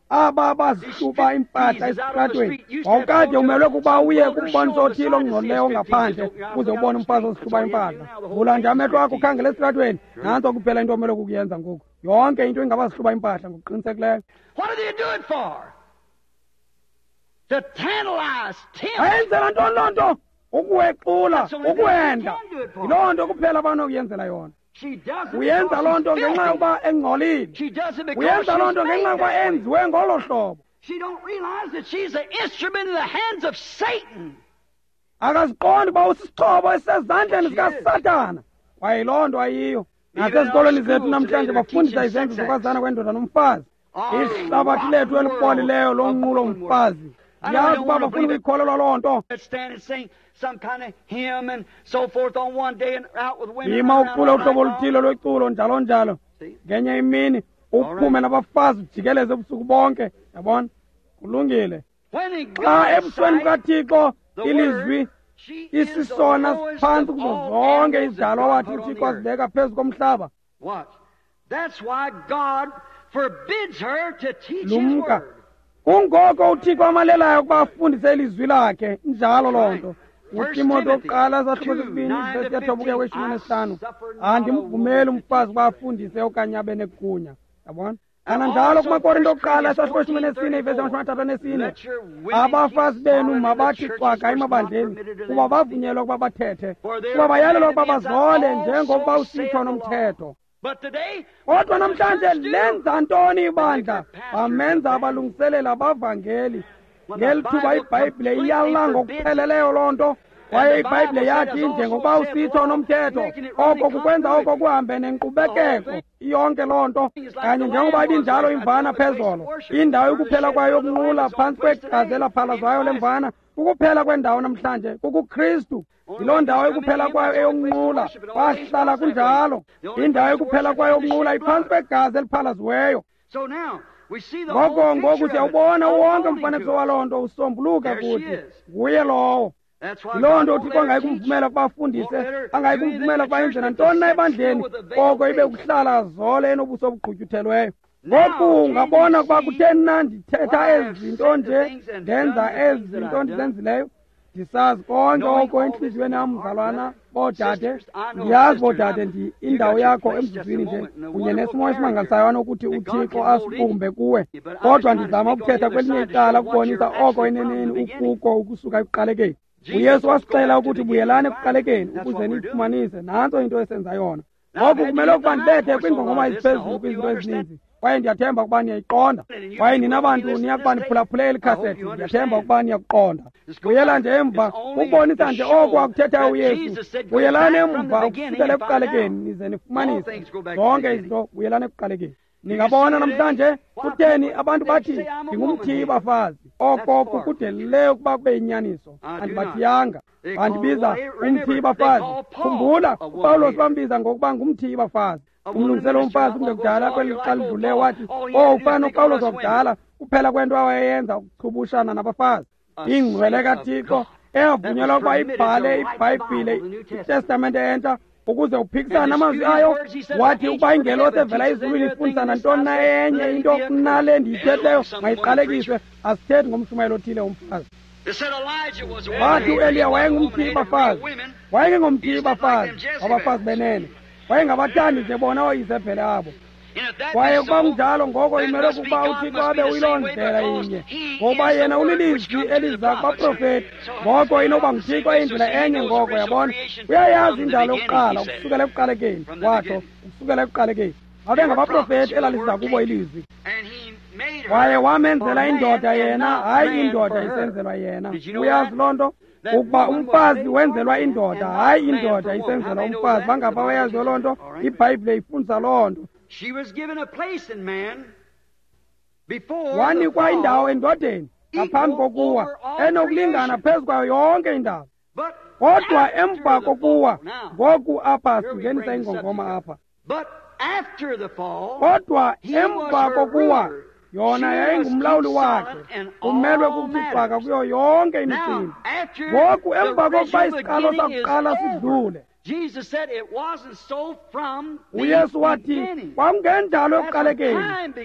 aba bazihluba impahla esitratweni. Wawukade umelwe kuba uye kumboniso othile ongcolileyo ongaphandle uze ubone umfazi ozihluba impahla. Vula nje amehlo akho ukhangele esitratweni, nantso kuphela into omelwe kukuyenza ngoku. Yonke into ingabazihluba impahla ngokuqinisekileyo. Bayenzela ntoni loo nto? Ukuwexula, ukuwenda. Yiloo nto kuphela abanokuyenzela yona. Uyenza loo nto ngenxa yokuba engcolile. Uyenza loo nto ngenxa yokuba enziwe ngolo hlobo. Akaziqondi uba usisixhobo esisezandleni zikaSathana. Kwaye yiloo nto ayiyo. Nasezikolweni zethu namhlanje bafundisa izenzo zokwazana kwendoda nomfazi. Ihlabathi lethu elipolileyo lonqulo mfazi. Yazi ukuba bafuna ukuyikholelwa loo nto. Yima ucule uhlobo oluthile lweculo njalo njalo. Ngenye imini uphume nabafazi ujikeleze ubusuku bonke. Yabona? Kulungile. Xa ebusweni bukaThixo ilizwi isisona siphantsi kuzo zonke izidalwa wathi uThixo azibeka phezu komhlaba. Lumka. Kungoko uThixo amalelayo ukuba afundise ilizwi lakhe. Injalo loo nto. UTimothy wokuqala sahluko sesibini ivesi yethoba ukuya kweshumi nesihlanu. Andimvumeli umfazi ukuba afundise okanye abe negunya. Yabona? Kananjalo kumaKorinto okuqala sahluko eshumi nesine ivesi yamashumi amathathu anesine. Abafazi benu mabathi cwaka emabandleni kuba bavunyelwa ukuba bathethe, kuba bayalelwa ukuba bazole njengokuba usitsho nomthetho. Kodwa namhlanje lenza ntoni ibandla? Bamenza abalungiselela abavangeli. Ngeli thuba iBhayibhile iyala ngokupheleleyo loo nto. Kwaye iBhayibhile yathi njengokuba usitsho nomthetho, oko kukwenza oko kuhambe nenkqubekeko iyonke loo nto. Kanye njengoba ibinjalo imvana phezolo, indawo yokuphela kwayo yokunqula phantsi kwegazi elaphalazwayo lemvana, kukuphela kwendawo namhlanje kukuKristu. Yiloo ndawo ekuphela kwayo eyokunqula, kwahlala kunjalo. Indawo ekuphela kwayo yokunqula iphantsi kwegazi eliphalaziweyo. Ngoko ngoku siyawubona wonke umfanekiso waloo nto usombuluka kuthi nguye lowo. Yiloo nto uThixo angayi kumvumela ukuba afundise, angayi kumvumela ukuba enze nantoni na ebandleni, koko ibe kuhlala zole enobuso obugqutyuthelweyo. Ngoku ungabona ukuba kutheni na ndithetha ezi zinto nje, ndenza ezi zinto ndizenzileyo. Ndisazi konke oko entliziyweni yam, mzalwana, boodade. Ndiyazi boodade, ndi indawo yakho emzuzwini nje kunye nesimo esimangalisayo anokuthi uThixo asibumbe kuwe. Kodwa ndizama ukuthetha kwelinye icala ukubonisa oko eneneni ukuko ukusuka ekuqalekeni. UYesu wasixela ukuthi buyelani ekuqalekeni ukuze niyifumanise. Nantso into esenza yona. Ngoku kumele ukuba ndibethe kwiingongoma eziphezulu kwizinto ezininzi, kwaye ndiyathemba ukuba niyayiqonda. Kwaye nina bantu niyakuba niphulaphule eli khasethi, ndiyathemba ukuba niyakuqonda. Buyela nje emva ukubonisa nje oko akuthethayo uYesu. Buyelani emva ukusukela ekuqalekeni nize nifumanise zonke izinto. Buyelani ekuqalekeni. Ningabona namhlanje kutheni abantu bathi ndingumthiyi bafazi. Oko kukudelileyo ukuba kube yinyaniso. Andibathiyanga. Bandibiza umthiyi bafazi. Khumbula, uPawulos bambiza ngokuba ngumthiyi bafazi. Umlungiselo womfazi kungekudala kweli xa lidluleyo wathi, oh, ufana noPawulos wakudala, kuphela kwento awayeyenza ukuchubushana nabafazi. Ingcwele kaThixo eyavunyelwa ukuba ibhale iBhayibhile, iTestamente entsha, ukuze uphikisane namazwi ayo. Wathi ukuba ingelosi evela ezulwini ifundisa nantoni na enye into kunale ndiyithethileyo, mayiqalekiswe. Asithethi ngomshumayelo othile womfazi. Wathi uEliya wayengumthiyi bafazi. Wayengengomthiyi bafazi, wabafazi benene. Wayengabathandi nje bona ooIzebhele abo. Kwaye ukuba kunjalo, ngoko imele ukuba uThixo abe uyiloo ndlela inye, ngokuba yena ulilizwi eliza kubaprofeti. Ngoko inoba nguThixo indlela enye ngoko, yabona. Uyayazi indalo yokuqala ukusukela ekuqalekeni, watsho, ukusukela ekuqalekeni. Babengabaprofeti elaliza kubo ilizwi. Kwaye wamenzela indoda yena, hayi indoda isenzelwa yena. Uyazi loo nto? Ukuba umfazi wenzelwa indoda, hayi indoda isenzelwa umfazi. Bangapha bayaziyo loo nto? IBhayibhile ifundisa loo nto. Wanikwa indawo endodeni ngaphambi kokuwa, enokulingana phezu kwayo yonke indawo. Kodwa emva kokuwa, ngoku apha singenisa ingongoma apha. Kodwa emva kokuwa, yona yayingumlawuli wakhe, umelwe kukuthi cwaka kuyo yonke imicimbi. Ngoku emva kokuba isiqalo sakuqala sidlule, uYesu wathi kwakungenjalo ekuqalekeni.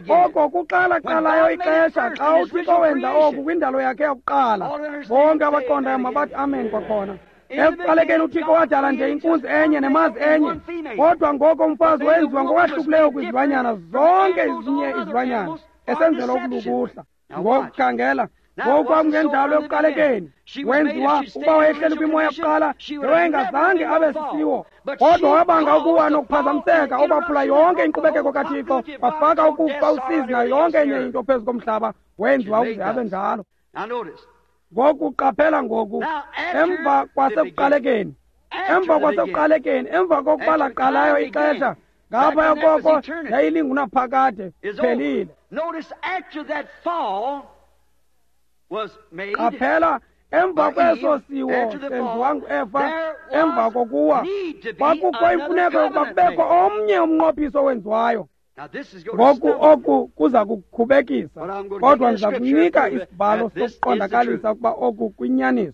Oko kuqala qalayo ixesha xa uThixo wenza oku kwindalo yakhe yakuqala. Bonke abaqondayo mabathi amen kwakhona. Ekuqalekeni uThixo wadala nje inkunzi enye nemazi enye, kodwa ngoko umfazi wenziwa ngokwahlukileyo kwizilwanyana zonke ezinye izilwanyana, esenzelwa ukulukuhla. Ngokukhangela, ngoku kwakungenjalo ekuqalekeni. Wenziwa ukuba wayehleli kwimo yakuqala, wayengazange abe sisiwo, kodwa wabanga ukuwa nokuphazamiseka okwaphula yonke inkqubekeko kaThixo, wafaka ukufa, usizi nayo yonke enye into phezu komhlaba. Wenziwa ukuze abe njalo. Ngoku qaphela ngoku, emva kwasekuqalekeni, emva kwasekuqalekeni, emva kokuba laqalayo ixesha, ngaphaya koko yayilingunaphakade, phelile. Qaphela, emva kweso siwo senziwa nguEva, emva kokuwa, kwakukho imfuneko yokuba kubekho omnye umnqophiso owenziwayo. Ngoku oku kuza kukhubekisa, kodwa ndiza kunika isibhalo sokuqondakalisa ukuba oku kuyinyaniso.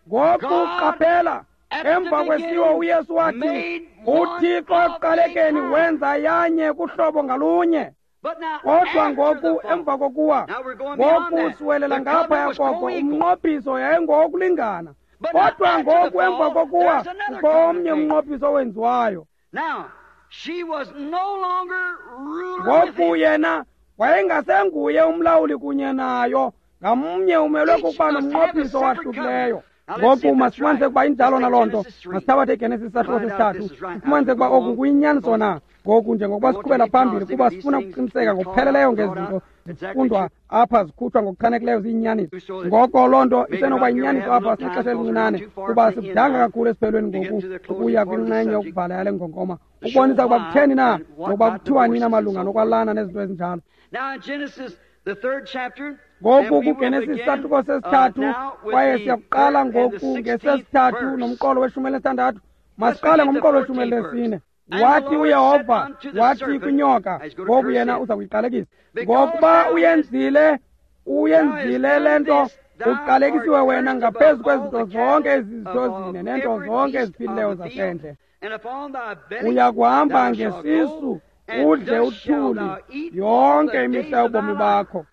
Ngoku qaphela, emva kwesiwo uYesu wathi uThixo ekuqalekeni wenza yanye kuhlobo ngalunye. Kodwa ngoku emva kokuwa, ngoku siwelela ngaphaya koko, umnqophiso yayingowokulingana. Kodwa ngoku emva kokuwa kukho omnye umnqophiso owenziwayo. Ngoku yena wayengasenguye umlawuli kunye nayo, ngamnye umelwe kukuba nomnqophiso owahlukileyo. Ngoku masifumanise ukuba injalo naloo nto. Masithabathe iGenesis isahluko sesithathu, sifumanise ukuba oku kuyinyaniso na. Ngoku njengokuba siqhubela phambili, kuba sifuna ukuqiniseka ngokupheleleyo ngezinto zifundwa apha zikhutshwa ngokuchanekileyo ziyinyaniso. Ngoko loo nto isenokuba yinyaniso apha sinexesha elincinane, kuba sikudanga kakhulu esiphelweni ngoku ukuya kwinxenye yokuvala yale ngongoma, ukubonisa ukuba kutheni na nokuba kuthiwa nina malunga nokwalana nezinto ezinjalo. Ngoku kuGenesis isahluko sesithathu, kwaye siyakuqala ngoku ngesesithathu nomqolo weshumi elinesithandathu. Masiqale ngomqolo weshumi elinesine. Wathi uYehova wathi kwinyoka, ngoku yena uza kuyiqalekisa, ngokuba uyenzile uyenzile le nto, uqalekisiwe wena ngaphezu kwezinto zonke ezizinto zine neento zonke eziphilileyo zasendle. Uya kuhamba ngesisu udle uthuli yonke imihla yobomi bakho.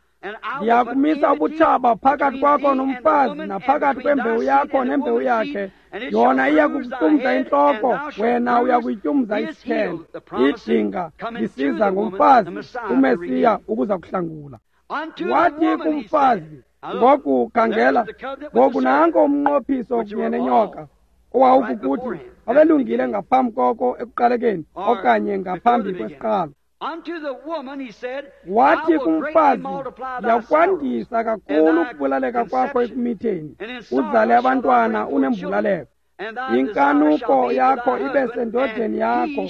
Ndiyakumisa ubutshaba phakathi kwakho nomfazi, naphakathi kwembewu yakho nembewu yakhe. Yona iya kukutyumza intloko, wena uya kuyityumza isithende. Idinga lisiza ngomfazi, uMesiya ukuza kuhlangula. Wathi kumfazi, ngoku khangela, ngoku nanko umnqophiso kunye nenyoka, owawukukuthi babelungile ngaphambi koko ekuqalekeni, okanye ngaphambi kwesiqalo. Wathi kumfazi, ndiyakwandisa kakhulu ukubulaleka kwakho ekumitheni, uzale abantwana unembulaleko. Inkanuko yakho ibe sendodeni yakho,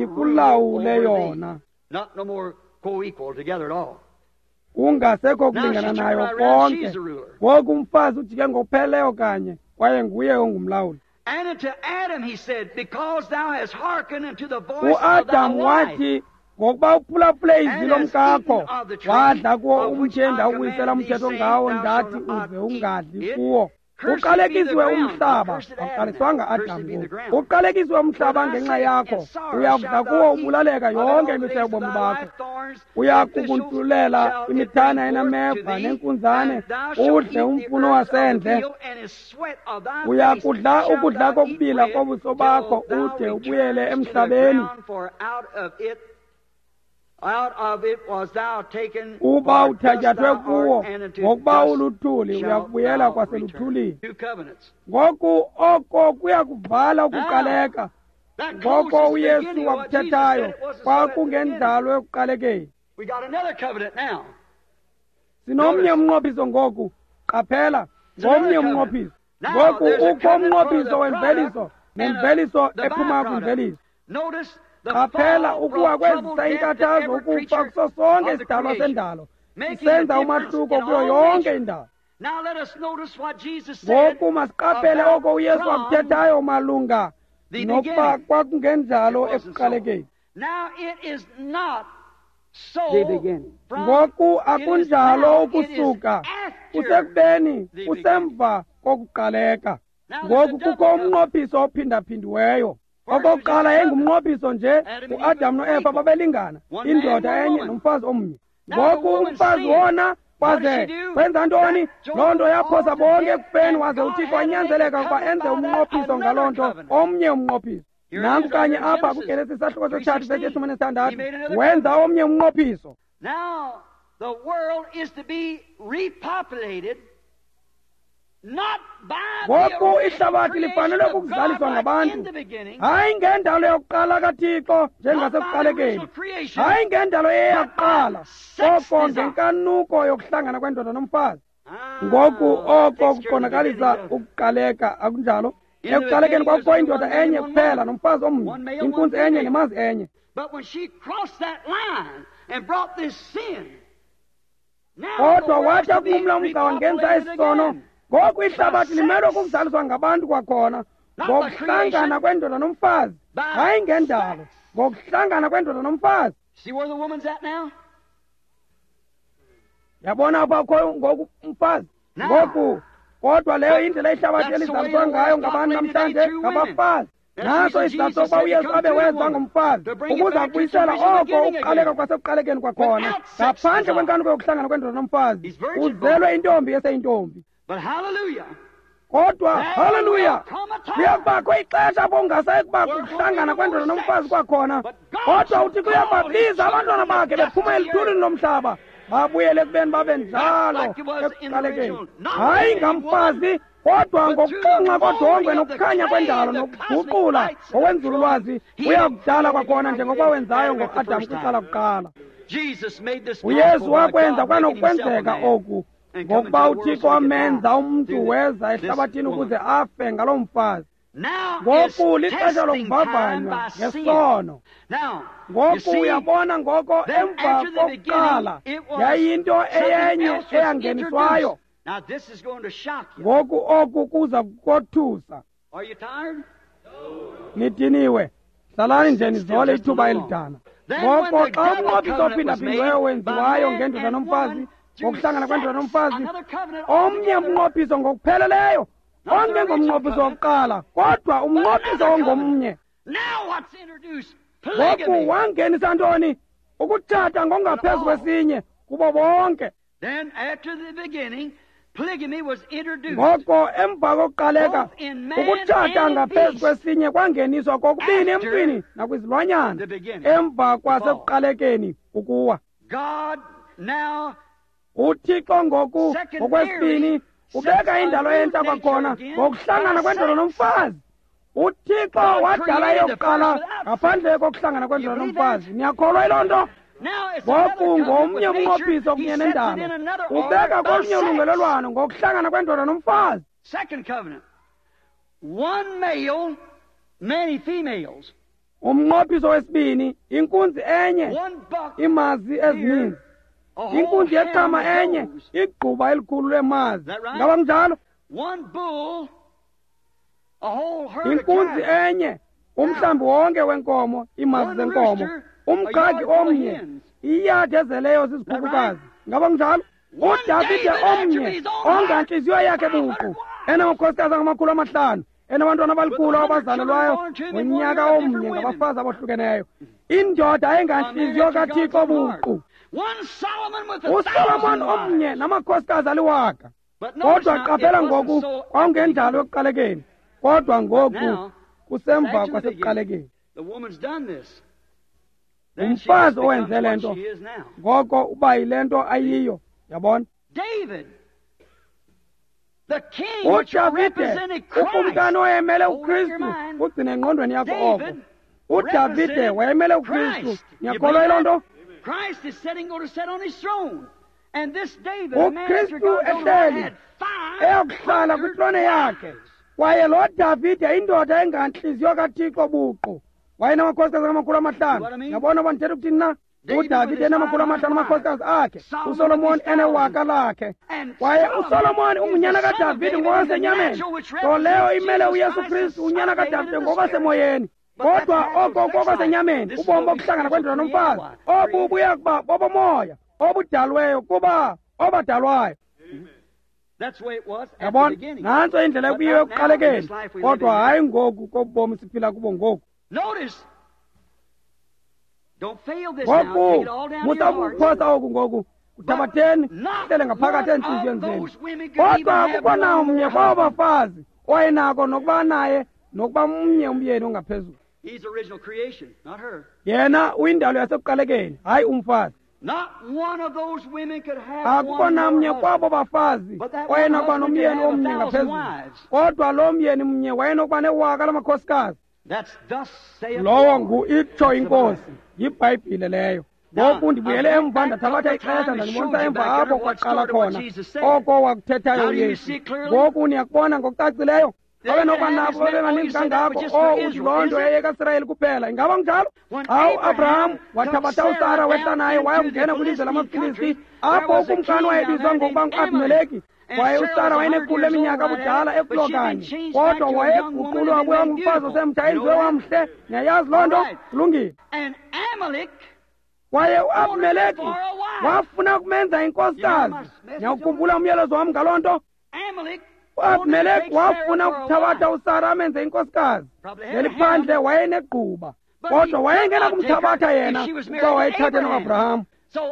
ikulawule yona. Kungasekho kulingana nayo konke. Ngoku umfazi ujike ngokupheleleyo kanye, kwaye nguye ongumlawuli. UAdam wathi, ngokuba uphulaphule izwi lomkakho, wadla kuwo umthi endawuwisela umthetho ngawo, ndathi uze ungadli kuwo. Uqalekisiwe umhlaba, awuqaliswanga Adam ngoku. Uqalekisiwe umhlaba ngenxa yakho, uyakudla kuwo ubulaleka yonke imihla yobomi bakho. Uyakukuntulela imithana enameva nenkunzane, udle umfuno wasendle. Uyakudla ukudla kokubila kobuso bakho, ude ubuyele emhlabeni. Uba uthatyathwe kuwo, ngokuba uluthuli, uyakubuyela kwaseluthulini. Ngoku oko kuyakuvala ukuqaleka. Ngoko uYesu wakuthethayo kwakungendalo ekuqalekeni. Sinomnye umnqophiso ngoku, qaphela, ngomnye umnqophiso. Ngoku ukho umnqophiso wemveliso nemveliso ephuma kwimveliso. Qaphela, ukuwa kwezisa inkathazo, ukufa kuso sonke isidalwa sendalo, isenza umahluko kuyo yonke indalo. Ngoku masiqaphele oko uYesu wakuthethayo malunga nokuba kwakungenjalo ekuqalekeni. Ngoku akunjalo ukusuka, kusekubeni kusemva kokuqaleka. Ngoku kukho umnqophiso ophindaphindiweyo. Okokuqala yayingumnqophiso nje, uAdam noEva babelingana, indoda enye nomfazi omnye. Ngoku umfazi wona kwaze wenza ntoni? Loo nto yaphosa bonke ekufeni, waze uThixo wanyanzeleka ukuba enze umnqophiso ngaloo nto, omnye umnqophiso. Nanku kanye apha kuGenesis isahluko sesithathu vesi yeshumi nesithandathu, wenza omnye umnqophiso. Ngoku ihlabathi lifanele ukuzaliswa ngabantu, hayi ngendalo yokuqala kaThixo njengasekuqalekeni, hayi ngendalo eyakuqala, koko ngenkanuko yokuhlangana kwendoda nomfazi. Ngoku oko kuqondakalisa ukuqaleka, akunjalo? Ekuqalekeni kwakukho indoda enye kuphela nomfazi omnye, inkunzi enye nemazi enye. Kodwa wathi akumla umgca wangenza isisono. Ngoku ihlabathi limelwe kukuzaliswa ngabantu kwakhona, ngokuhlangana kwendoda nomfazi, hayi ngendalo, ngokuhlangana kwendoda nomfazi. Yabona apha akhoyo ngoku umfazi. Ngoku Kodwa leyo indlela ihlabathi elizaliswa ngayo ngabantu namhlanje, ngabafazi. Naso isizathu sokuba uYesu abe weza ngomfazi, ukuze akubuyisela oko ukuqaleka kwasekuqalekeni kwakhona, ngaphandle kwenkanuko yokuhlangana kwendoda nomfazi. Uzelwe intombi eseyintombi. Kodwa haleluya, kuyakubakho ixesha apho kungasayi kubakho ukuhlangana kwendoda nomfazi kwakhona. Kodwa uThixo uyababiza abantwana bakhe bephuma eluthulini lomhlaba, babuyele ekubeni babe njalo ekuqalekeni. Hayi ngamfazi, kodwa ngokuxonxa kodongwe nokukhanya kwendalo nokuguqula ngokwenzululwazi, uyakudala kwakhona njengokuba wenzayo ngoAdam kwicala kuqala. UYesu wakwenza kwanokwenzeka oku ngokuba uThixo wamenza umntu weza ehlabathini ukuze afe ngaloo mfazi. Ngoku lixesha lokuvavanywa ngesono. Ngoku uyabona, ngoko emva kokuqala yayinto eyenye eyangeniswayo. Ngoku oku kuza kukothusa. Nidiniwe? Hlalani nje nizole ithuba elidana. Ngoko xa umnqophiso ophindaphindiweyo wenziwayo ngendoda nomfazi, ngokuhlangana kwendoda nomfazi, omnye umnqophiso ngokupheleleyo, ongengomnqophiso wokuqala, kodwa umnqophiso ongomnye. Ngoku wangenisa ntoni? Ukutshata ngokungaphezu kwesinye kubo bonke. Ngoko emva kokuqaleka, ukutshata ngaphezu kwesinye kwangeniswa kokubini emntwini nakwizilwanyana, emva kwasekuqalekeni ukuwa. UThixo ngoku ngokwesibini ubeka indalo entsha kwakhona ngokuhlangana kwendoda nomfazi. UThixo wadala eyokuqala ngaphandle kokuhlangana kwendoda nomfazi. Niyakholwa yiloo nto? Ngoku ngomnye umnqophiso kunye nendalo, ubeka kolunye ulungelelwano ngokuhlangana kwendoda nomfazi. Umnqophiso wesibini, inkunzi enye, imazi ezininzi. Inkunzi yeqama enye, igquba elikhulu lemazi. Ngaba kunjalo? Inkunzi enye, umhlambi wonke wenkomo, imazi zenkomo. Umqhagi omnye, iyadi ezeleyo zizikhukukazi. Ngaba kunjalo? uDavide omnye, ongantliziyo yakhe buqu, enamakhosikazi angamakhulu amahlanu, enabantwana abalikhulu abazalelwayo ngonyaka omnye ngabafazi abohlukeneyo. Indoda engantliziyo kaThixo buqu. uSolomon omnye namakhosikazi aliwaka. Kodwa qaphela ngoku, kwakungendalo yokuqalekeni, kodwa ngoku kusemva kwasekuqalekeni. Umfazi owenze le nto, ngoko uba yile nto ayiyo, yabona. uDavide, ukumkani owayemele uKristu, ugcine engqondweni yakho oko. uDavide wayemele uKristu. Niyakholwa yiloo nto? uKristu ehleli eyokuhlala kwitrone yakhe, kwaye lo Davide indoda engantliziyo kaThixo buqu, wayenamakhosikazi amakhulu amahlanu. Yabona uba ndithetha ukuthini na? uDavide enamakhulu amahlanu amakhosikazi akhe, uSolomon enewaka lakhe. Kwaye uSolomon ungunyana kaDavide ngokwasenyameni, nto leyo imele uYesu Kristu unyana kaDavide ngokwasemoyeni. Kodwa oko kokwasenyameni, ubomi bokuhlangana kwendoda nomfazi, obu buya kuba bobomoya obudalweyo kuba obadalwayo. Yabona, nantso indlela ekuyiyo ekuqalekeni, kodwa hayi ngoku kobubomi siphila kubo ngoku. Ngoku musa ukuphosa oku ngoku, kuthabatheni kuhlele ngaphakathi entliziyweni zenu. Kodwa akukho namnye kwabo bafazi owayenako nokuba naye nokuba mnye umyeni ongaphezulu. Yena uyindalo yasekuqalekeni, hayi umfazi. Akukho namnye kwabo bafazi wayenokuba nomyeni omnye ngaphezulu, kodwa lo myeni mnye wayenokuba newaka lamakhosikazi. Lowo ngu itsho iNkosi, yiBhayibhile leyo. Ngoku ndibuyele emva ndathabatha ixesha ndandibonisa emva apho kwaqala khona oko wakuthethayo uYesu. Ngoku niyakubona ngokucacileyo. Babe nokuba nabo babe baninzi kangako. Oh, uthi loo nto yayekaSirayeli kuphela. Ingaba kunjalo? Xa uAbraham wathabatha uSara wehla naye wayokungena kwilizwe lamaFilisti, apho ukumkani wayebizwa ngokuba nguAbhimeleki. Kwaye uSara wayenekhulu leminyaka budala ekulo kanye, kodwa wayeguqulwa wabuya ngumfazi osemtsha enziwe wamhle. Niyayazi loo nto? Kulungile. Kwaye uAbhimeleki wafuna ukumenza inkosikazi. Niyawukhumbula umyalezo wam ngaloo nto? uAbimeleki wafuna ukuthabatha uSara amenze inkosikazi. Ngeliphandle wayenegquba, kodwa wayengena kumthabatha yena kuba wayethathe noAbraham.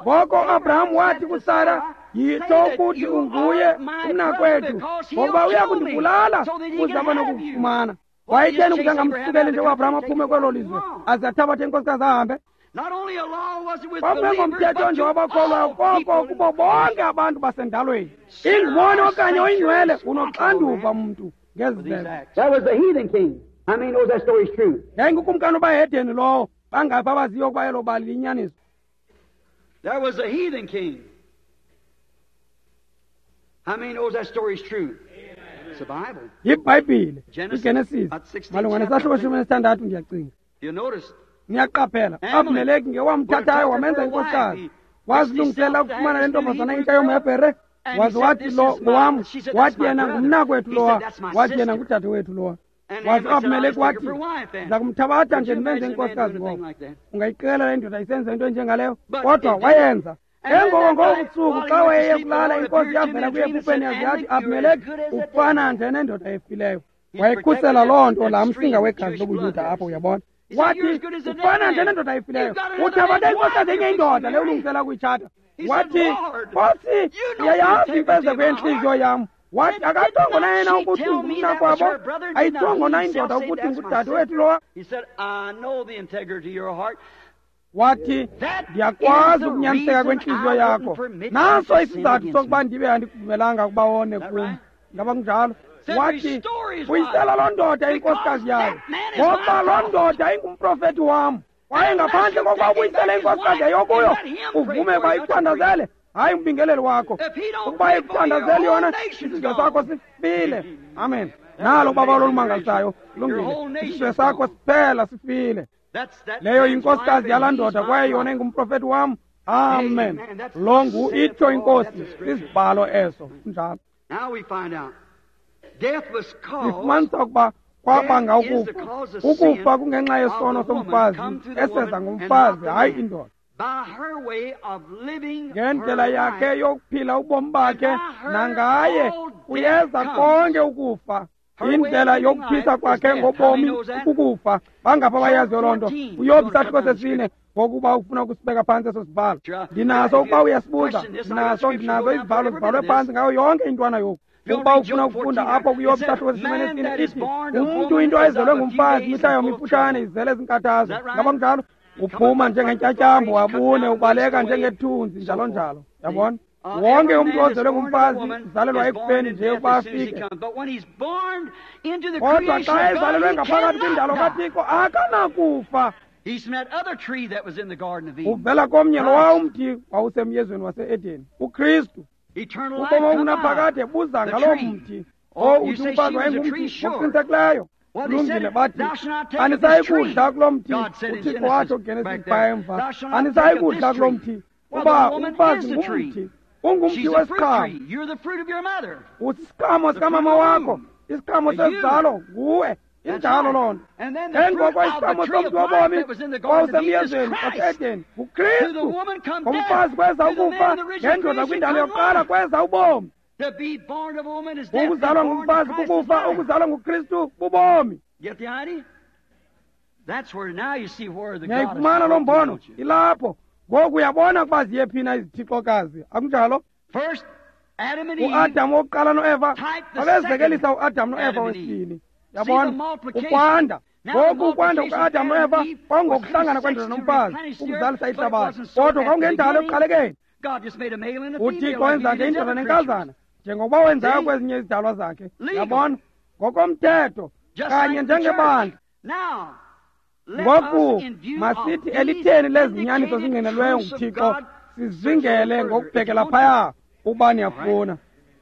Ngoko uAbraham wathi kuSara, yitsho ukuthi unguye umnakwethu, ngokuba uya kundibulala ukuze abe nokukufumana. Wayetheni ukuze angamsukeli nje uAbraham aphume kwelo lizwe aze athabathe inkosikazi ahambe? Kwakungengomthetho nje wabakholwayo, koko kubo bonke abantu basendalweni. Ingumoni okanye oyingcwele unoxanduva mntu ngezi zenzo. Yayingukumkani obahedeni lowo, bangaphi abaziyo ukuba elo bali liyinyaniso.
There was a heathen king. How many knows that story is true? It's the Bible.
YiBhayibhile, iGenesis, malunga nesahluko shumi nesithandathu ndiyacinga.
You notice?
Niyaqaphela, Abimeleki ngewamthathayo wamenza inkosikazi. Wazilungisela ukufumana le ntombazana intsha yomHebhere, waze wathi lo ngowam, wathi yena ngumnakwethu lowa, wathi yena ngudade wethu lowa. Waze uAbimeleki wathi, ndiza kumthabatha nje ndimenze inkosikazi ngoko. Ungayiqela le ndoda isenza into enjengaleyo, kodwa wayenza. Engoko ngobusuku xa wayeye kulala, inkosi yavela kuye ephupheni yaze yathi, Abimeleki ufana nje nendoda efileyo. Wayekhusela loo nto laa msinga wegazi lobuYuda apho, uyabona. Wathi ufana nje nendoda efileyo, uthabathe inkosikazi enye indoda le ulungisela ukuyitshata. Wathi, Nkosi, uyayazi imfezeko yentliziyo yam. Wathi akayithongo na yena ukuthi ngumnakwabo, ayithongo na indoda ukuthi ngudade wethu lowa. Wathi, ndiyakwazi ukunyaniseka kwentliziyo yakho. Naso isizathu sokuba ndibe andikuvumelanga ukuba wone kum. Ngaba kunjalo? Wathi, buyisela loo ndoda inkosikazi yayo, ngoba loo ndoda ingumprofethi wam. Kwaye ngaphandle kokuba ubuyisele inkosikazi yayo kuyo, uvume ukuba ikuthandazele, hayi umbingeleli wakho. Ukuba ikuthandazele yona, isizwe sakho sifile. Amen. Nalo ubaba olumangalisayo, lungile. Isizwe sakho siphela sifile. Leyo yinkosikazi yalaa ndoda, kwaye yona ingumprofethi wam. Amen. Lo ngu itsho inkosi, isibhalo eso. Kunjalo. Sifumanisa ukuba kwabanga ukufa. Ukufa kungenxa yesono somfazi, eseza ngumfazi, hayi indoda. Ngendlela yakhe yokuphila ubomi bakhe, nangaye kuyeza konke ukufa. Indlela yokuphisa kwakhe ngobomi kukufa. Bangapha abayaziyo loo nto. UYobi isahluko sesine, ngokuba ufuna ukusibeka phantsi eso sibhalo. Ndinaso ukuba uyasibuza, ndinaso ndinazo izibhalo zibhalwe phantsi ngayo yonke intwana yoku. Ukuba ufuna ukufunda apho kuYobi isahluko sesine nesine, ithi umntu into ezelwe ngumfazi imihla yomifutshane izele zinkathazo. Ngaba kunjalo? Uphuma njengentyatyambo abune, ubaleka njengethunzi, njalo njalo. Yabona? Wonke umntu ozelwe ngumfazi uzalelwa ekufeni nje ukuba afike. Kodwa xa ezalelwe ngaphakathi kwindalo kaThixo akanakufa. Uvela komnye lowa umthi wawusemyezweni wase-Edeni, uKristu. Ubomi obungunaphakade buza ngaloo mthi. O uthi umfazi wayengumthi ngokuqinisekileyo. Kulungile, bathi anisayi kudla kuloo mthi. UThixo watsho kuGenesis phaya emva, anisayi kudla kuloo mthi, kuba umfazi ngumthi, ungumthi wesiqhamo. Usisiqhamo sikamama wakho, isiqhamo sesizalo nguwe. Injalo loo nto. Engoko isiqhamo somthi wobomi wawusemyezweni wase-Edeni nguKristu. Ngomfazi kweza ukufa, ngendoda kwindalo yokuqala kweza ubomi. Ukuzalwa ngumfazi kukufa, ukuzalwa nguKristu bubomi. Niyayifumana loo mbono? Ilapho. Ngoku uyabona ukuba ziye phi na izithixokazi, akunjalo? UAdam wokuqala noEva babezekelisa uAdam noEva wesibini. Yabona? Ukwanda. Ngoku ukwanda kukaAdam noEva kwakungokuhlangana kwendoda nomfazi ukuzalisa ihlabathi, kodwa kwakungendalo ekuqalekeni. UThixo wenza nje indoda nenkazana njengokuba wenzayo kwezinye izidalwa zakhe. Yabona? Ngokomthetho kanye njengebandla. Ngoku masithi elitheni lezinyaniso zingqinelweyo nguThixo sizingele ngokubhekela phaya ukuba niyafuna.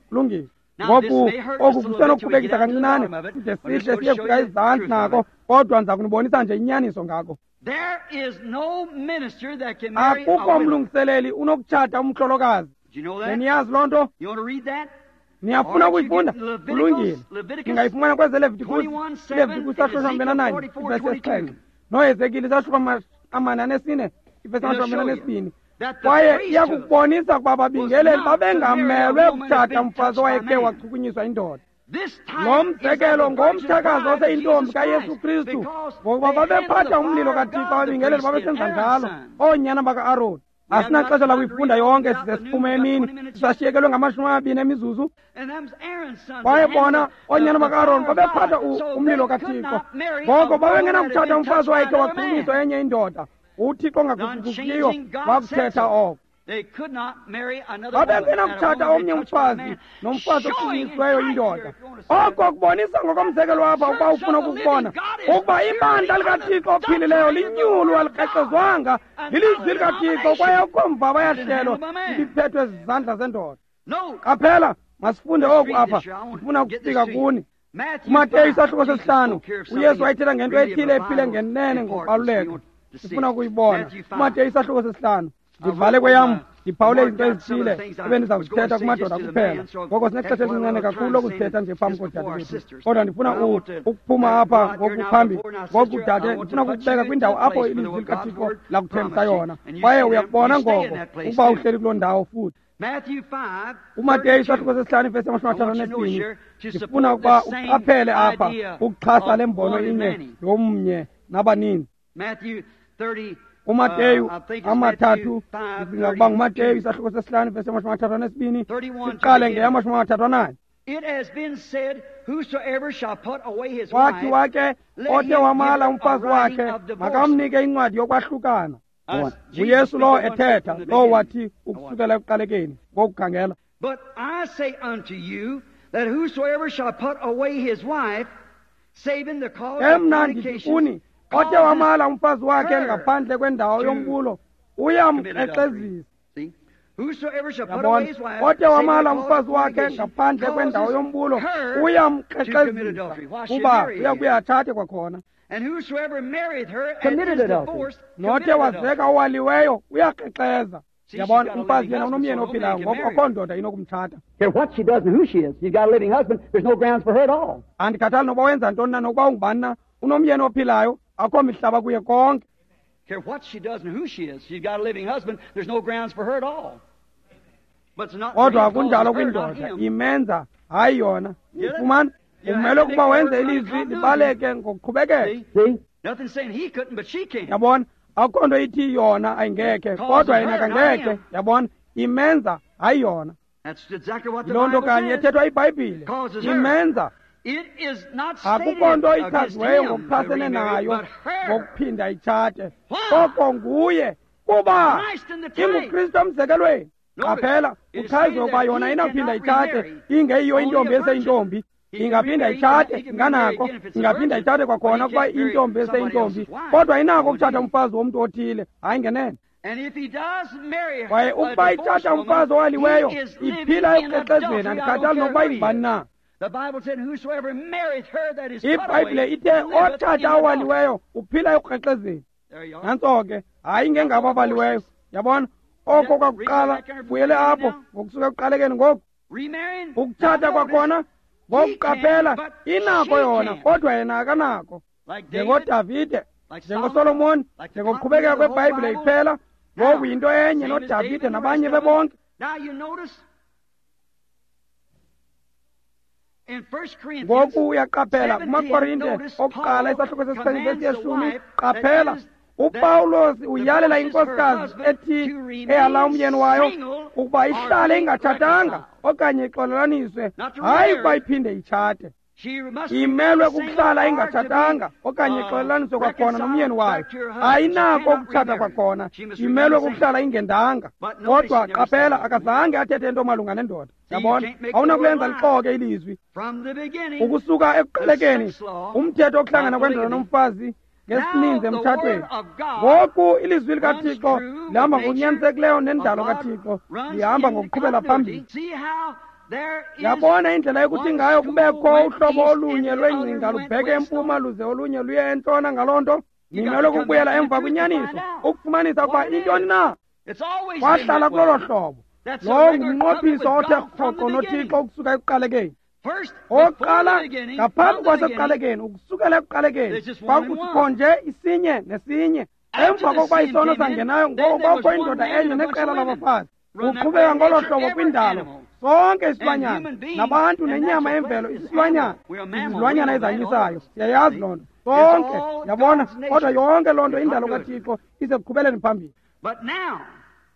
Kulungile. Ngoku oku kusenokukhubekisa kancinane side sihle siye kufika ezantsi nako, kodwa ndiza kunibonisa nje inyaniso ngako. Akukho mlungiseleli unokutshata umhlolokazi. Niyazi loo nto? Niyafuna ukuyifunda? Kulungile. Ningayifumana kwezeLevitikus, iLevitikus isahluko samabini ananye ivesi yesixhenxe, noHezekile isahluko amane anesine ivesi amashumi amabini anesibini. Kwaye iyakukubonisa ukuba ababingeleli babengamelwe kutshata umfazi owayekhe wachukunyiswa indoda. Lo mzekelo ngomtshakazi oseyintombi kaYesu Kristu, ngokuba babephatha umlilo kaThixo, ababingeleli babesenza njalo, oonyana baka-Aroni. Asinaxesha lakuyifunda yonke, size siphume emini, sisashiyekelwe ngamashumi amabini emizuzu. Kwaye bona oonyana baka-Aroni babephatha umlilo kaThixo, ngoko babengenakuthatha umfazi wakhe wachumiswa enye indoda. UThixo ongaguquguqiyo wakuthetha oko. Babengenakuthatha omnye umfazi nomfazi ochunyisiweyo indoda. Oko kubonisa ngokomzekelo apha, ukuba ufuna ukukubona ukuba ibandla likaThixo ophilileyo linyulu, alikrexezwanga, lilizwi likaThixo, kwaye akukho mvaba yahlelo ibiphethwe zizandla zendoda. Qaphela, masifunde oku apha, ndifuna ukufika kuni. KuMateyu isahluko sesihlanu, uYesu wayethetha ngento ethile ephile ngenene ngokubaluleka. Sifuna ukuyibona. KuMateyu isahluko sesihlanu. Ndivale kweyam, ndiphawule izinto ezithile ebendiza kuzithetha kumadoda kuphela. Ngoko sinexesha elincinane kakhulu lokuzithetha nje phambi koodade bethu. Kodwa ndifuna ukuphuma apha ngoku phambili. Ngoku dade, ndifuna ukukubeka kwindawo apho ilizwi likaThixo lakuthembisa yona. Kwaye uyakubona ngoko ukuba uhleli kuloo ndawo futhi. UMateyu isahluko sesihlanu ivesi yamashumi athathu anesibini. Ndifuna ukuba uqaphele apha ukuxhasa le mbono inye yomnye nabaninzi. UMateyu amathathu, ndicinga ukuba nguMateyu isahluko sesihlanu ivesi yamashumi amathathu anesibini, siqale ngeyamashumi amathathu ananye. Wathi wake othe wamala umfazi wakhe makamnike incwadi yokwahlukana. NguYesu lowo ethetha, lowo wathi ukusukela ekuqalekeni ngokukhangela.
But I say unto you that whosoever shall put away his wife, saving the cause of
Ke mna ndithi kuni, othe wamala umfazi wakhe ngaphandle kwendawo yombulo uyamkrexezisa. Yabona, othe wamala umfazi wakhe ngaphandle kwendawo yombulo uyamkrexezisa, kuba uyakuye athathe kwakhona. Nothe wazeka owaliweyo uyakrexeza. Yabona, umfazi yena unomyeni ophilayo, ngoko akho ndoda inokumtshata.
What she does and who she is. She's got a living husband. There's no grounds for her at all.
Andikhathali nokuba wenza ntoni na, nokuba ungubani na, unomyeni ophilayo, akho mihlaba kuye konke.
Care what she does and who she is. She's got a living husband. There's no grounds for her at all. But it's not
Kodwa akunjalo kwindoda, imenza hayi yona. Ifumana umele ukuba wenze ilizwi libaleke ngokuqhubekeka.
See? Nothing saying he couldn't, but she can.
Yabona, akukho nto ithi yona ayingekhe, kodwa yena kangekhe. Yabona, imenza hayi yona.
That's exactly what the
Yiloo nto
Bible
kanye
says.
ethethwa iBhayibhile.
Causes her.
Imenza.
It is not stated
Akukho nto
against
ichaziweyo
him to
ngokuchasene
remarry,
nayo
but her.
ngokuphinda itshate.
Why?
Koko nguye, kuba
Christ in the type.
inguKristu emzekelweni.
Notice,
Qaphela,
it is
kuchazwe
stated
ukuba
that
yona
he
inawuphinda
cannot
itshate
remarry
ingeyiyo
only
intombi
a virgin.
eseyintombi.
He can
Ingaphinda
remarry,
itshate,
he can remarry
inganako,
again if it's a
ingaphinda
virgin,
itshate kwakhona
but he
ukuba
can't marry
intombi
somebody
eseyintombi,
else's wife.
kodwa inako
Oh,
ukutshata
indeed.
umfazi womntu othile, hayi ngenene.
And if he does marry
Kwaye
a
ukuba
divorced
itshata
woman,
umfazi owaliweyo,
he is living
iphila
in
ekukrexezeni,
adultery. I don't
andikhathali
care
nokuba
who he
ingubani
is.
na.
The Bible said, whosoever marrieth her that is put
IBhayibhile
away,
ithe
liveth in
otshata
adultery.
owaliweyo uphila ekukrexezeni.
There you are.
Nantso ke, hayi ngengabo abaliweyo. Yabona, oko kwakuqala, buyele apho ngokusuka ekuqalekeni ngoku.
Remarrying,
Ukutshata
now notice,
kwakhona, ngokuqaphela, inako yona, kodwa yena akanako.
like David,
NjengoDavide,
like
njengoSolomoni,
Solomon, like the
njengokuqhubekeka
continuity of the whole
kweBhayibhile
Bible.
iphela, ngoku yinto enye
Same as
noDavide
David and the
nabanye
rest of them.
bebonke.
Now you notice in First Corinthians
Ngoku uyaqaphela
seventeen,
kumaKorinte
notice
okuqala
Paul
isahluko sesixhenxe vesi
commands the
yeshumi,
wife
qaphela
that is
uPawulos uyalela
divorces her
inkosikazi
husband
ethi
to remain
eyala umyeni wayo
single
ukuba
or
ihlale
be
ingatshatanga
reconciled.
okanye ixolelaniswe,
Not to
hayi ukuba
remarry.
iphinde itshate.
She must
Imelwe
remain single
kukuhlala
or to
ingatshatanga
be,
okanye
uh,
ixolelaniswe kwakhona
reconciled
nomyeni wayo.
back to her husband. She
Ayinako
cannot
ukutshata
remarry.
kwakhona,
She must
imelwe
remain single.
kukuhlala ingendanga.
But notice
Kodwa
she never
qaphela,
said that.
akazange athethe nto malunga nendoda.
See, you
Yabona,
can't make the
awunakulenza
word lie.
lixoke ilizwi.
From the beginning,
Ukusuka ekuqalekeni,
the sex law,
umthetho wokuhlangana
by
kwendoda
polygamy.
nomfazi ngesininzi
Now the
emtshatweni.
word of God
Ngoku ilizwi likaThixo
runs true
lihamba
with nature
ngokunyanisekileyo nendalo
of God,
kaThixo,
runs
lihamba
in the
ngokuqhubela
continuity.
phambili.
See how there is
Yabona indlela yokuthi
one
ngayo
school
kubekho
went
uhlobo
east
olunye
and the
lwengcinga
other went
lubheke
west.
empuma luze olunye luye entshona ngaloo nto.
You got
Nimelwe
to come
kukubuyela
back to the
emva
truth to
kwinyaniso
find out
ukufumanisa ukuba
what it
intoni
is.
na.
It's always been
Kwahlala
that
kulolo
way.
hlobo.
That's a
Lowo
regular covenant
ngumnqophiso
with
othe
God from
rhoqo
the
noThixo
beginning.
ukusuka ekuqalekeni.
First, before
Okokuqala,
the beginning,
ngaphambi
from the beginning,
kwasekuqalekeni, ukusukela ekuqalekeni,
there's just one and
kwakuthi
one.
khonje isinye nesinye.
After
Emva
the
kokuba
sin
isono
came in,
sangenayo,
then
ngoko
there was
kwakho
one
indoda
man
enye
and a bunch
neqela
of women.
labafazi.
Run that
Uqhubeka
way
ngolo
nature
hlobo
every
kwindalo,
animal.
Sonke isilwanyana nabantu nenyama yemvelo isilwanyana, izilwanyana ezanyisayo, siyayazi loo nto sonke, yabona. Kodwa yonke loo nto indalo kaThixo isekuqhubeleni phambili.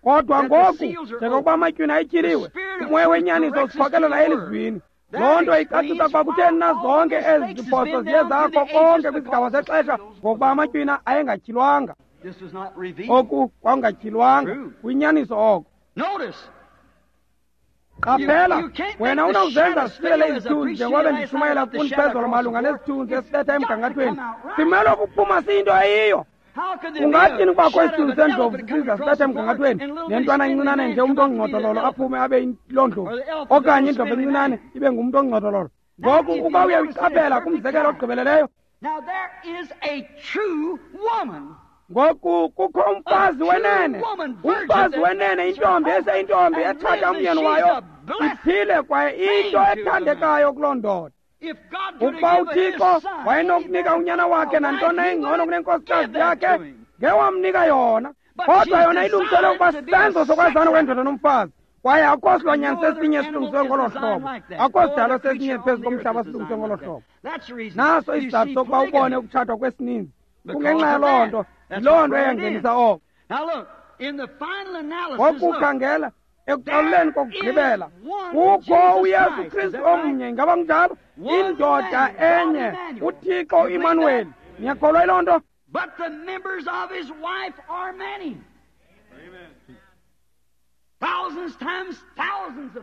Kodwa ngoku njengokuba amatywina ayityhiliwe, umoya wenyaniso usikhokelela elizwini. Loo nto icacisa ukuba kutheni na zonke ezi ziphoso ziye zakho konke kwisigaba sexesha, ngokuba amatywina ayengatyhilwanga. Oku kwakungatyhilwanga, kuyinyaniso oko. Qaphela, wena unawuzenza sisilele izithunzi njengoba bendishumayela kuni phezolo malunga nesithunzi esibetha emgangathweni. Simele ukuphuma siyinto eyiyo. Ungathini kubakho isithunzi sendlovu sisiza sibetha emgangathweni nentwana encinane nje umntu ongcodololo aphume abe yiloo ndlovu, okanye indlovu encinane ibe ngumntu ongcodololo? Ngoku ukuba uyayiqaphela kumzekelo ogqibeleleyo, ngoku kukho umfazi wenene, umfazi wenene, intombi eseyintombi ethatha umyeni wayo iphile kwaye into ethandekayo kuloo ndoda. Ukuba uThixo wayenokunika unyana wakhe nantoni engcono kunenkosikazi yakhe, ngewamnika yona. Kodwa yona ilungiselwe ukuba sisenzo sokwazana kwendoda nomfazi, kwaye akukho silwanyana sesinye silungiswe ngolo hlobo, akukho sidalo sesinye phezu komhlaba silungiswe ngolo hlobo. Naso isizathu sokuba ubone ukutshatwa kwesininzi, kungenxa yaloo nto. Yiloo nto eyangenisa oko. Ngoku khangela ekuqaleni kokugqibela, kukho uYesu Kristu omnye. Ingaba kunjalo? Indoda enye, uThixo uImanuweli. Niyakholwa yiloo nto?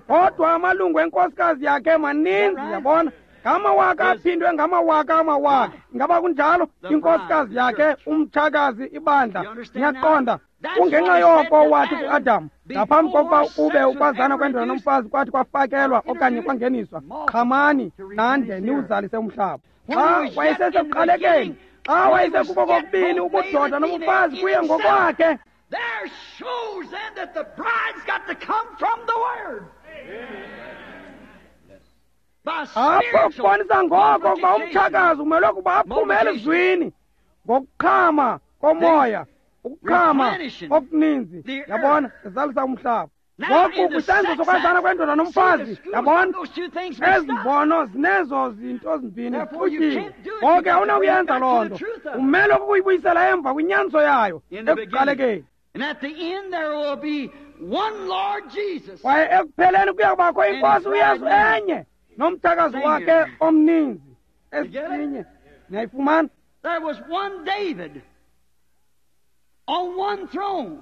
Kodwa amalungu enkosikazi yakhe maninzi, yabona, ngamawaka aphindwe ngamawaka amawaka. Ingaba kunjalo? Inkosikazi yakhe, umtshakazi, ibandla. Niyaqonda? Kungenxa yoko wathi kuAdam, ngaphambi kokuba kube ukwazana kwendoda nomfazi kwathi kwafakelwa okanye kwangeniswa, qhamani nande niwuzalise umhlaba. Xa wayesesekuqalekeni, xa wayesekubo kokubini ubudoda nobufazi kuye ngokwakhe,
There shows then that the bride's got to come from the Word.
Apho kubonisa ngoko ukuba umtshakazi umelwe ukuba aphume elizwini ngokuqhama komoya, ukuqhama okuninzi, yabona, ezalisa umhlaba. Ngoku kwisenzo sokwazana kwendoda nomfazi, yabona, ezi mbono zinezo zinto zimbini zixutyile. Ngoku awunakuyenza loo nto, umele ukuyibuyisela emva kwinyaniso yayo ekuqalekeni. Kwaye ekupheleni kuya kubakho iNkosi uYesu enye nomtshakazi wakhe omninzi esinye. Niyayifumana?
There was one David on one throne.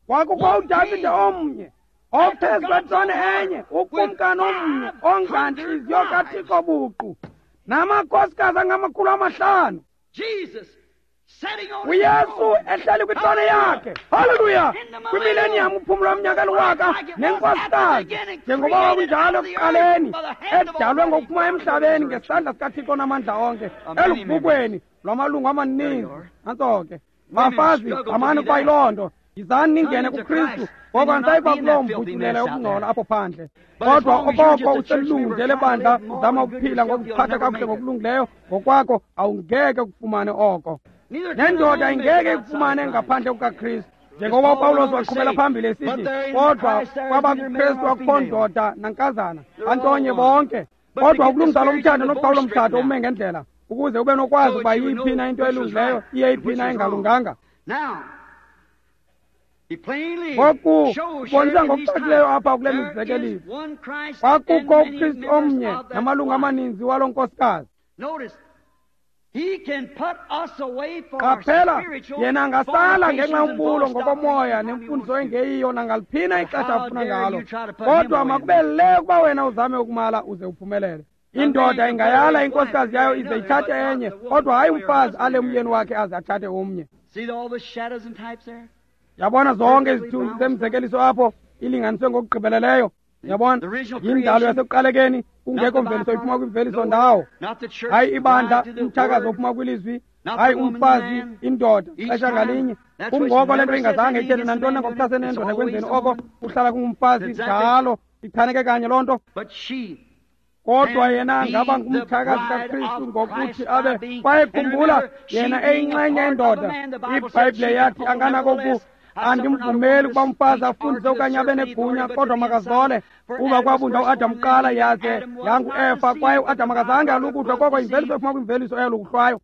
Kwakukho uDavide omnye ophezu kwetrone enye, ukumkani omnye ongantliziyo kaThixo buqu, namakhosikazi angamakhulu amahlanu. uYesu ehleli kwitrone yakhe, haleluya, kwimileniyam uphumlo womnyaka eliwaka nenkosikazi, njengoba kwakunjalo ekuqaleni, edalwe ngokuphuma emhlabeni ngesandla sikaThixo namandla onke, eluvukweni lwamalungu amaninzi. Nantso ke, bafazi, qhamani ukuba yiloo nto. Yizani ningene kuKristu, ngoko andisayikuba kuloo mvutyulelo yokungcola apho phandle. Kodwa okoko uselilungu nje lebandla, uzama ukuphila ngokuziphatha kakuhle ngokulungileyo ngokwakho, awungeke kufumane oko. Nendoda ingeke ikufumane ngaphandle kukaKristu. Njengoba uPawulos waqhubela phambili esithi, kodwa kwabakuKristu akukho ndoda nankazana, bantonye bonke. Kodwa ukulungisa lo mtshato nokuqhawula umtshato ume ngendlela, ukuze ube nokwazi ukuba yiyiphi na into elungileyo, iyeyiphi na engalunganga. Ngoku kubonisa ngokucacileyo apha kule mizekeliso, kwakukho uKristu omnye namalungu amaninzi waloo nkosikazi. Qaphela, yena angasala ngenxa yombulo ngokomoya nemfundiso engeyiyo nangaliphina ixesha afuna ngalo, kodwa makube le ukuba wena uzame ukumala uze uphumelele. Indoda ingayala inkosikazi yayo ize ithathe enye, kodwa hayi umfazi ale umyeni wakhe aze athathe omnye. Yabona zonke izithunzi zemizekeliso apho ilinganiswe ngokugqibeleleyo. Yabona, yindalo yasekuqalekeni, kungekho mveliso iphuma kwimveliso ndawo. Hayi ibandla, umtshakazi ophuma kwilizwi, hayi umfazi, indoda, xesha ngalinye. Kungoko le nto ingazange ithethe nantoni ngokuchasene nendoda ekwenzeni oko, kuhlala kungumfazi njalo, ichaneke kanye loo nto. Kodwa yena angaba ngumtshakazi kaKristu ngokuthi abe, kwaye khumbula, yena eyinxenye yendoda. IBhayibhile yathi anganako Andimvumeli ukuba umfazi afundise okanye abe negunya, kodwa makazole. Kuba kwabunjwa uAdam kuqala, yaze yanguEfa, kwaye uAdam akazange alukuhlwe, koko imveliso ephuma kwimveliso eyalukuhlwayo.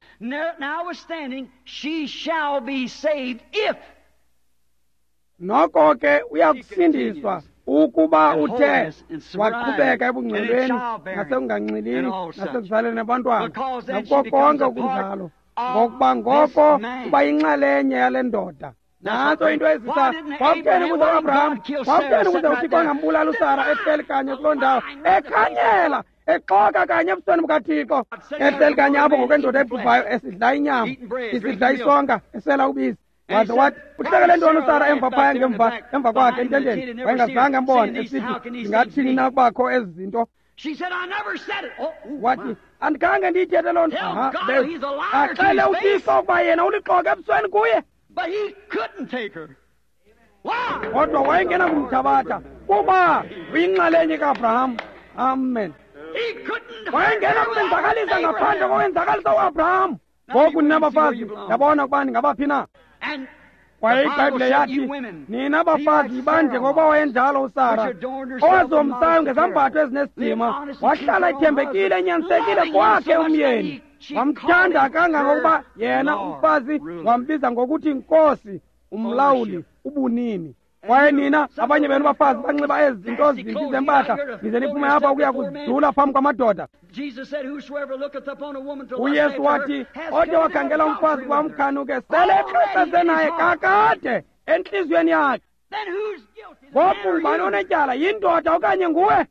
Noko ke uyakusindiswa ukuba uthe waqhubeka ebungcweleni nasekunganxilini nasekuzaleni abantwana nakuko konke okunjalo, ngokuba ngoko uba yinxalenye yale ndoda. Nantso into ezisa. Kwakutheni ukuze uAbraham, kwakutheni ukuze uThixo angambulali uSara ehleli kanye kuloo ndawo, ekhanyela, exoka kanye ebusweni bukaThixo, ehleli kanye apho ngokwendoda ebhubhayo, esidla inyama, isidla isonka, esela ubisi. Waze wathi, uhlekele ntoni uSara emva phaya ngemva emva kwakhe ententeni? Wayengazange ambone, esithi, ndingathini na kubakho ezi zinto? Wathi, andikhange ndiyithethe loo nto. Axele uThixo ukuba yena ulixoka ebusweni kuye. Kodwa wayengena kumthabatha, kuba uyinxalenye kaAbraham. Amen. Wayengena kumenzakalisa ngaphandle kowenzakalisa uAbraham. Ngoku nina bafazi, yabona ukuba ningabaphi na. Kwaye iBhayibhile yathi, nina bafazi yibanje ngokuba wayenjalo uSara, owazomsayo ngezambatho ezinesidima, wahlala ethembekile enyanisekile kwakhe umyeni, wamthanda kangangokuba yena umfazi wambiza ngokuthi Nkosi, umlawuli, ubunini. Kwaye nina abanye benu bafazi banxiba ezi zinto zimbi zempahla, nize niphume apha ukuya kuzidlula phambi kwamadoda. UYesu wathi, othe wakhangela umfazi ukuba umkhanuke, sele exoxeze naye kakade entliziyweni yakhe. Ngoku ngubani onetyala, yindoda okanye nguwe?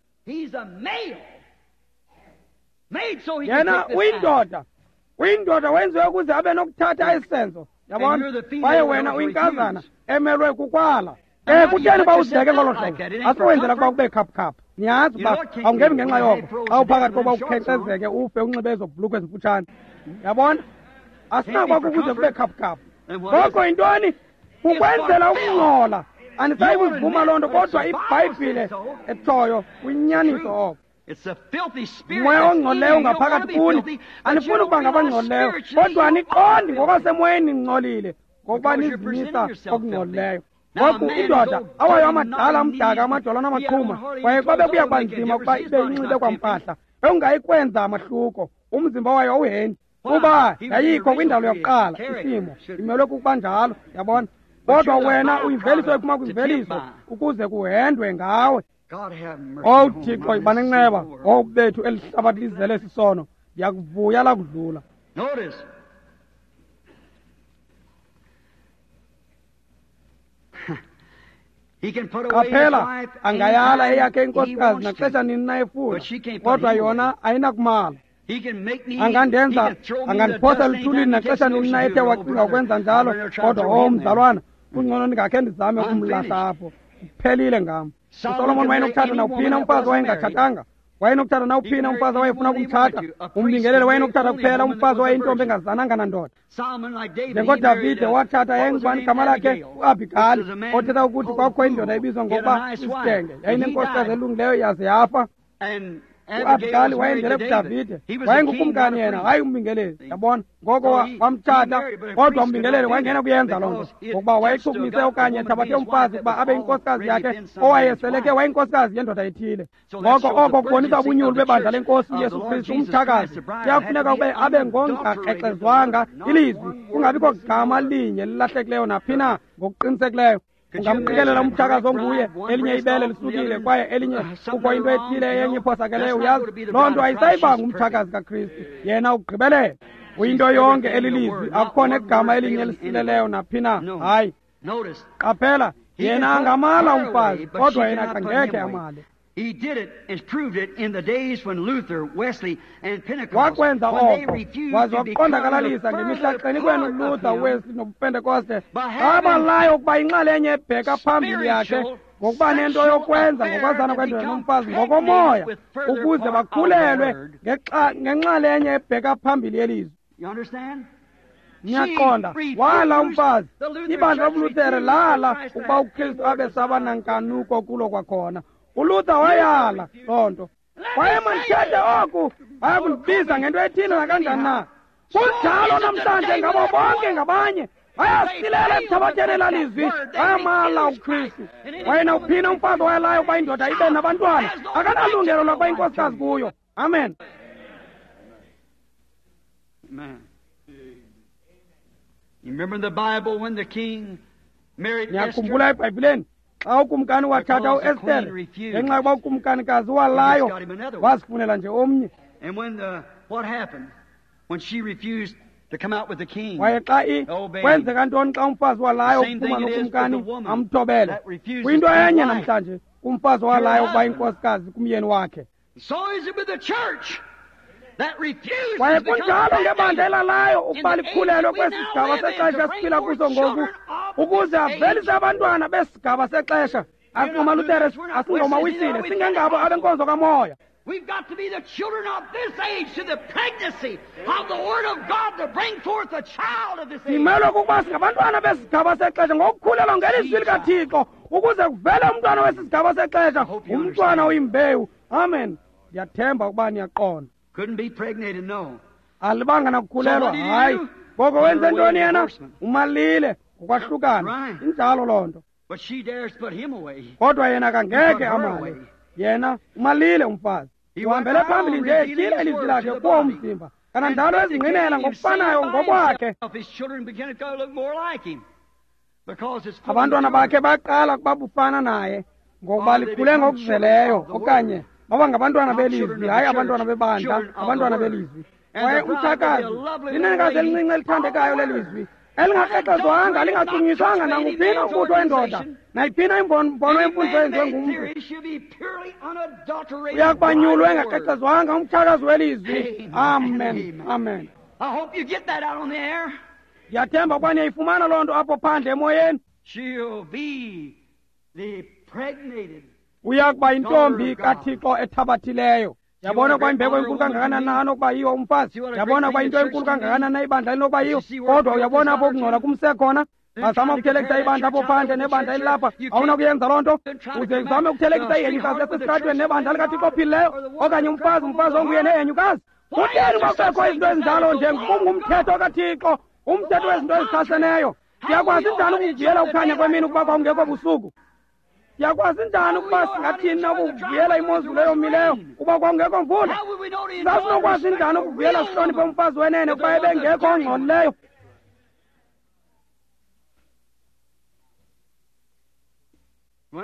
Yena uyindoda, uyindoda wenziwe ukuze abe nokuthatha esi senzo. Yabona? Kwaye wena uyinkazana emelwe kukwala. Eh, kutheni uba uzideke ngolo hlobo? Asiwenzela ukuba kube khaphukhaphu. Niyazi uba awungebi ngenxa yoko xa uphakathi kokuba ukhenkcezeke ufe unxibe ezo bhulukhwe ezimfutshane. Yabona? Asinakuba kukuze kube khaphukhaphu. Ngoko yintoni? Kukwenzela ukungcola. Andisayi kuzivuma loo nto, kodwa iBhayibhile etshoyo kuyinyaniso oko. Umoya ongcolileyo ungaphakathi kuni. Anifuni ukuba ngabangcolileyo, kodwa aniqondi ngokwasemoyeni ningcolile, ngokuba nizimisa okungcolileyo. Ngoku indoda awayo amadala amdaka amadolo namaqhuma, kwaye kwabe kuya kuba nzima ukuba ibe inxibe kwampahla, bewungayikwenza amahluko, umzimba wayo awuhendi, kuba yayikho kwindalo yokuqala isimo, imelwe kukuba njalo, yabona. Kodwa wena uyimveliso ephuma kwimveliso ukuze kuhendwe ngawe. Owu Thixo, yiba nenceba, owu bethu eli hlabathi lizele sisono, ndiyakuvuya lakudlula. Qaphela, angayala eyakhe inkosikazi naxesha nini na efuna, kodwa yona ayinakumala. Angandenza, angandiphosa eluthulini naxesha nini na ethe wacinga ukwenza njalo, kodwa owu mzalwana, kungcono ndingakhe ndizame ukumlahla apho. Kuphelile ngam. USolomon wayenokuthatha nawuphina umfazi owayengatshatanga, wayenokuthatha nawuphina umfazi owayefuna ukumtshata, umbingeleli wayenokuthatha kuphela umfazi owayeyintombi engazananga nandoda. NjengoDavide watshata yayingubani igama lakhe? UAbigali, othetha ukuthi kwakukho indoda ebizwa ngokuba isidenge, yayinenkosikazi elungileyo yaze yafa. uAbigali wayendele kuDavide, wayengukumkani yena, hayi umbingeleli, yabona. Ngoko wamtshata, kodwa umbingeleli wayengena kuyenza loo nto, ngokuba wayechukumise okanye ethabathe umfazi ukuba abe yinkosikazi yakhe owayeseleke wayinkosikazi yendoda ethile. Ngoko oko kubonisa ubunyulu bebandla lenkosi uYesu Kristu, umtshakazi kuyafuneka ube abe ngongakrexezwanga ilizwi, kungabikho gama linye lilahlekileyo naphi na ngokuqinisekileyo. Ungamqikelela umtshakazi onguye, elinye ibele lisukile kwaye elinye kukho into ethile yenye iphosakeleyo, uyazi loo nto ayisayiba ngumtshakazi kaKristu, yena ugqibelele. Uyinto yonke elilizwi, akukho negama elinye elisileleyo naphi na. Hayi, qaphela, yena angamala umfazi, kodwa yena akangekhe amale. Wakwenza oko, waze wakuqondakalalisa ngemihla xeni kwenu uLuther, uWesley nobuPentekoste, abalayo ukuba inxalenye ebheka phambili yakhe ngokuba nento yokwenza ngokwazana kwendoda nomfazi ngokomoya, ukuze bakhulelwe ngenxalenye ebheka phambili yelizwi. Niyaqonda, wala umfazi. Ibandla lobuLuthere lala ukuba uKristu abe saba nankanuko kulo kwakhona. uLuther wayala loo nto. Kwaye mandithethe oku, bayakundibiza ngento ethile nakanjani na. Kunjalo namhlanje ngabo bonke ngabanye. Bayasilela ekuthabatheni elaa lizwi, bayamala uKristu. Kwaye nawuphina umfazi owayalayo ukuba indoda ibe nabantwana akanalungelo lokuba inkosikazi kuyo. Amen. Niyakhumbula eBhayibhileni xa ukumkani wathatha uEstere ngenxa yokuba ukumkanikazi walayo wazifunela nje omnye. Kwaye xa i kwenzeka ntoni xa umfazi walayo ukuphuma nokumkani amthobele? Kuyinto enye namhlanje kumfazi walayo ukuba inkosikazi kumyeni wakhe. Kwaye kunjalo ngebandla elalayo ukuba likhulelwe kwesi sigaba sexesha esiphila kuso ngoku, ukuze avelise abantwana besigaba sexesha. AsingomaLutere, asingomaWisile, singengabo abenkonzo kamoya.
We've got to be the children of this age to the pregnancy of the Word of God to bring forth a child of this age.
Simelwe kukuba singabantwana besigaba sexesha ngokukhulelwa ngelizwi likaThixo ukuze kuvele umntwana wesi sigaba sexesha, umntwana oyimbewu. Amen. Ndiyathemba ukuba niyaqonda.
Couldn't be pregnated, no.
Alibanga nakukhulelwa, hayi. Ngoko wenze ntoni yena? Umalile ngokwahlukana. Injalo loo nto.
But she dares put him away.
Kodwa yena kangeke amale. Yena umalile umfazi. Uhambele phambili nje etyhila ilizwi lakhe kuwo umzimba. Kananjalo ezingqinela ngokufanayo ngokwakhe. Abantwana bakhe baqala ukuba bufana naye ngokuba likhule ngokuzeleyo okanye baba ngabantwana belizwi, hayi abantwana bebandla, abantwana belizwi. Kwaye umtshakazi linenekazi elincinci elithandekayo lelizwi, elingakrexezwanga, lingachunyiswanga nanguphina umbutho wendoda, nayiphina imbono yemfundiso eyenziwe ngumntu. Uya kubanyulwa engakrexezwanga umtshakazi welizwi. Amen, amen. Ndiyathemba ukuba niyayifumana loo nto apho phandle emoyeni. Uya kuba yintombi kaThixo ethabathileyo. Yabona ukuba imbeko enkulu kangakanani na anokuba yiyo umfazi. Yabona ukuba into enkulu kangakanani na ibandla elinokuba yiyo. Kodwa uyabona apho ukungcola kumse khona. Bazama ukuthelekisa ibandla apho phandle nebandla elilapha. Awunakuyenza loo nto. Uze uzame ukuthelekisa ihenyukazi lasesitratweni nebandla likaThixo ophilileyo, okanye umfazi, umfazi onguye nehenyukazi. Kutheni uba kubekho izinto ezinjalo nje? Kungumthetho kaThixo, umthetho wezinto ezichaseneyo. Siyakwazi njani ukuvuyela ukukhanya kwemini ukuba kwakungekho busuku? Siyakwazi njani ukuba singathini na ukuvuyela imozulu eyomileyo kuba kwakungekho mvula? Sasinokwazi njani ukuvuyela sihloniphe umfazi wenene kuba ebengekho ongcolileyo?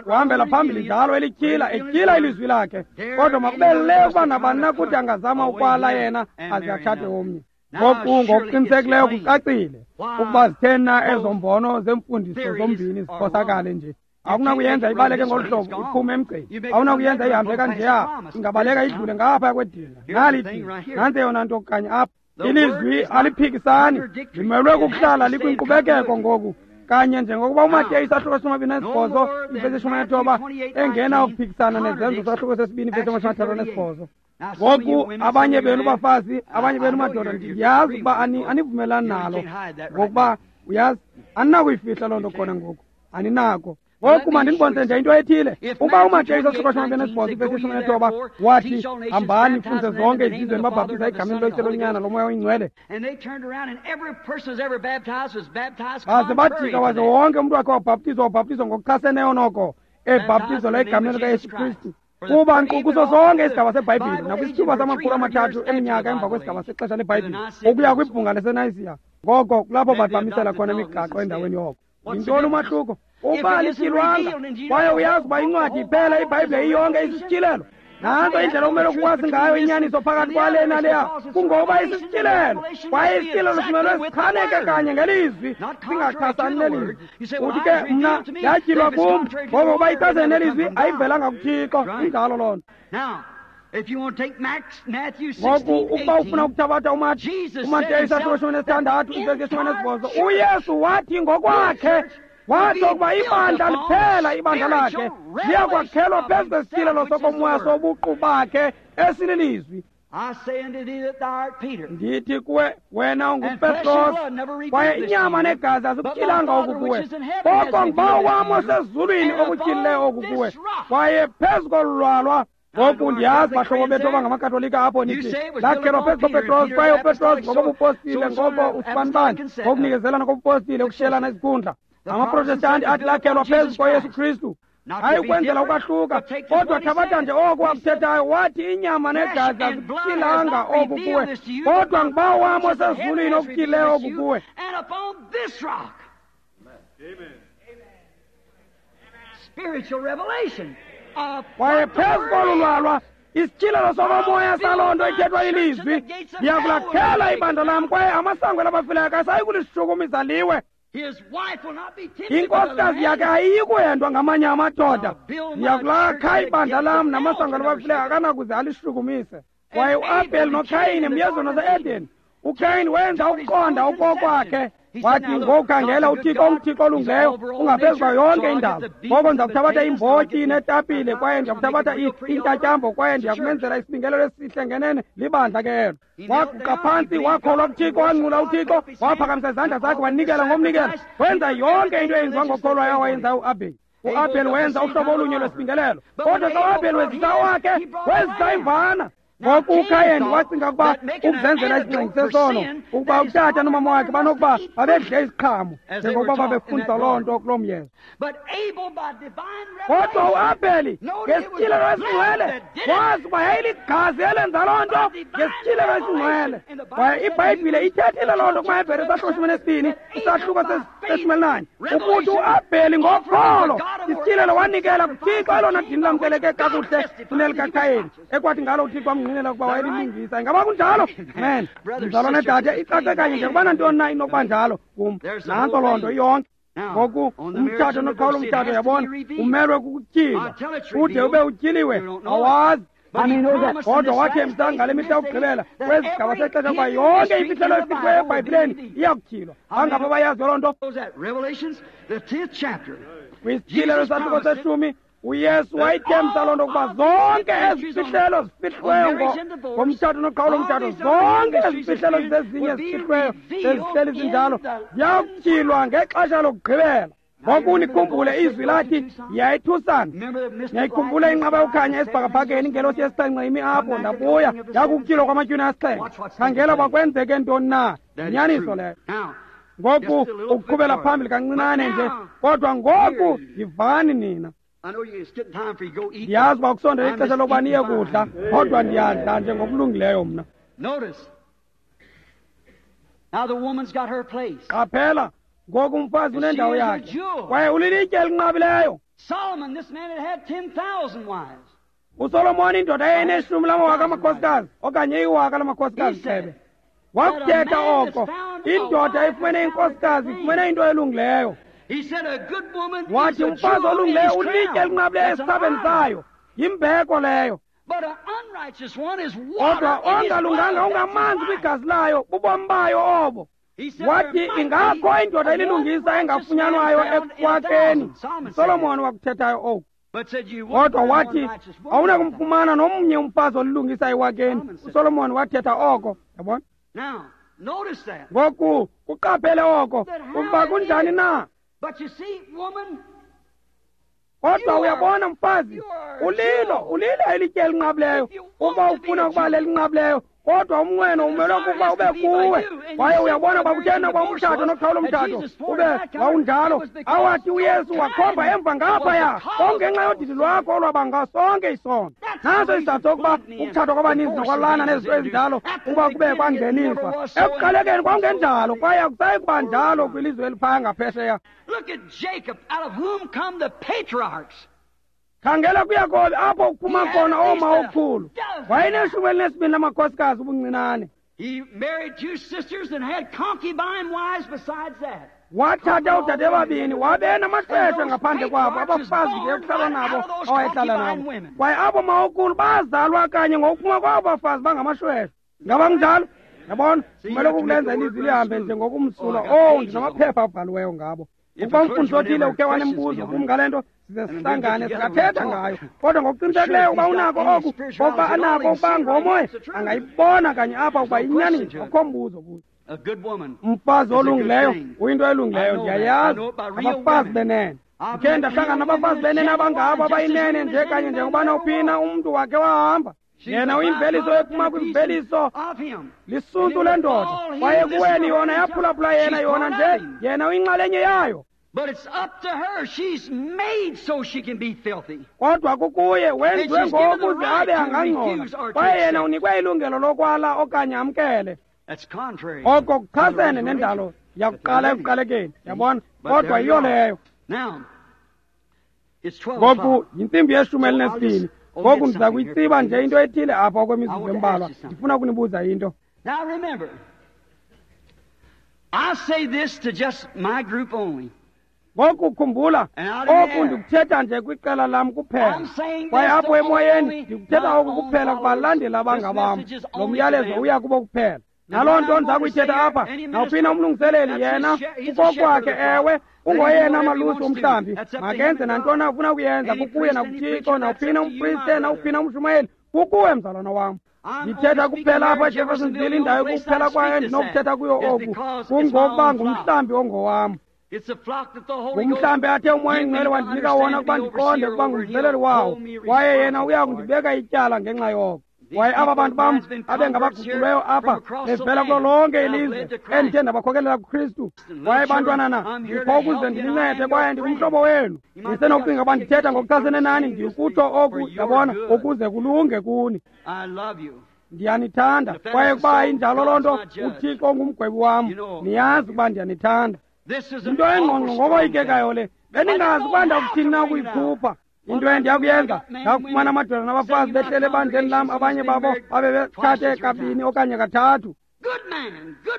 Uhambela phambili njalo elityhila, etyhila ilizwi lakhe. Kodwa makube le ukuba nabani na kuthi angazama ukwala yena aze atshate omnye. Ngoku ngokuqinisekileyo kucacile ukuba zitheni na ezo mbono zemfundiso zombini ziphosakale nje. Awunakuyenza ibaleke ngolu hlobo iphume emgceni. Awunakuyenza ihambe kanjeya, ingabaleka idlule ngaphaya kwedinga. Nali idinga, nantsi eyona nto kanye apha. Ilizwi aliphikisani, limelwe kukuhlala likwinkqubekeko ngoku. Kanye njengokuba uMateyu isahluko seshumi amabini anesibhozo ivesi yeshumi anethoba engena ukuphikisana nezenzo isahluko sesibini ivesi yamashumi amathathu anesibhozo. Ngoku abanye benu bafazi, abanye benu madoda, ndiyazi ukuba anivumelani nalo, ngokuba uyazi aninakuyifihla loo nto khona ngoku, aninako. Ngoku mandinibonise nje into ethile. Uba uMateyu isahluko seshumi amabini anesibhozo ivesi yeshumi anethoba wathi, hambani nifundise zonke izizwe nibabhaptiza egameni loYise, loNyana, loMoya oyiNgcwele. Baze bajika waze wonke umntu wakhe wabhaptizwa, wabhaptizwa ngokuchaseneyo noko, ebhaptizelwa egameni likaYesu Kristu. Kuba nkqu kuso sonke isigaba seBhayibhile nakwisithuba samakhulu amathathu eminyaka emva kwesigaba sexesha leBhayibhile ukuya kwibhunga laseNayisiya. Ngoko kulapho bathi bamisela khona imigaqo endaweni yoko. Yintoni umahluko? Uba alityhilwanga kwaye uyazi uba incwadi iphela, iBhayibhile iyonke isisityhilelo. Nantso indlela okumele ukwazi ngayo inyaniso phakathi kwale naleya, kungoba isisityhilelo. Kwaye isityhilelo simelwe sichaneke kanye ngelizwi, singachasani nelizwi. Uthi ke mna yatyhilwa kum, ngoko uba ichasene nelizwi ayivelanga kuThixo. Injalo loo nto. Ngoku ukuba ufuna ukuthabatha uMateyu isahluko shumi nesithandathu ivesi yeshumi anesibhozo, uYesu wathi ngokwakhe, wathi ukuba ibandla liphela, ibandla lakhe liyakwakhelwa phezu kwesityhilelo sokomoya sobuqu bakhe esililizwi. Ndithi kuwe, wena unguPetros, kwaye inyama negazi azikutyhilanga oku kuwe, koko nguBawo wam osezulwini okutyhilileyo oku kuwe. Kwaye phezu kolu lwalwa Ngoku ndiyazi bahlobo bethu abangamakatolika apho nithi lakhelwa phezu koPetros, kwaye uPetros ngokobupostile, ngoko usibanibani ngokunikezelana kobupostile, ukushiyelana izikhundla. Amaprotestanti athi lakhelwa phezu koYesu Kristu, hayi ukwenzela ukwahluka, kodwa thabatha nje oko wakuthethayo. Wathi inyama negazi azikutyilanga oku kuwe, kodwa nguBawo wam osezulwini okutyileyo oku kuwe. Kwaye phezu kolu lwalwa isityhilelo sokomoya saloo nto ithethwa ilizwi, ndiyakulakhela ibandla lam, kwaye amasango elabafileyo akasayi kulishukumisa liwe. Inkosikazi yakhe ayiyi kuhendwa ngamanye amadoda. Ndiyakulakha ibandla lam namasango alabafileyo akanakuze alishukumise. Kwaye uAbheli noKhayini emyezweni wase-Eden, uKhayini wenza ukuqonda okokwakhe. Wathi ngokukhangela uThixo unguThixo olungileyo, ungaphezu kwayo yonke indalo. Ngoko ndizakuthabatha imbotyi netapile, kwaye ndiyakuthabatha intatyambo, kwaye ndiyakumenzela isibingelelo esihle ngenene libandla ke elo. Waguqa phantsi, wakholwa kuThixo, wanqula uThixo, waphakamisa izandla zakhe, wanikela ngomnikelo. Wenza yonke into eyenziwa ngokholwayo awayenzayo uAbheli. uAbheli wenza uhlobo olunye lwesibingelelo, kodwa xa uAbheli wezisa wakhe, wezisa imvana. Ngoku uKhayeni wacinga ukuba ukuzenzela isingxengi sesono, ukuba utata nomama wakhe banokuba babedle iziqhamo njengokuba babefundisa loo nto kuloo myezo. Kodwa uAbheli ngesityhilelo esingcwele wazi uba yayiligazi elenza loo nto ngesityhilelo esingcwele. Kwaye iBhayibhile ithethile loo nto kumaHebhere isahluko nesibini isahluko seshumi elinanye, ukuthi uAbheli ngokholo isityhilelo wanikela kuThixo elona dini lamkeleke kakuhle kunelikaKhayeni, ekwathi ngalo uThixo amngqinela ukuba wayelilungisa. Ingaba kunjalo? Amen. Mzalwane dade, icace kanye njengokubana ntoni na inokuba njalo kum. Nantso loo nto iyonke. Ngoku umtshato noqhawula umtshato, yabona, umelwe kukutyhilwa. Ude ube utyhiliwe, awazi. Kodwa wathembisa ngale mihla yokugqibela kwezigaba sexesha ukuba yonke imfihlelo efihliweyo eBhayibhileni iyakutyhilwa. Bangaphi abayaziyo loo nto? Kwisityhilelo sahluko seshumi uYesu wayithembisa loo nto ukuba zonke ezi fihlelo zifihliweyo ngomtshato noqhawulo mtshato, zonke ezi fihlelo zezinye zifihliweyo zezihleli zinjalo ziyakutyhilwa ngexesha lokugqibela. Ngoku nikhumbule izwi lathi yayithusana. Niyayikhumbula inqaba yokukhanya esibhakabhakeni, ingelosi yesixhenxe imi apho, ndabuya yakukutyhilwa kwamatywina asixhenxe. Khangela uba kwenzeke ntoni na. Yinyaniso leyo. Ngoku ukuqhubela phambili kancinane nje, kodwa ngoku yivani nina. Ndiyazi uba kusondela ixesha lokuba niye kudla, kodwa ndiyadla nje ngokulungileyo mna. Qaphela, ngoku umfazi unendawo yakhe, kwaye ulilitye elinqabileyo. uSolomoni, indoda eyayineshumi lamawaka amakhosikazi okanye iwaka lamakhosikazi gxebe, wakuthetha oko. Indoda efumene inkosikazi ifumene into elungileyo. Wathi umfazi olungileyo ulitye elinqabileyo esithabeni sayo, yimbeko leyo. Kodwa ongalunganga ungamanzi kwigazi layo, bubomi bayo obo. Wathi ingakho indoda elilungisa engafunyanwayo ekwakeni. Solomon wakuthethayo oku. Kodwa wathi awunakumfumana nomnye umfazi olilungisa ewakeni. uSolomon wathetha oko, yabona. Ngoku kuqaphele oko ukuba kunjani na. Kodwa uyabona mfazi, ulilo ulilo elitye elinqabileyo. Ukuba ufuna ukuba lelinqabileyo, kodwa umnqweno umelwe kukuba ube kuwe. Kwaye uyabona uba kutheni ukuba umtshato noqhawula umtshato ube wawunjalo, awathi uYesu wakhomba emva ngaphaya kongenxa yodidi lwakho olwabanga sonke isono. Naso isizathu sokuba ukutshatwa kwabaninzi nokwalana nezinto ezinjalo ukuba kube kwangeniswa. Ekuqalekeni kwakungenjalo, kwaye akusayi kuba njalo kwilizwe eliphaya ngaphesheya. Khangela kuYakobi apho kuphuma khona oomawokhulu. Wayeneshumi elinesibini lamakhosikazi ubuncinane. Wathatha oodade babini, wabe namaxesha ngaphandle kwabo, abafazi nje ekuhlala nabo awayehlala nabo. Kwaye abo mawokhulu bazalwa kanye ngokuphuma kwabo bafazi bangamashweshwe. Ngaba kunjalo? Yabona, kumele ukulenza ilizwi lihambe nje ngokumsulwa. Owu, ndinamaphepha abhaliweyo ngabo. Ukuba umfundisi othile ukhe wanembuzo kum ngale nto, size sihlangane singathetha ngayo. Kodwa ngokuqinisekileyo ukuba unako oku, ngokuba anako ukuba ngomoya, angayibona kanye apha ukuba inyaniso, akukho mbuzo kuyo. Umfazi olungileyo uyinto elungileyo, ndiyayazi. Abafazi benene. Ndikhe ndahlangana nabafazi benene abangabo abayinene nje kanye njengoba nawuphina umntu wakhe wahamba. Yena uyimveliso ephuma kwimveliso lisuntu lendoda. Kwaye kuweni yona yaphulaphula yena yona nje yena uyinxalenye yayo.
But it's up to her. She's made so she can be filthy.
Kodwa kukuye wenziwe ngokuze abe angangcola. Kwaye yena unikwe ilungelo lokwala okanye amkele.
That's contrary.
Oko kuchasene nendalo yakuqala ekuqalekeni. Yabona? Kodwa yiyo leyo.
Now it's twelve.
Ngoku yintsimbi yeshumi elinesibini. Ngoku ndiza kuyitsiba nje into ethile apha okwemizuzu embalwa. Ndifuna ukunibuza into.
Now remember, I say this to just my group only.
Ngoku khumbula, oku ndikuthetha nje kwiqela lam kuphela. Kwaye apho emoyeni ndikuthetha oku kuphela kubalandeli abangabam. Lo myalezo uya kubo kuphela. Naloo nto ndiza kuyithetha apha, nawuphina umlungiseleli yena kukokwakhe, ewe, ungoyena malusi womhlambi. Makenze nantoni afuna kuyenza kukuye nakuThixo, nawuphina umpriste, nawuphina umshumayeli, kukuwe mzalwana wam. Ndithetha kuphela apha eJeffersonville, indawo ekuphela kwayo endinokuthetha kuyo oku, kungokuba ngumhlambi ongowam. Ngumhlambi athe uMoya oyiNgcwele wandinika wona ukuba ndiqonde ukuba ngumveleli wawo, kwaye yena uya kundibeka ityala ngenxa yoko. Kwaye aba bantu bam abengabaguqulweyo apha bevela kulo lonke ilizwe endithe ndabakhokelela kuKristu. Kwaye bantwanana, ndikho ukuze ndinincede kwaye ndingumhlobo wenu. Ndisenokucinga uba ndithetha ngokuchasene nani, ndikutsho oku, yabona, ukuze kulunge kuni. Ndiyanithanda, kwaye kuba injalo loo nto, uThixo ongumgwebi wam, niyazi ukuba ndiyanithanda. Into engqongqo ngokoyikekayo le, bendingazi ukuba ndakuthini na ukuyikhupha. Into endiyakuyenza, ndakufumana amadoda nabafazi behlele ebandleni lam, abanye babo babe betshate kabini okanye kathathu.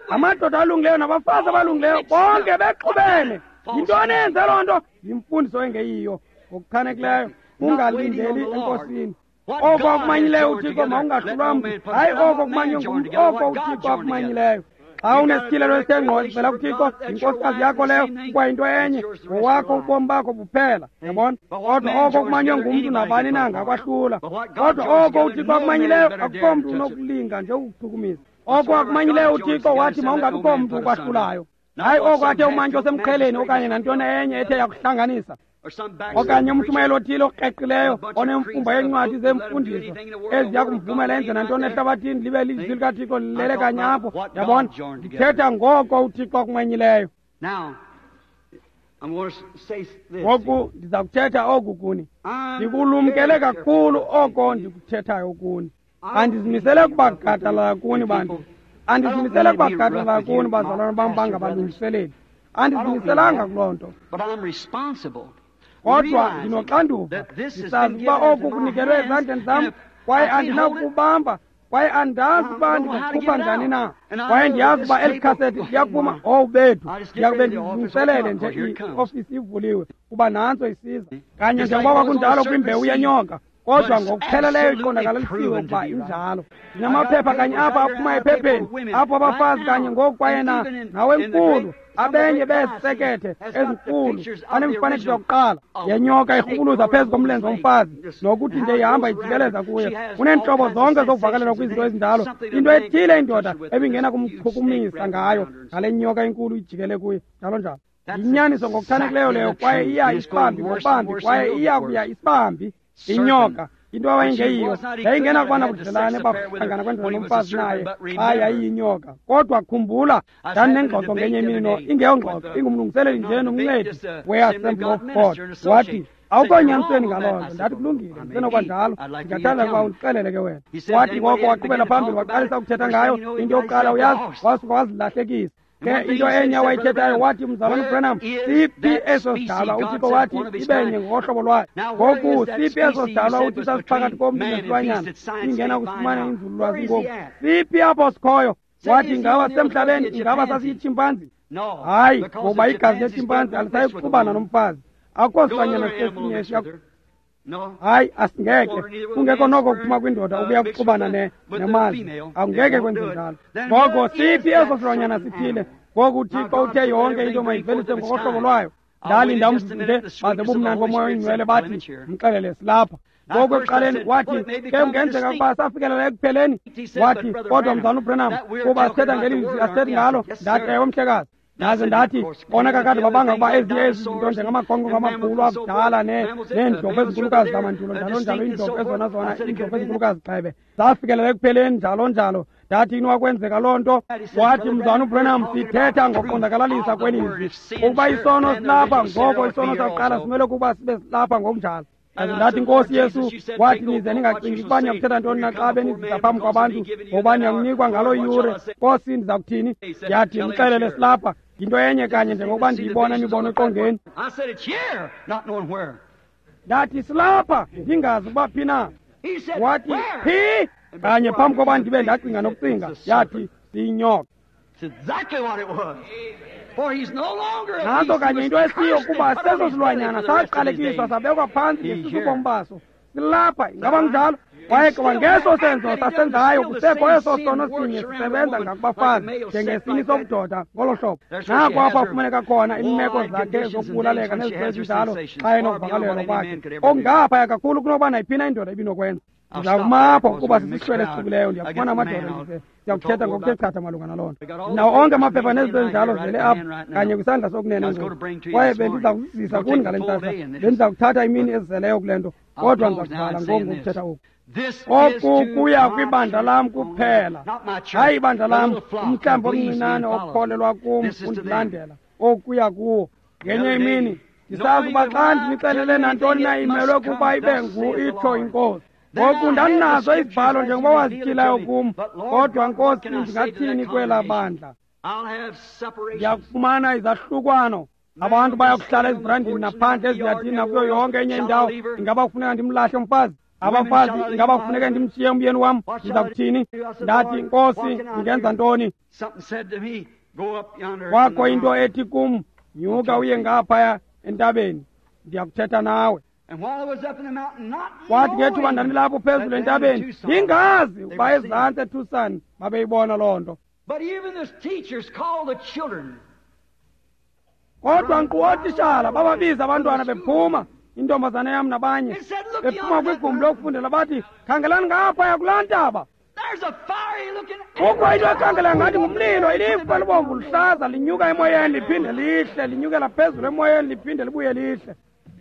Amadoda alungileyo nabafazi abalungileyo bonke bexubene. Yintoni eyenze loo nto? Yimfundiso engeyiyo ngokuchanekileyo, ungalindeli enkosini. Oko akumanyileyo uThixo mawungahlulwa mntu, hayi oko kumanywe ngumntu, oko uThixo akumanyileyo. Xa unesityhilelo esithe ngqo sivela kuThixo, yinkosikazi yakho leyo, kwayinto enye, ngowakho ubomi bakho buphela. Yabona? Kodwa oko kumanywe ngumntu nabani na angakwahlula. Kodwa oko uThixo akumanyileyo, akukho mntu unokulinga nje ukuchukumisa. Oko akumanyileyo uThixo wathi mawungabikho mntu ukwahlulayo. Hayi oko athe umantyi osemqheleni okanye nantoni enye ethe yakuhlanganisa. Okanye umshumayeli othile okreqileyo onemfumba yencwadi zemfundiso eziya kumvumela enze nantoni ehlabathini libe lizwi likaThixo lilele kanye apho. Yabona? Ndithetha ngoko uThixo akumanyileyo. Ngoku ndiza kuthetha oku kuni. Ndikulumkele kakhulu oko ndikuthethayo kuni. Andizimisele kubagadalala kuni bantu. Andizimisele kubagadalala kuni bazalwana bam bangabalungiseleli. Andizimiselanga kuloo nto. Kodwa ndinoxanduva, ndisazi ukuba oku kunikelwe ezandleni zam, kwaye andinakubamba, kwaye andazi ukuba ndingakukhupha njani na. Kwaye ndiyazi ukuba eli khasethi liyakuphuma, owu bethu, ndiyakube ndilungiselele nje iofisi ivuliwe, kuba nantso isiza. Kanye njengoba kwakunjalo kwimbewu yenyoka, kodwa ngokupheleleyo iqondakalisiwe ukuba injalo. Ndinamaphepha kanye apha aphuma ephepheni, apho abafazi kanye ngoku kwaye na nawenkulu, abenye beesekethe ezinkulu banemifanekiso yokuqala yenyoka irhubuluza phezu komlenze womfazi, nokuthi nje ihamba ijikeleza kuye. Uneentlobo zonke zokuvakalelwa kwizinto ezinjalo, into ethile indoda ebingena kumchukumisa ngayo ngale nyoka inkulu ijikele kuye, njalo njalo. Yinyaniso ngokuchanekileyo leyo, kwaye iya isibambi ngobambi, kwaye iya kuya isibambi inyoka. Into awayengeyiyo yayingena kuba nabudlelane bakuhlangana kwendoda nomfazi naye xa yayiyinyoka. Kodwa khumbula, ndandinengxoxo ngenye imini no ingeyongxoxo, ingumlungiseleli nje nomncedi we-Assembly of God. Wathi, awukho nyanisweni ngaloo nto. Ndathi, kulungile, ndisenokwanjalo, ndingathanda ukuba undixelele ke wena. Wathi ngoko waqhubela phambili waqalisa ukuthetha ngayo. Into yokuqala uyazi, wasuka wazilahlekisa. Ke into enye awayithethayo wathi, mzalwana uBranham, siphi eso sidalwa uThixo wathi ibenye ngokohlobo lwayo? Ngoku siphi eso sidalwa uThixo asiphakathi komntu nesilwanyana ingena kusifumana inzululwazi ngoku? Siphi apho sikhoyo? Wathi, ingaba sisemhlabeni? Ingaba sasiyitshimpanzi? Hayi, ngoba igazi letshimpanzi alisayi kuxubana nomfazi. Akukho silwanyana sesinye esiya. Hayi, asingeke. Kungekho noko kuphuma kwindoda ukuya kuxubana ne nemazi. Akungeke kwenze njalo. Ngoko siphi eso silwanyana sithile? Ngoku uThixo uthe yonke into mayivelise ngokohlobo lwayo. Ndalinda umzuzu nje baze bumnandi boMoya oyiNgcwele bathi, mxelele silapha. Ngoku ekuqaleni wathi, ke kungenzeka ukuba safikelela ekupheleni. Wathi, kodwa mzalwana uBranham, kuba sithetha ngelizwi asithethi ngalo. Ndathi, ewe mhlekazi. Ndaze ndathi, bona kakade babanga ukuba ezinye ezi zinto njengamagongqongqo amakhulu akudala neendlovu ezinkulukazi zamandulo njalo njalo, iindlovu ezona zona iindlovu ezinkulukazi gxebe zafikelela ekupheleni njalo njalo. Ndathi inokwenzeka loo nto. Wathi, Mzalwana uBranham, sithetha ngoqondakalalisa kwelizwi ukuba isono silapha, ngoko isono sakuqala simele ukuba sibe silapha ngokunjalo. Ndathi, Nkosi Yesu, wathi nize ningacingi ukuba niyakuthetha ntoni na xa benizisa phambi kwabantu, ngoba niyakunikwa ngaloo yure. Nkosi, ndiza kuthini? Yathi, mxelele silapha. Yinto enye kanye njengokuba ndiyibona imibono eqongeni. Ndathi, silapha, ndingazi ukuba phi na. Wathi, phi? Kanye phambi koba ndibe ndacinga nokucinga, yathi, siyinyoka. Nantso kanye into esiyo kuba seso silwanyana saqalekiswa sabekwa phantsi ngesisubomi baso. Silapha, ingaba kunjalo? Kwaye kwangeso senzo sasenzayo kusekho eso sono sinye sisebenza ngakubafazi njengesini sobudoda ngolo hlobo. Nako apho afumaneka khona iimeko zakhe zokubulaleka nezinto ezinjalo xa enokuvakalelwa kwakhe okungaphaya kakhulu kunokuba nayiphi na indoda ibinokwenza. Ndizakuma apho kuba sisihlwele esihlukileyo, ndiyakufumana amadoda ndize ndiyakuthetha ngokuthe chatha malunga naloo nto. Ndinawo onke amaphepha nezinto ezinjalo zele apha kanye kwisandla sokunene ngoku, kwaye bendiza kuzisa kuni ngale ntsasa. Bendiza kuthatha imini ezizeleyo kule nto, kodwa ndiza kuvala ngoku ngokuthetha oku. Oku kuya kwibandla lam kuphela, hayi ibandla lam, umhlambi omncinane okholelwa kum undilandela. Okuya kuwo ngenye imini ndisazi uba xa ndinixelele nantoni na imelwe kuba ibe ngu itsho iNkosi. Ngoku ndandinazo izibhalo njengoba wazityhilayo kum, kodwa Nkosi, ndingathini kwelaa bandla? Ndiyakufumana izahlukwano. Abantu bayakuhlala ezibrandini naphandle eziyadini nakuyo yonke enye indawo. Ingaba kufuneka ndimlahle umfazi? Abafazi, ingaba kufuneka ndimshiye umyeni wam? Ndiza kuthini? Ndathi, Nkosi, ndingenza ntoni? Kwakho into ethi kum, nyuka uye ngaphaya entabeni, ndiyakuthetha nawe. Kwathi ngethuba ndandilapho phezulu entabeni, ndingazi ukuba ezantsi eTucson babeyibona loo nto. Kodwa nkqu ootishala bababiza abantwana bephuma, intombazana yam nabanye, bephuma kwigumbi lokufundela, bathi, khangelani ngaphaya kulaa ntaba. Kukho into ekhangela ngathi ngumlilo, ilifu elibomvu luhlaza linyuka emoyeni liphinde lihle, linyukela phezulu emoyeni liphinde libuye lihle.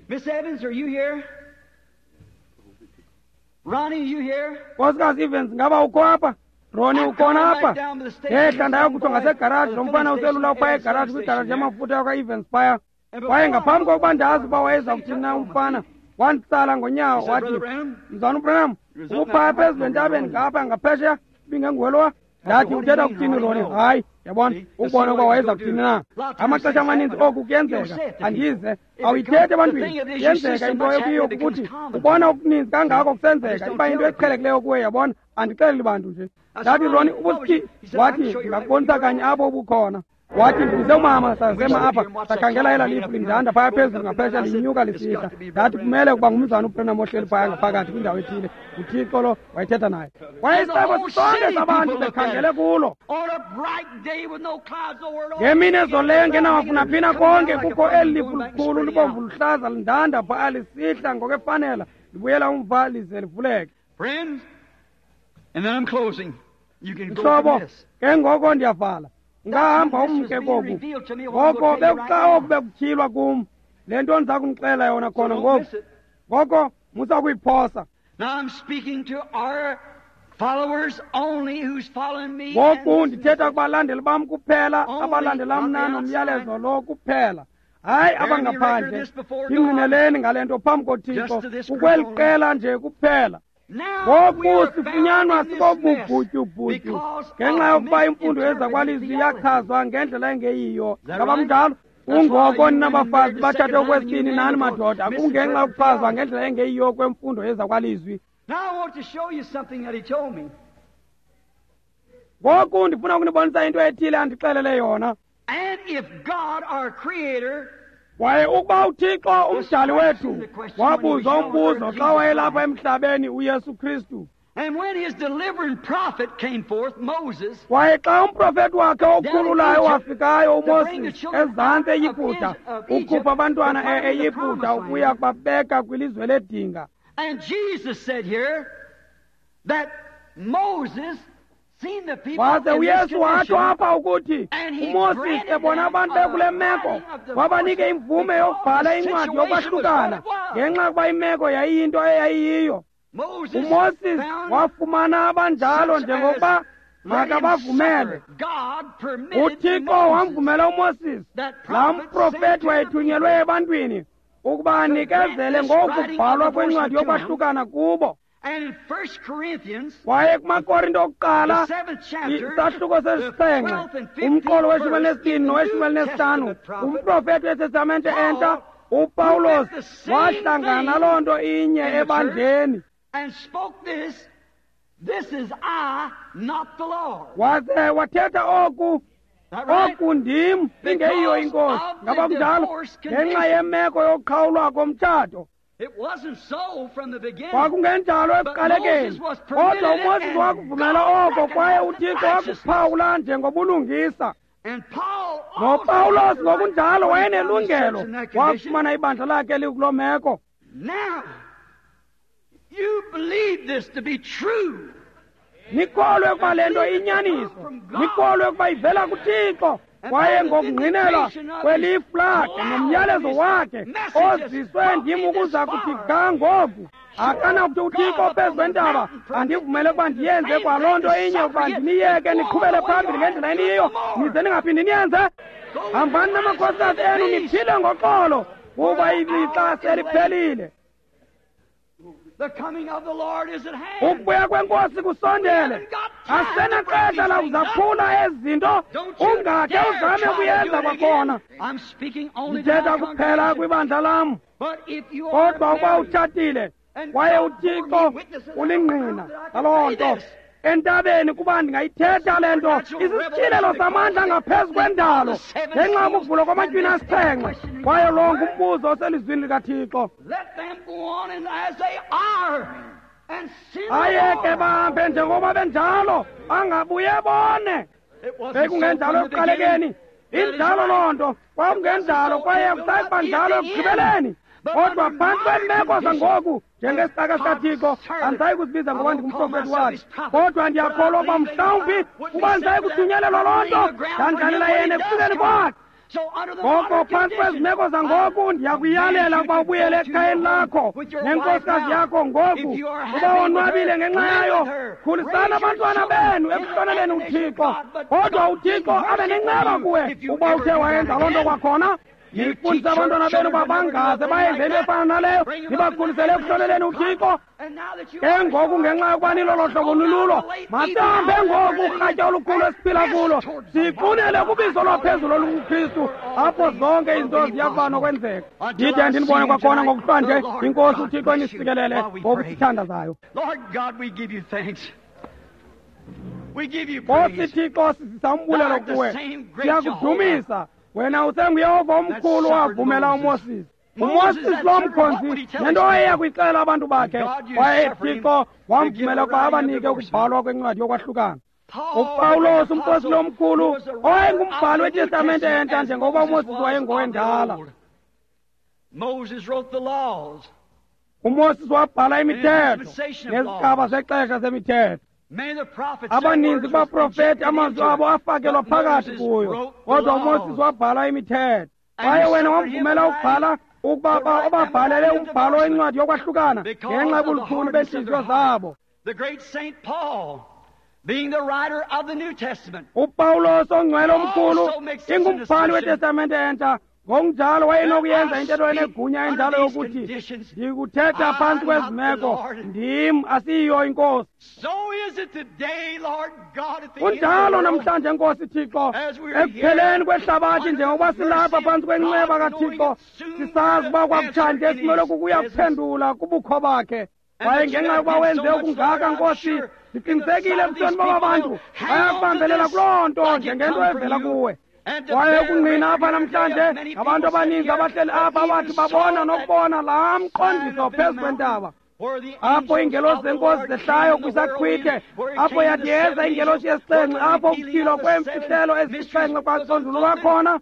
Miss Evans, are you here? Ronnie, you here?
Nkosikazi Evans, ngaba ukho apha? Ronnie, ukhona apha? Ndehla ndayokutsho ngasegaraji, lo mfana uselula uphaya egaraji, kwigaraji yamafutha yakwa-Evans phaya. Kwaye ngaphambi kokuba ndazi uba wayeza kuthini na umfana, wanditsala ngonyawo wathi, Mzalwana uBranham, ubuphaya phezulu entabeni ngapha ngaphesheya, ibingenguwe. Ndathi, uthetha kuthini, Ronnie? Hayi, yabona, ukubona ukuba wayeza kuthini na. Amaxesha amaninzi oku kuyenzeka, andize awuyithethi ebantwini. Yenzeka into ekuyiyo kukuthi ubona okuninzi kangako kusenzeka, iba yinto eqhelekileyo kuwe, yabona. Andixeleli bantu nje. Ndathi, Ronnie, ubusithi? Wathi, ndingakubonisa kanye apho ubukhona. Wathi, ndibize umama, sazema apha, sakhangela elaa lifu lindanda phaya phezulu ngaphesha linyuka lisihla. Ndathi, kumele ukuba ngumzana uBranham ohleli phaya ngaphakathi kwindawo ethile. UThixo lo wayethetha naye. Kwaye isixeko sonke sabantu bekhangele kulo. Ngemini ezoleyo ngenawafuna phina konke, kukho eli lifu likhulu libomvu luhlaza lindanda phaya lisihla ngokwefanela, libuyela umva lize livuleke. Mhlobo, ke ngoko ndiyavala. Ungahamba umke koku. Ngoko bekuxa oku bekutyhilwa kum, le nto ndiza kunixelela yona khona ngoku. Ngoko musa kuyiphosa. Ngoku ndithetha kubalandeli bam kuphela, abalandela mna nomyalezo lo kuphela, hayi abangaphandle. Ndingqineleni ngale nto phambi koThixo, kukweli qela nje kuphela. Ngoku sifunyanwa sikobubhutyubhutyu ngenxa yokuba imfundo yezakwalizwi yachazwa ngendlela engeyiyo. Ngaba kunjalo? Kungoko nina bafazi batshate okwesibini nani madoda, kungenxa yokuchazwa ngendlela engeyiyo kwemfundo yezakwalizwi. Ngoku ndifuna ukunibonisa into ethile andixelele yona. Kwaye ukuba uThixo umdali wethu wabuzwa umbuzo xa wayelapha emhlabeni uYesu Kristu. Kwaye xa umprofeti wakhe okhululayo wafikayo uMoses ezantsi eYiputa, ukhupha abantwana eYiputa ukuya kubabeka kwilizwe ledinga.
And Jesus said here that Moses
Waze uYesu watsho apha ukuthi uMoses ebona abantu bekule meko wabanike imvume yokubhala incwadi yokwahlukana ngenxa yokuba imeko yayiyinto eyayiyiyo. UMoses wafumana abanjalo njengokuba makabavumele. UThixo wamvumela uMoses, laa mprofethi wayethunyelwe ebantwini, ukuba anikezele ngokubhalwa kwencwadi yokwahlukana kubo. Kwaye kumaKorinto okuqala isahluko sesixhenxe umqolo weshumi elinesibini noweshumi elinesihlanu umprofethi weTestamente entsha uPawulos wahlangana naloo nto inye ebandleni. Waze wathetha oku, oku ndim ingeyiyo inkosi. Ngaba kunjalo? Ngenxa yemeko yokuqhawulwa komtshato. Kwakungenjalo ekuqalekeni, kodwa uMoses wakuvumela oko kwaye uThixo wakuphawula njengobulungisa. NoPawulos ngokunjalo wayenelungelo, wafumana ibandla lakhe likuloo meko. Nikholwe ukuba le nto inyaniso, nikholwe ukuba ivela kuThixo, kwaye ngokungqinelwa kwelifu lakhe nomyalezo wakhe oziswe ndim ukuza kuthi ga ngoku. Akanakuthi uThixo phezu kwentaba andivumele ukuba ndiyenze kwaloo nto inye, ukuba ndiniyeke niqhubele phambili ngendlela eniyiyo nize ningaphindi niyenze. Hambani namakhosikazi enu niphile ngoxolo, kuba ilixa seliphelile. Ukubuya kwenkosi kusondele. Asenaxesha lakuzaphula ezi zinto, ungakhe uzame ukuyenza kwakhona. Ndithetha kuphela kwibandla lam. Kodwa ukuba utshatile kwaye uThixo ulingqina laloo nto entabeni, kuba ndingayithetha le nto, isisityhilelo samandla ngaphezu kwendalo ngenxa yokuvulwa kwamatywina asixhenxe, kwaye lo ngumbuzo oselizwini likaThixo. Ayeke bahambe njengoba benjalo, bangabuye bone. Bekungenjalo ekuqalekeni, injalo loo nto, kwakungenjalo kwaye kusayiba njalo ekugqibeleni. Kodwa phantsi kweemeko zangoku njengesicaka sikaThixo andisayi kuzibiza ngoba ndingumprofethi wakhe, kodwa ndiyakholwa ukuba mhlawumbi kuba ndisayi kuthunyelelwa loo nto ndandlalela yena ekufikeni kwakhe. Ngoko phantsi kwezi meko zangoku ndiyakuyalela ukuba ubuyele ekhayeni lakho nenkosikazi yakho ngoku, uba wonwabile ngenxa yayo. Khulisani abantwana benu ekuhloneleni uThixo, kodwa uThixo abe nenceba kuwe uba uthe wayenza loo nto kwakhona. Nifundise abantwana benu uba bangaze bayenze into efana naleyo, nibakhulisele ekuhloneleni uThixo. Ke ngoku ngenxa yokuba nilolo hlobo nilulo, masihambe ngoku urhatya olukhulu esiphila kulo, siqunele kubizo lwaphezulu olukuKristu, apho zonke izinto ziya kuba nokwenzeka. Ndide ndinibone kwakhona ngokuhlwa nje. INkosi uThixo inisikelele ngokusithandazayo. Nkosi Thixo, sizisa umbulelo kuwe, siyakudumisa. Wena usenguYehova omkhulu wavumela uMoses. UMoses lo mkhonzi nento eya kuyixelela abantu bakhe, kwaye Thixo wamvumela ukuba abanike ukubhalwa kwencwadi yokwahlukana. UPawulos umpostile omkhulu owayengumbhali weTestamente entsha njengokuba uMoses wayengowendala. UMoses wabhala imithetho nezigaba zexesha zemithetho. Abaninzi kubaprofethi amazwi abo afakelwa phakathi kuyo, kodwa uMoses wabhala imithetho. Kwaye wena wamvumela ukubhala ukuba obabhalele umbhalo wencwadi yokwahlukana ngenxa yobulukhuni beentliziyo zabo. UPawulos ongcwele omkhulu ingumbhali weTestamente entsha, ngokunjalo wayenokuyenza intetho enegunya enjalo yokuthi ndikuthetha phantsi kwezi meko, ndim asiyiyo inkosi. Kunjalo namhlanje, Nkosi Thixo, ekupheleni kwehlabathi njengokuba silapha phantsi kwenceba kaThixo, sisazi uba kwakutshanje simele kukuya kuphendula kubukho bakhe. Kwaye ngenxa yokuba wenze okungaka, Nkosi, ndiqinisekile ebusweni baba bantu bayakubambelela kuloo nto njengento evela kuwe. Kwaye ukungqina apha namhlanje ngabantu abaninzi abahleli apha abathi babona nokubona laa mqondiso phezu kwentaba, apho iingelosi zenkosi zehlayo kwisaqhwithe, apho yathi yeza ingelosi yesixhenxe, apho ukutyhilwa kweemfihlelo ezisixhenxe kwaconjululwa khona.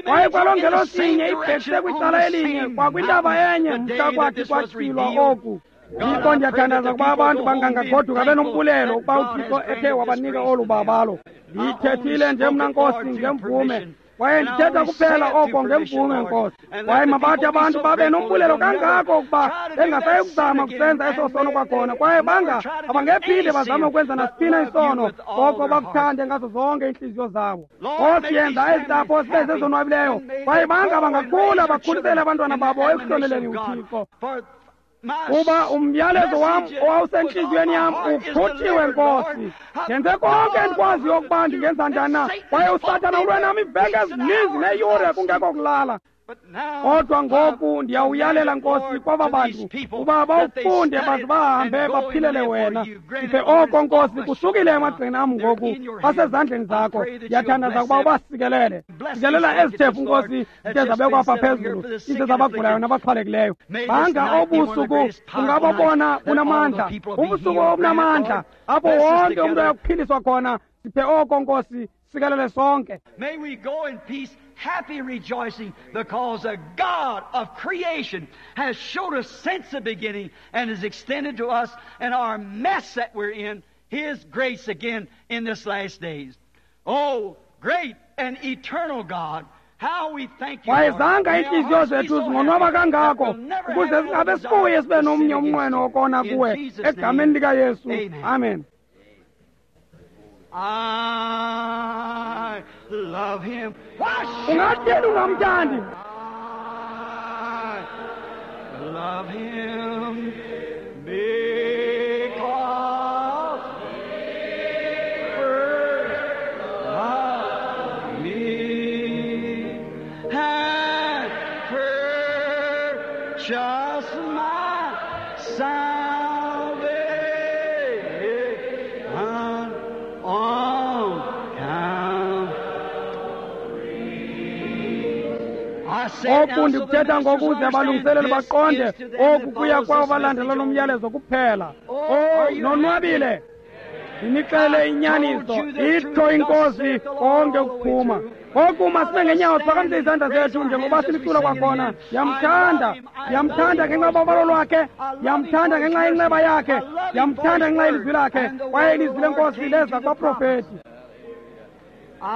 Kwaye kwaloo ngelosi inye ibhekise kwicala elinye kwakwintaba enye mhla kwathi kwatyhilwa oku. Thixo, ndiyathandaza ukuba abantu bangangagoduka benombulelo ukuba uThixo ethe wabanika olu babalo. Ndiyithethile nje mna Nkosi ngemvume, kwaye ndithetha kuphela oko ngemvume Nkosi. Kwaye mabathi abantu babe nombulelo kangako ukuba bengasayi kuzama kusenza eso sono kwakhona, kwaye banga abangephinde bazame ukwenza nasiphina isono, koko bakuthande ngazo zonke iintliziyo zabo. Nkosi, yenza ezi ntsapho zibe zezonwabileyo, kwaye banga bangakhula bakhulisele abantwana babo ekuhloneleni uThixo. Kuba umyalezo wam owawusentliziyweni yam ukhuthiwe Nkosi. Ndenze konke endikwaziyo ukuba ndingenza njani na, kwaye uSathana ulwe nam iiveki ezininzi neeyure kungekho kulala. Kodwa ngoku ndiyawuyalela Nkosi kwaba bantu uba bawufunde baze bahambe baphilele wena. Siphe oko Nkosi, kusukile emagxeni am ngoku, basezandleni zakho. Ndiyathandaza ukuba ubasikelele. Sikelela ezi thefu Nkosi zithe zabekwa apha phezulu, ize zabagulayo nabaxhwalekileyo. Banga obusuku ungabobona bunamandla, ubusuku obunamandla apho wonke umntu ayakuphiliswa khona. Siphe oko Nkosi, sikelele sonke.
May we go in peace, happy rejoicing, because the God of creation has showed us since the beginning and has extended to us in our mess that we're in, His grace again in this last days. Oh, great and eternal God, how we thank you,
Kwaye
Lord.
zanga
May our
iintliziyo
hearts be
zethu
so
zingonwaba
happy that
kangako
we'll never
ukuze
have
singabe
no
sibuye
desire
sibe
to
nomnye
sin
umnqweno
against you.
wokona
In
kuwe.
Jesus'
Egameni
name,
likaYesu,
amen.
amen.
I love Him. Why should
Ungathini ungamthandi?
I love Him? Because He first loved me and purchased my salvation on Calvary. I say it now
Oku
so the
ndikuthetha
ministers
ngokuze
understand
abalungiseleli
this
baqonde
is to them that
oku kuya
follows
kwabo
this
balandela
message
lo
only.
myalezo kuphela.
Oh,
Oh,
are you
nonwabile. Ndinixele inyaniso, itsho iNkosi konke ukuphuma. Ngoku masime ngeenyawo siphakamise izandla zethu njengoba silicula kwakhona. Ndiyamthanda, ndiyamthanda ngenxa yobabalo lwakhe, ndiyamthanda ngenxa yenceba yakhe, ndiyamthanda ngenxa yelizwi lakhe, kwaye ilizwi leNkosi leza kubaprofeti.
I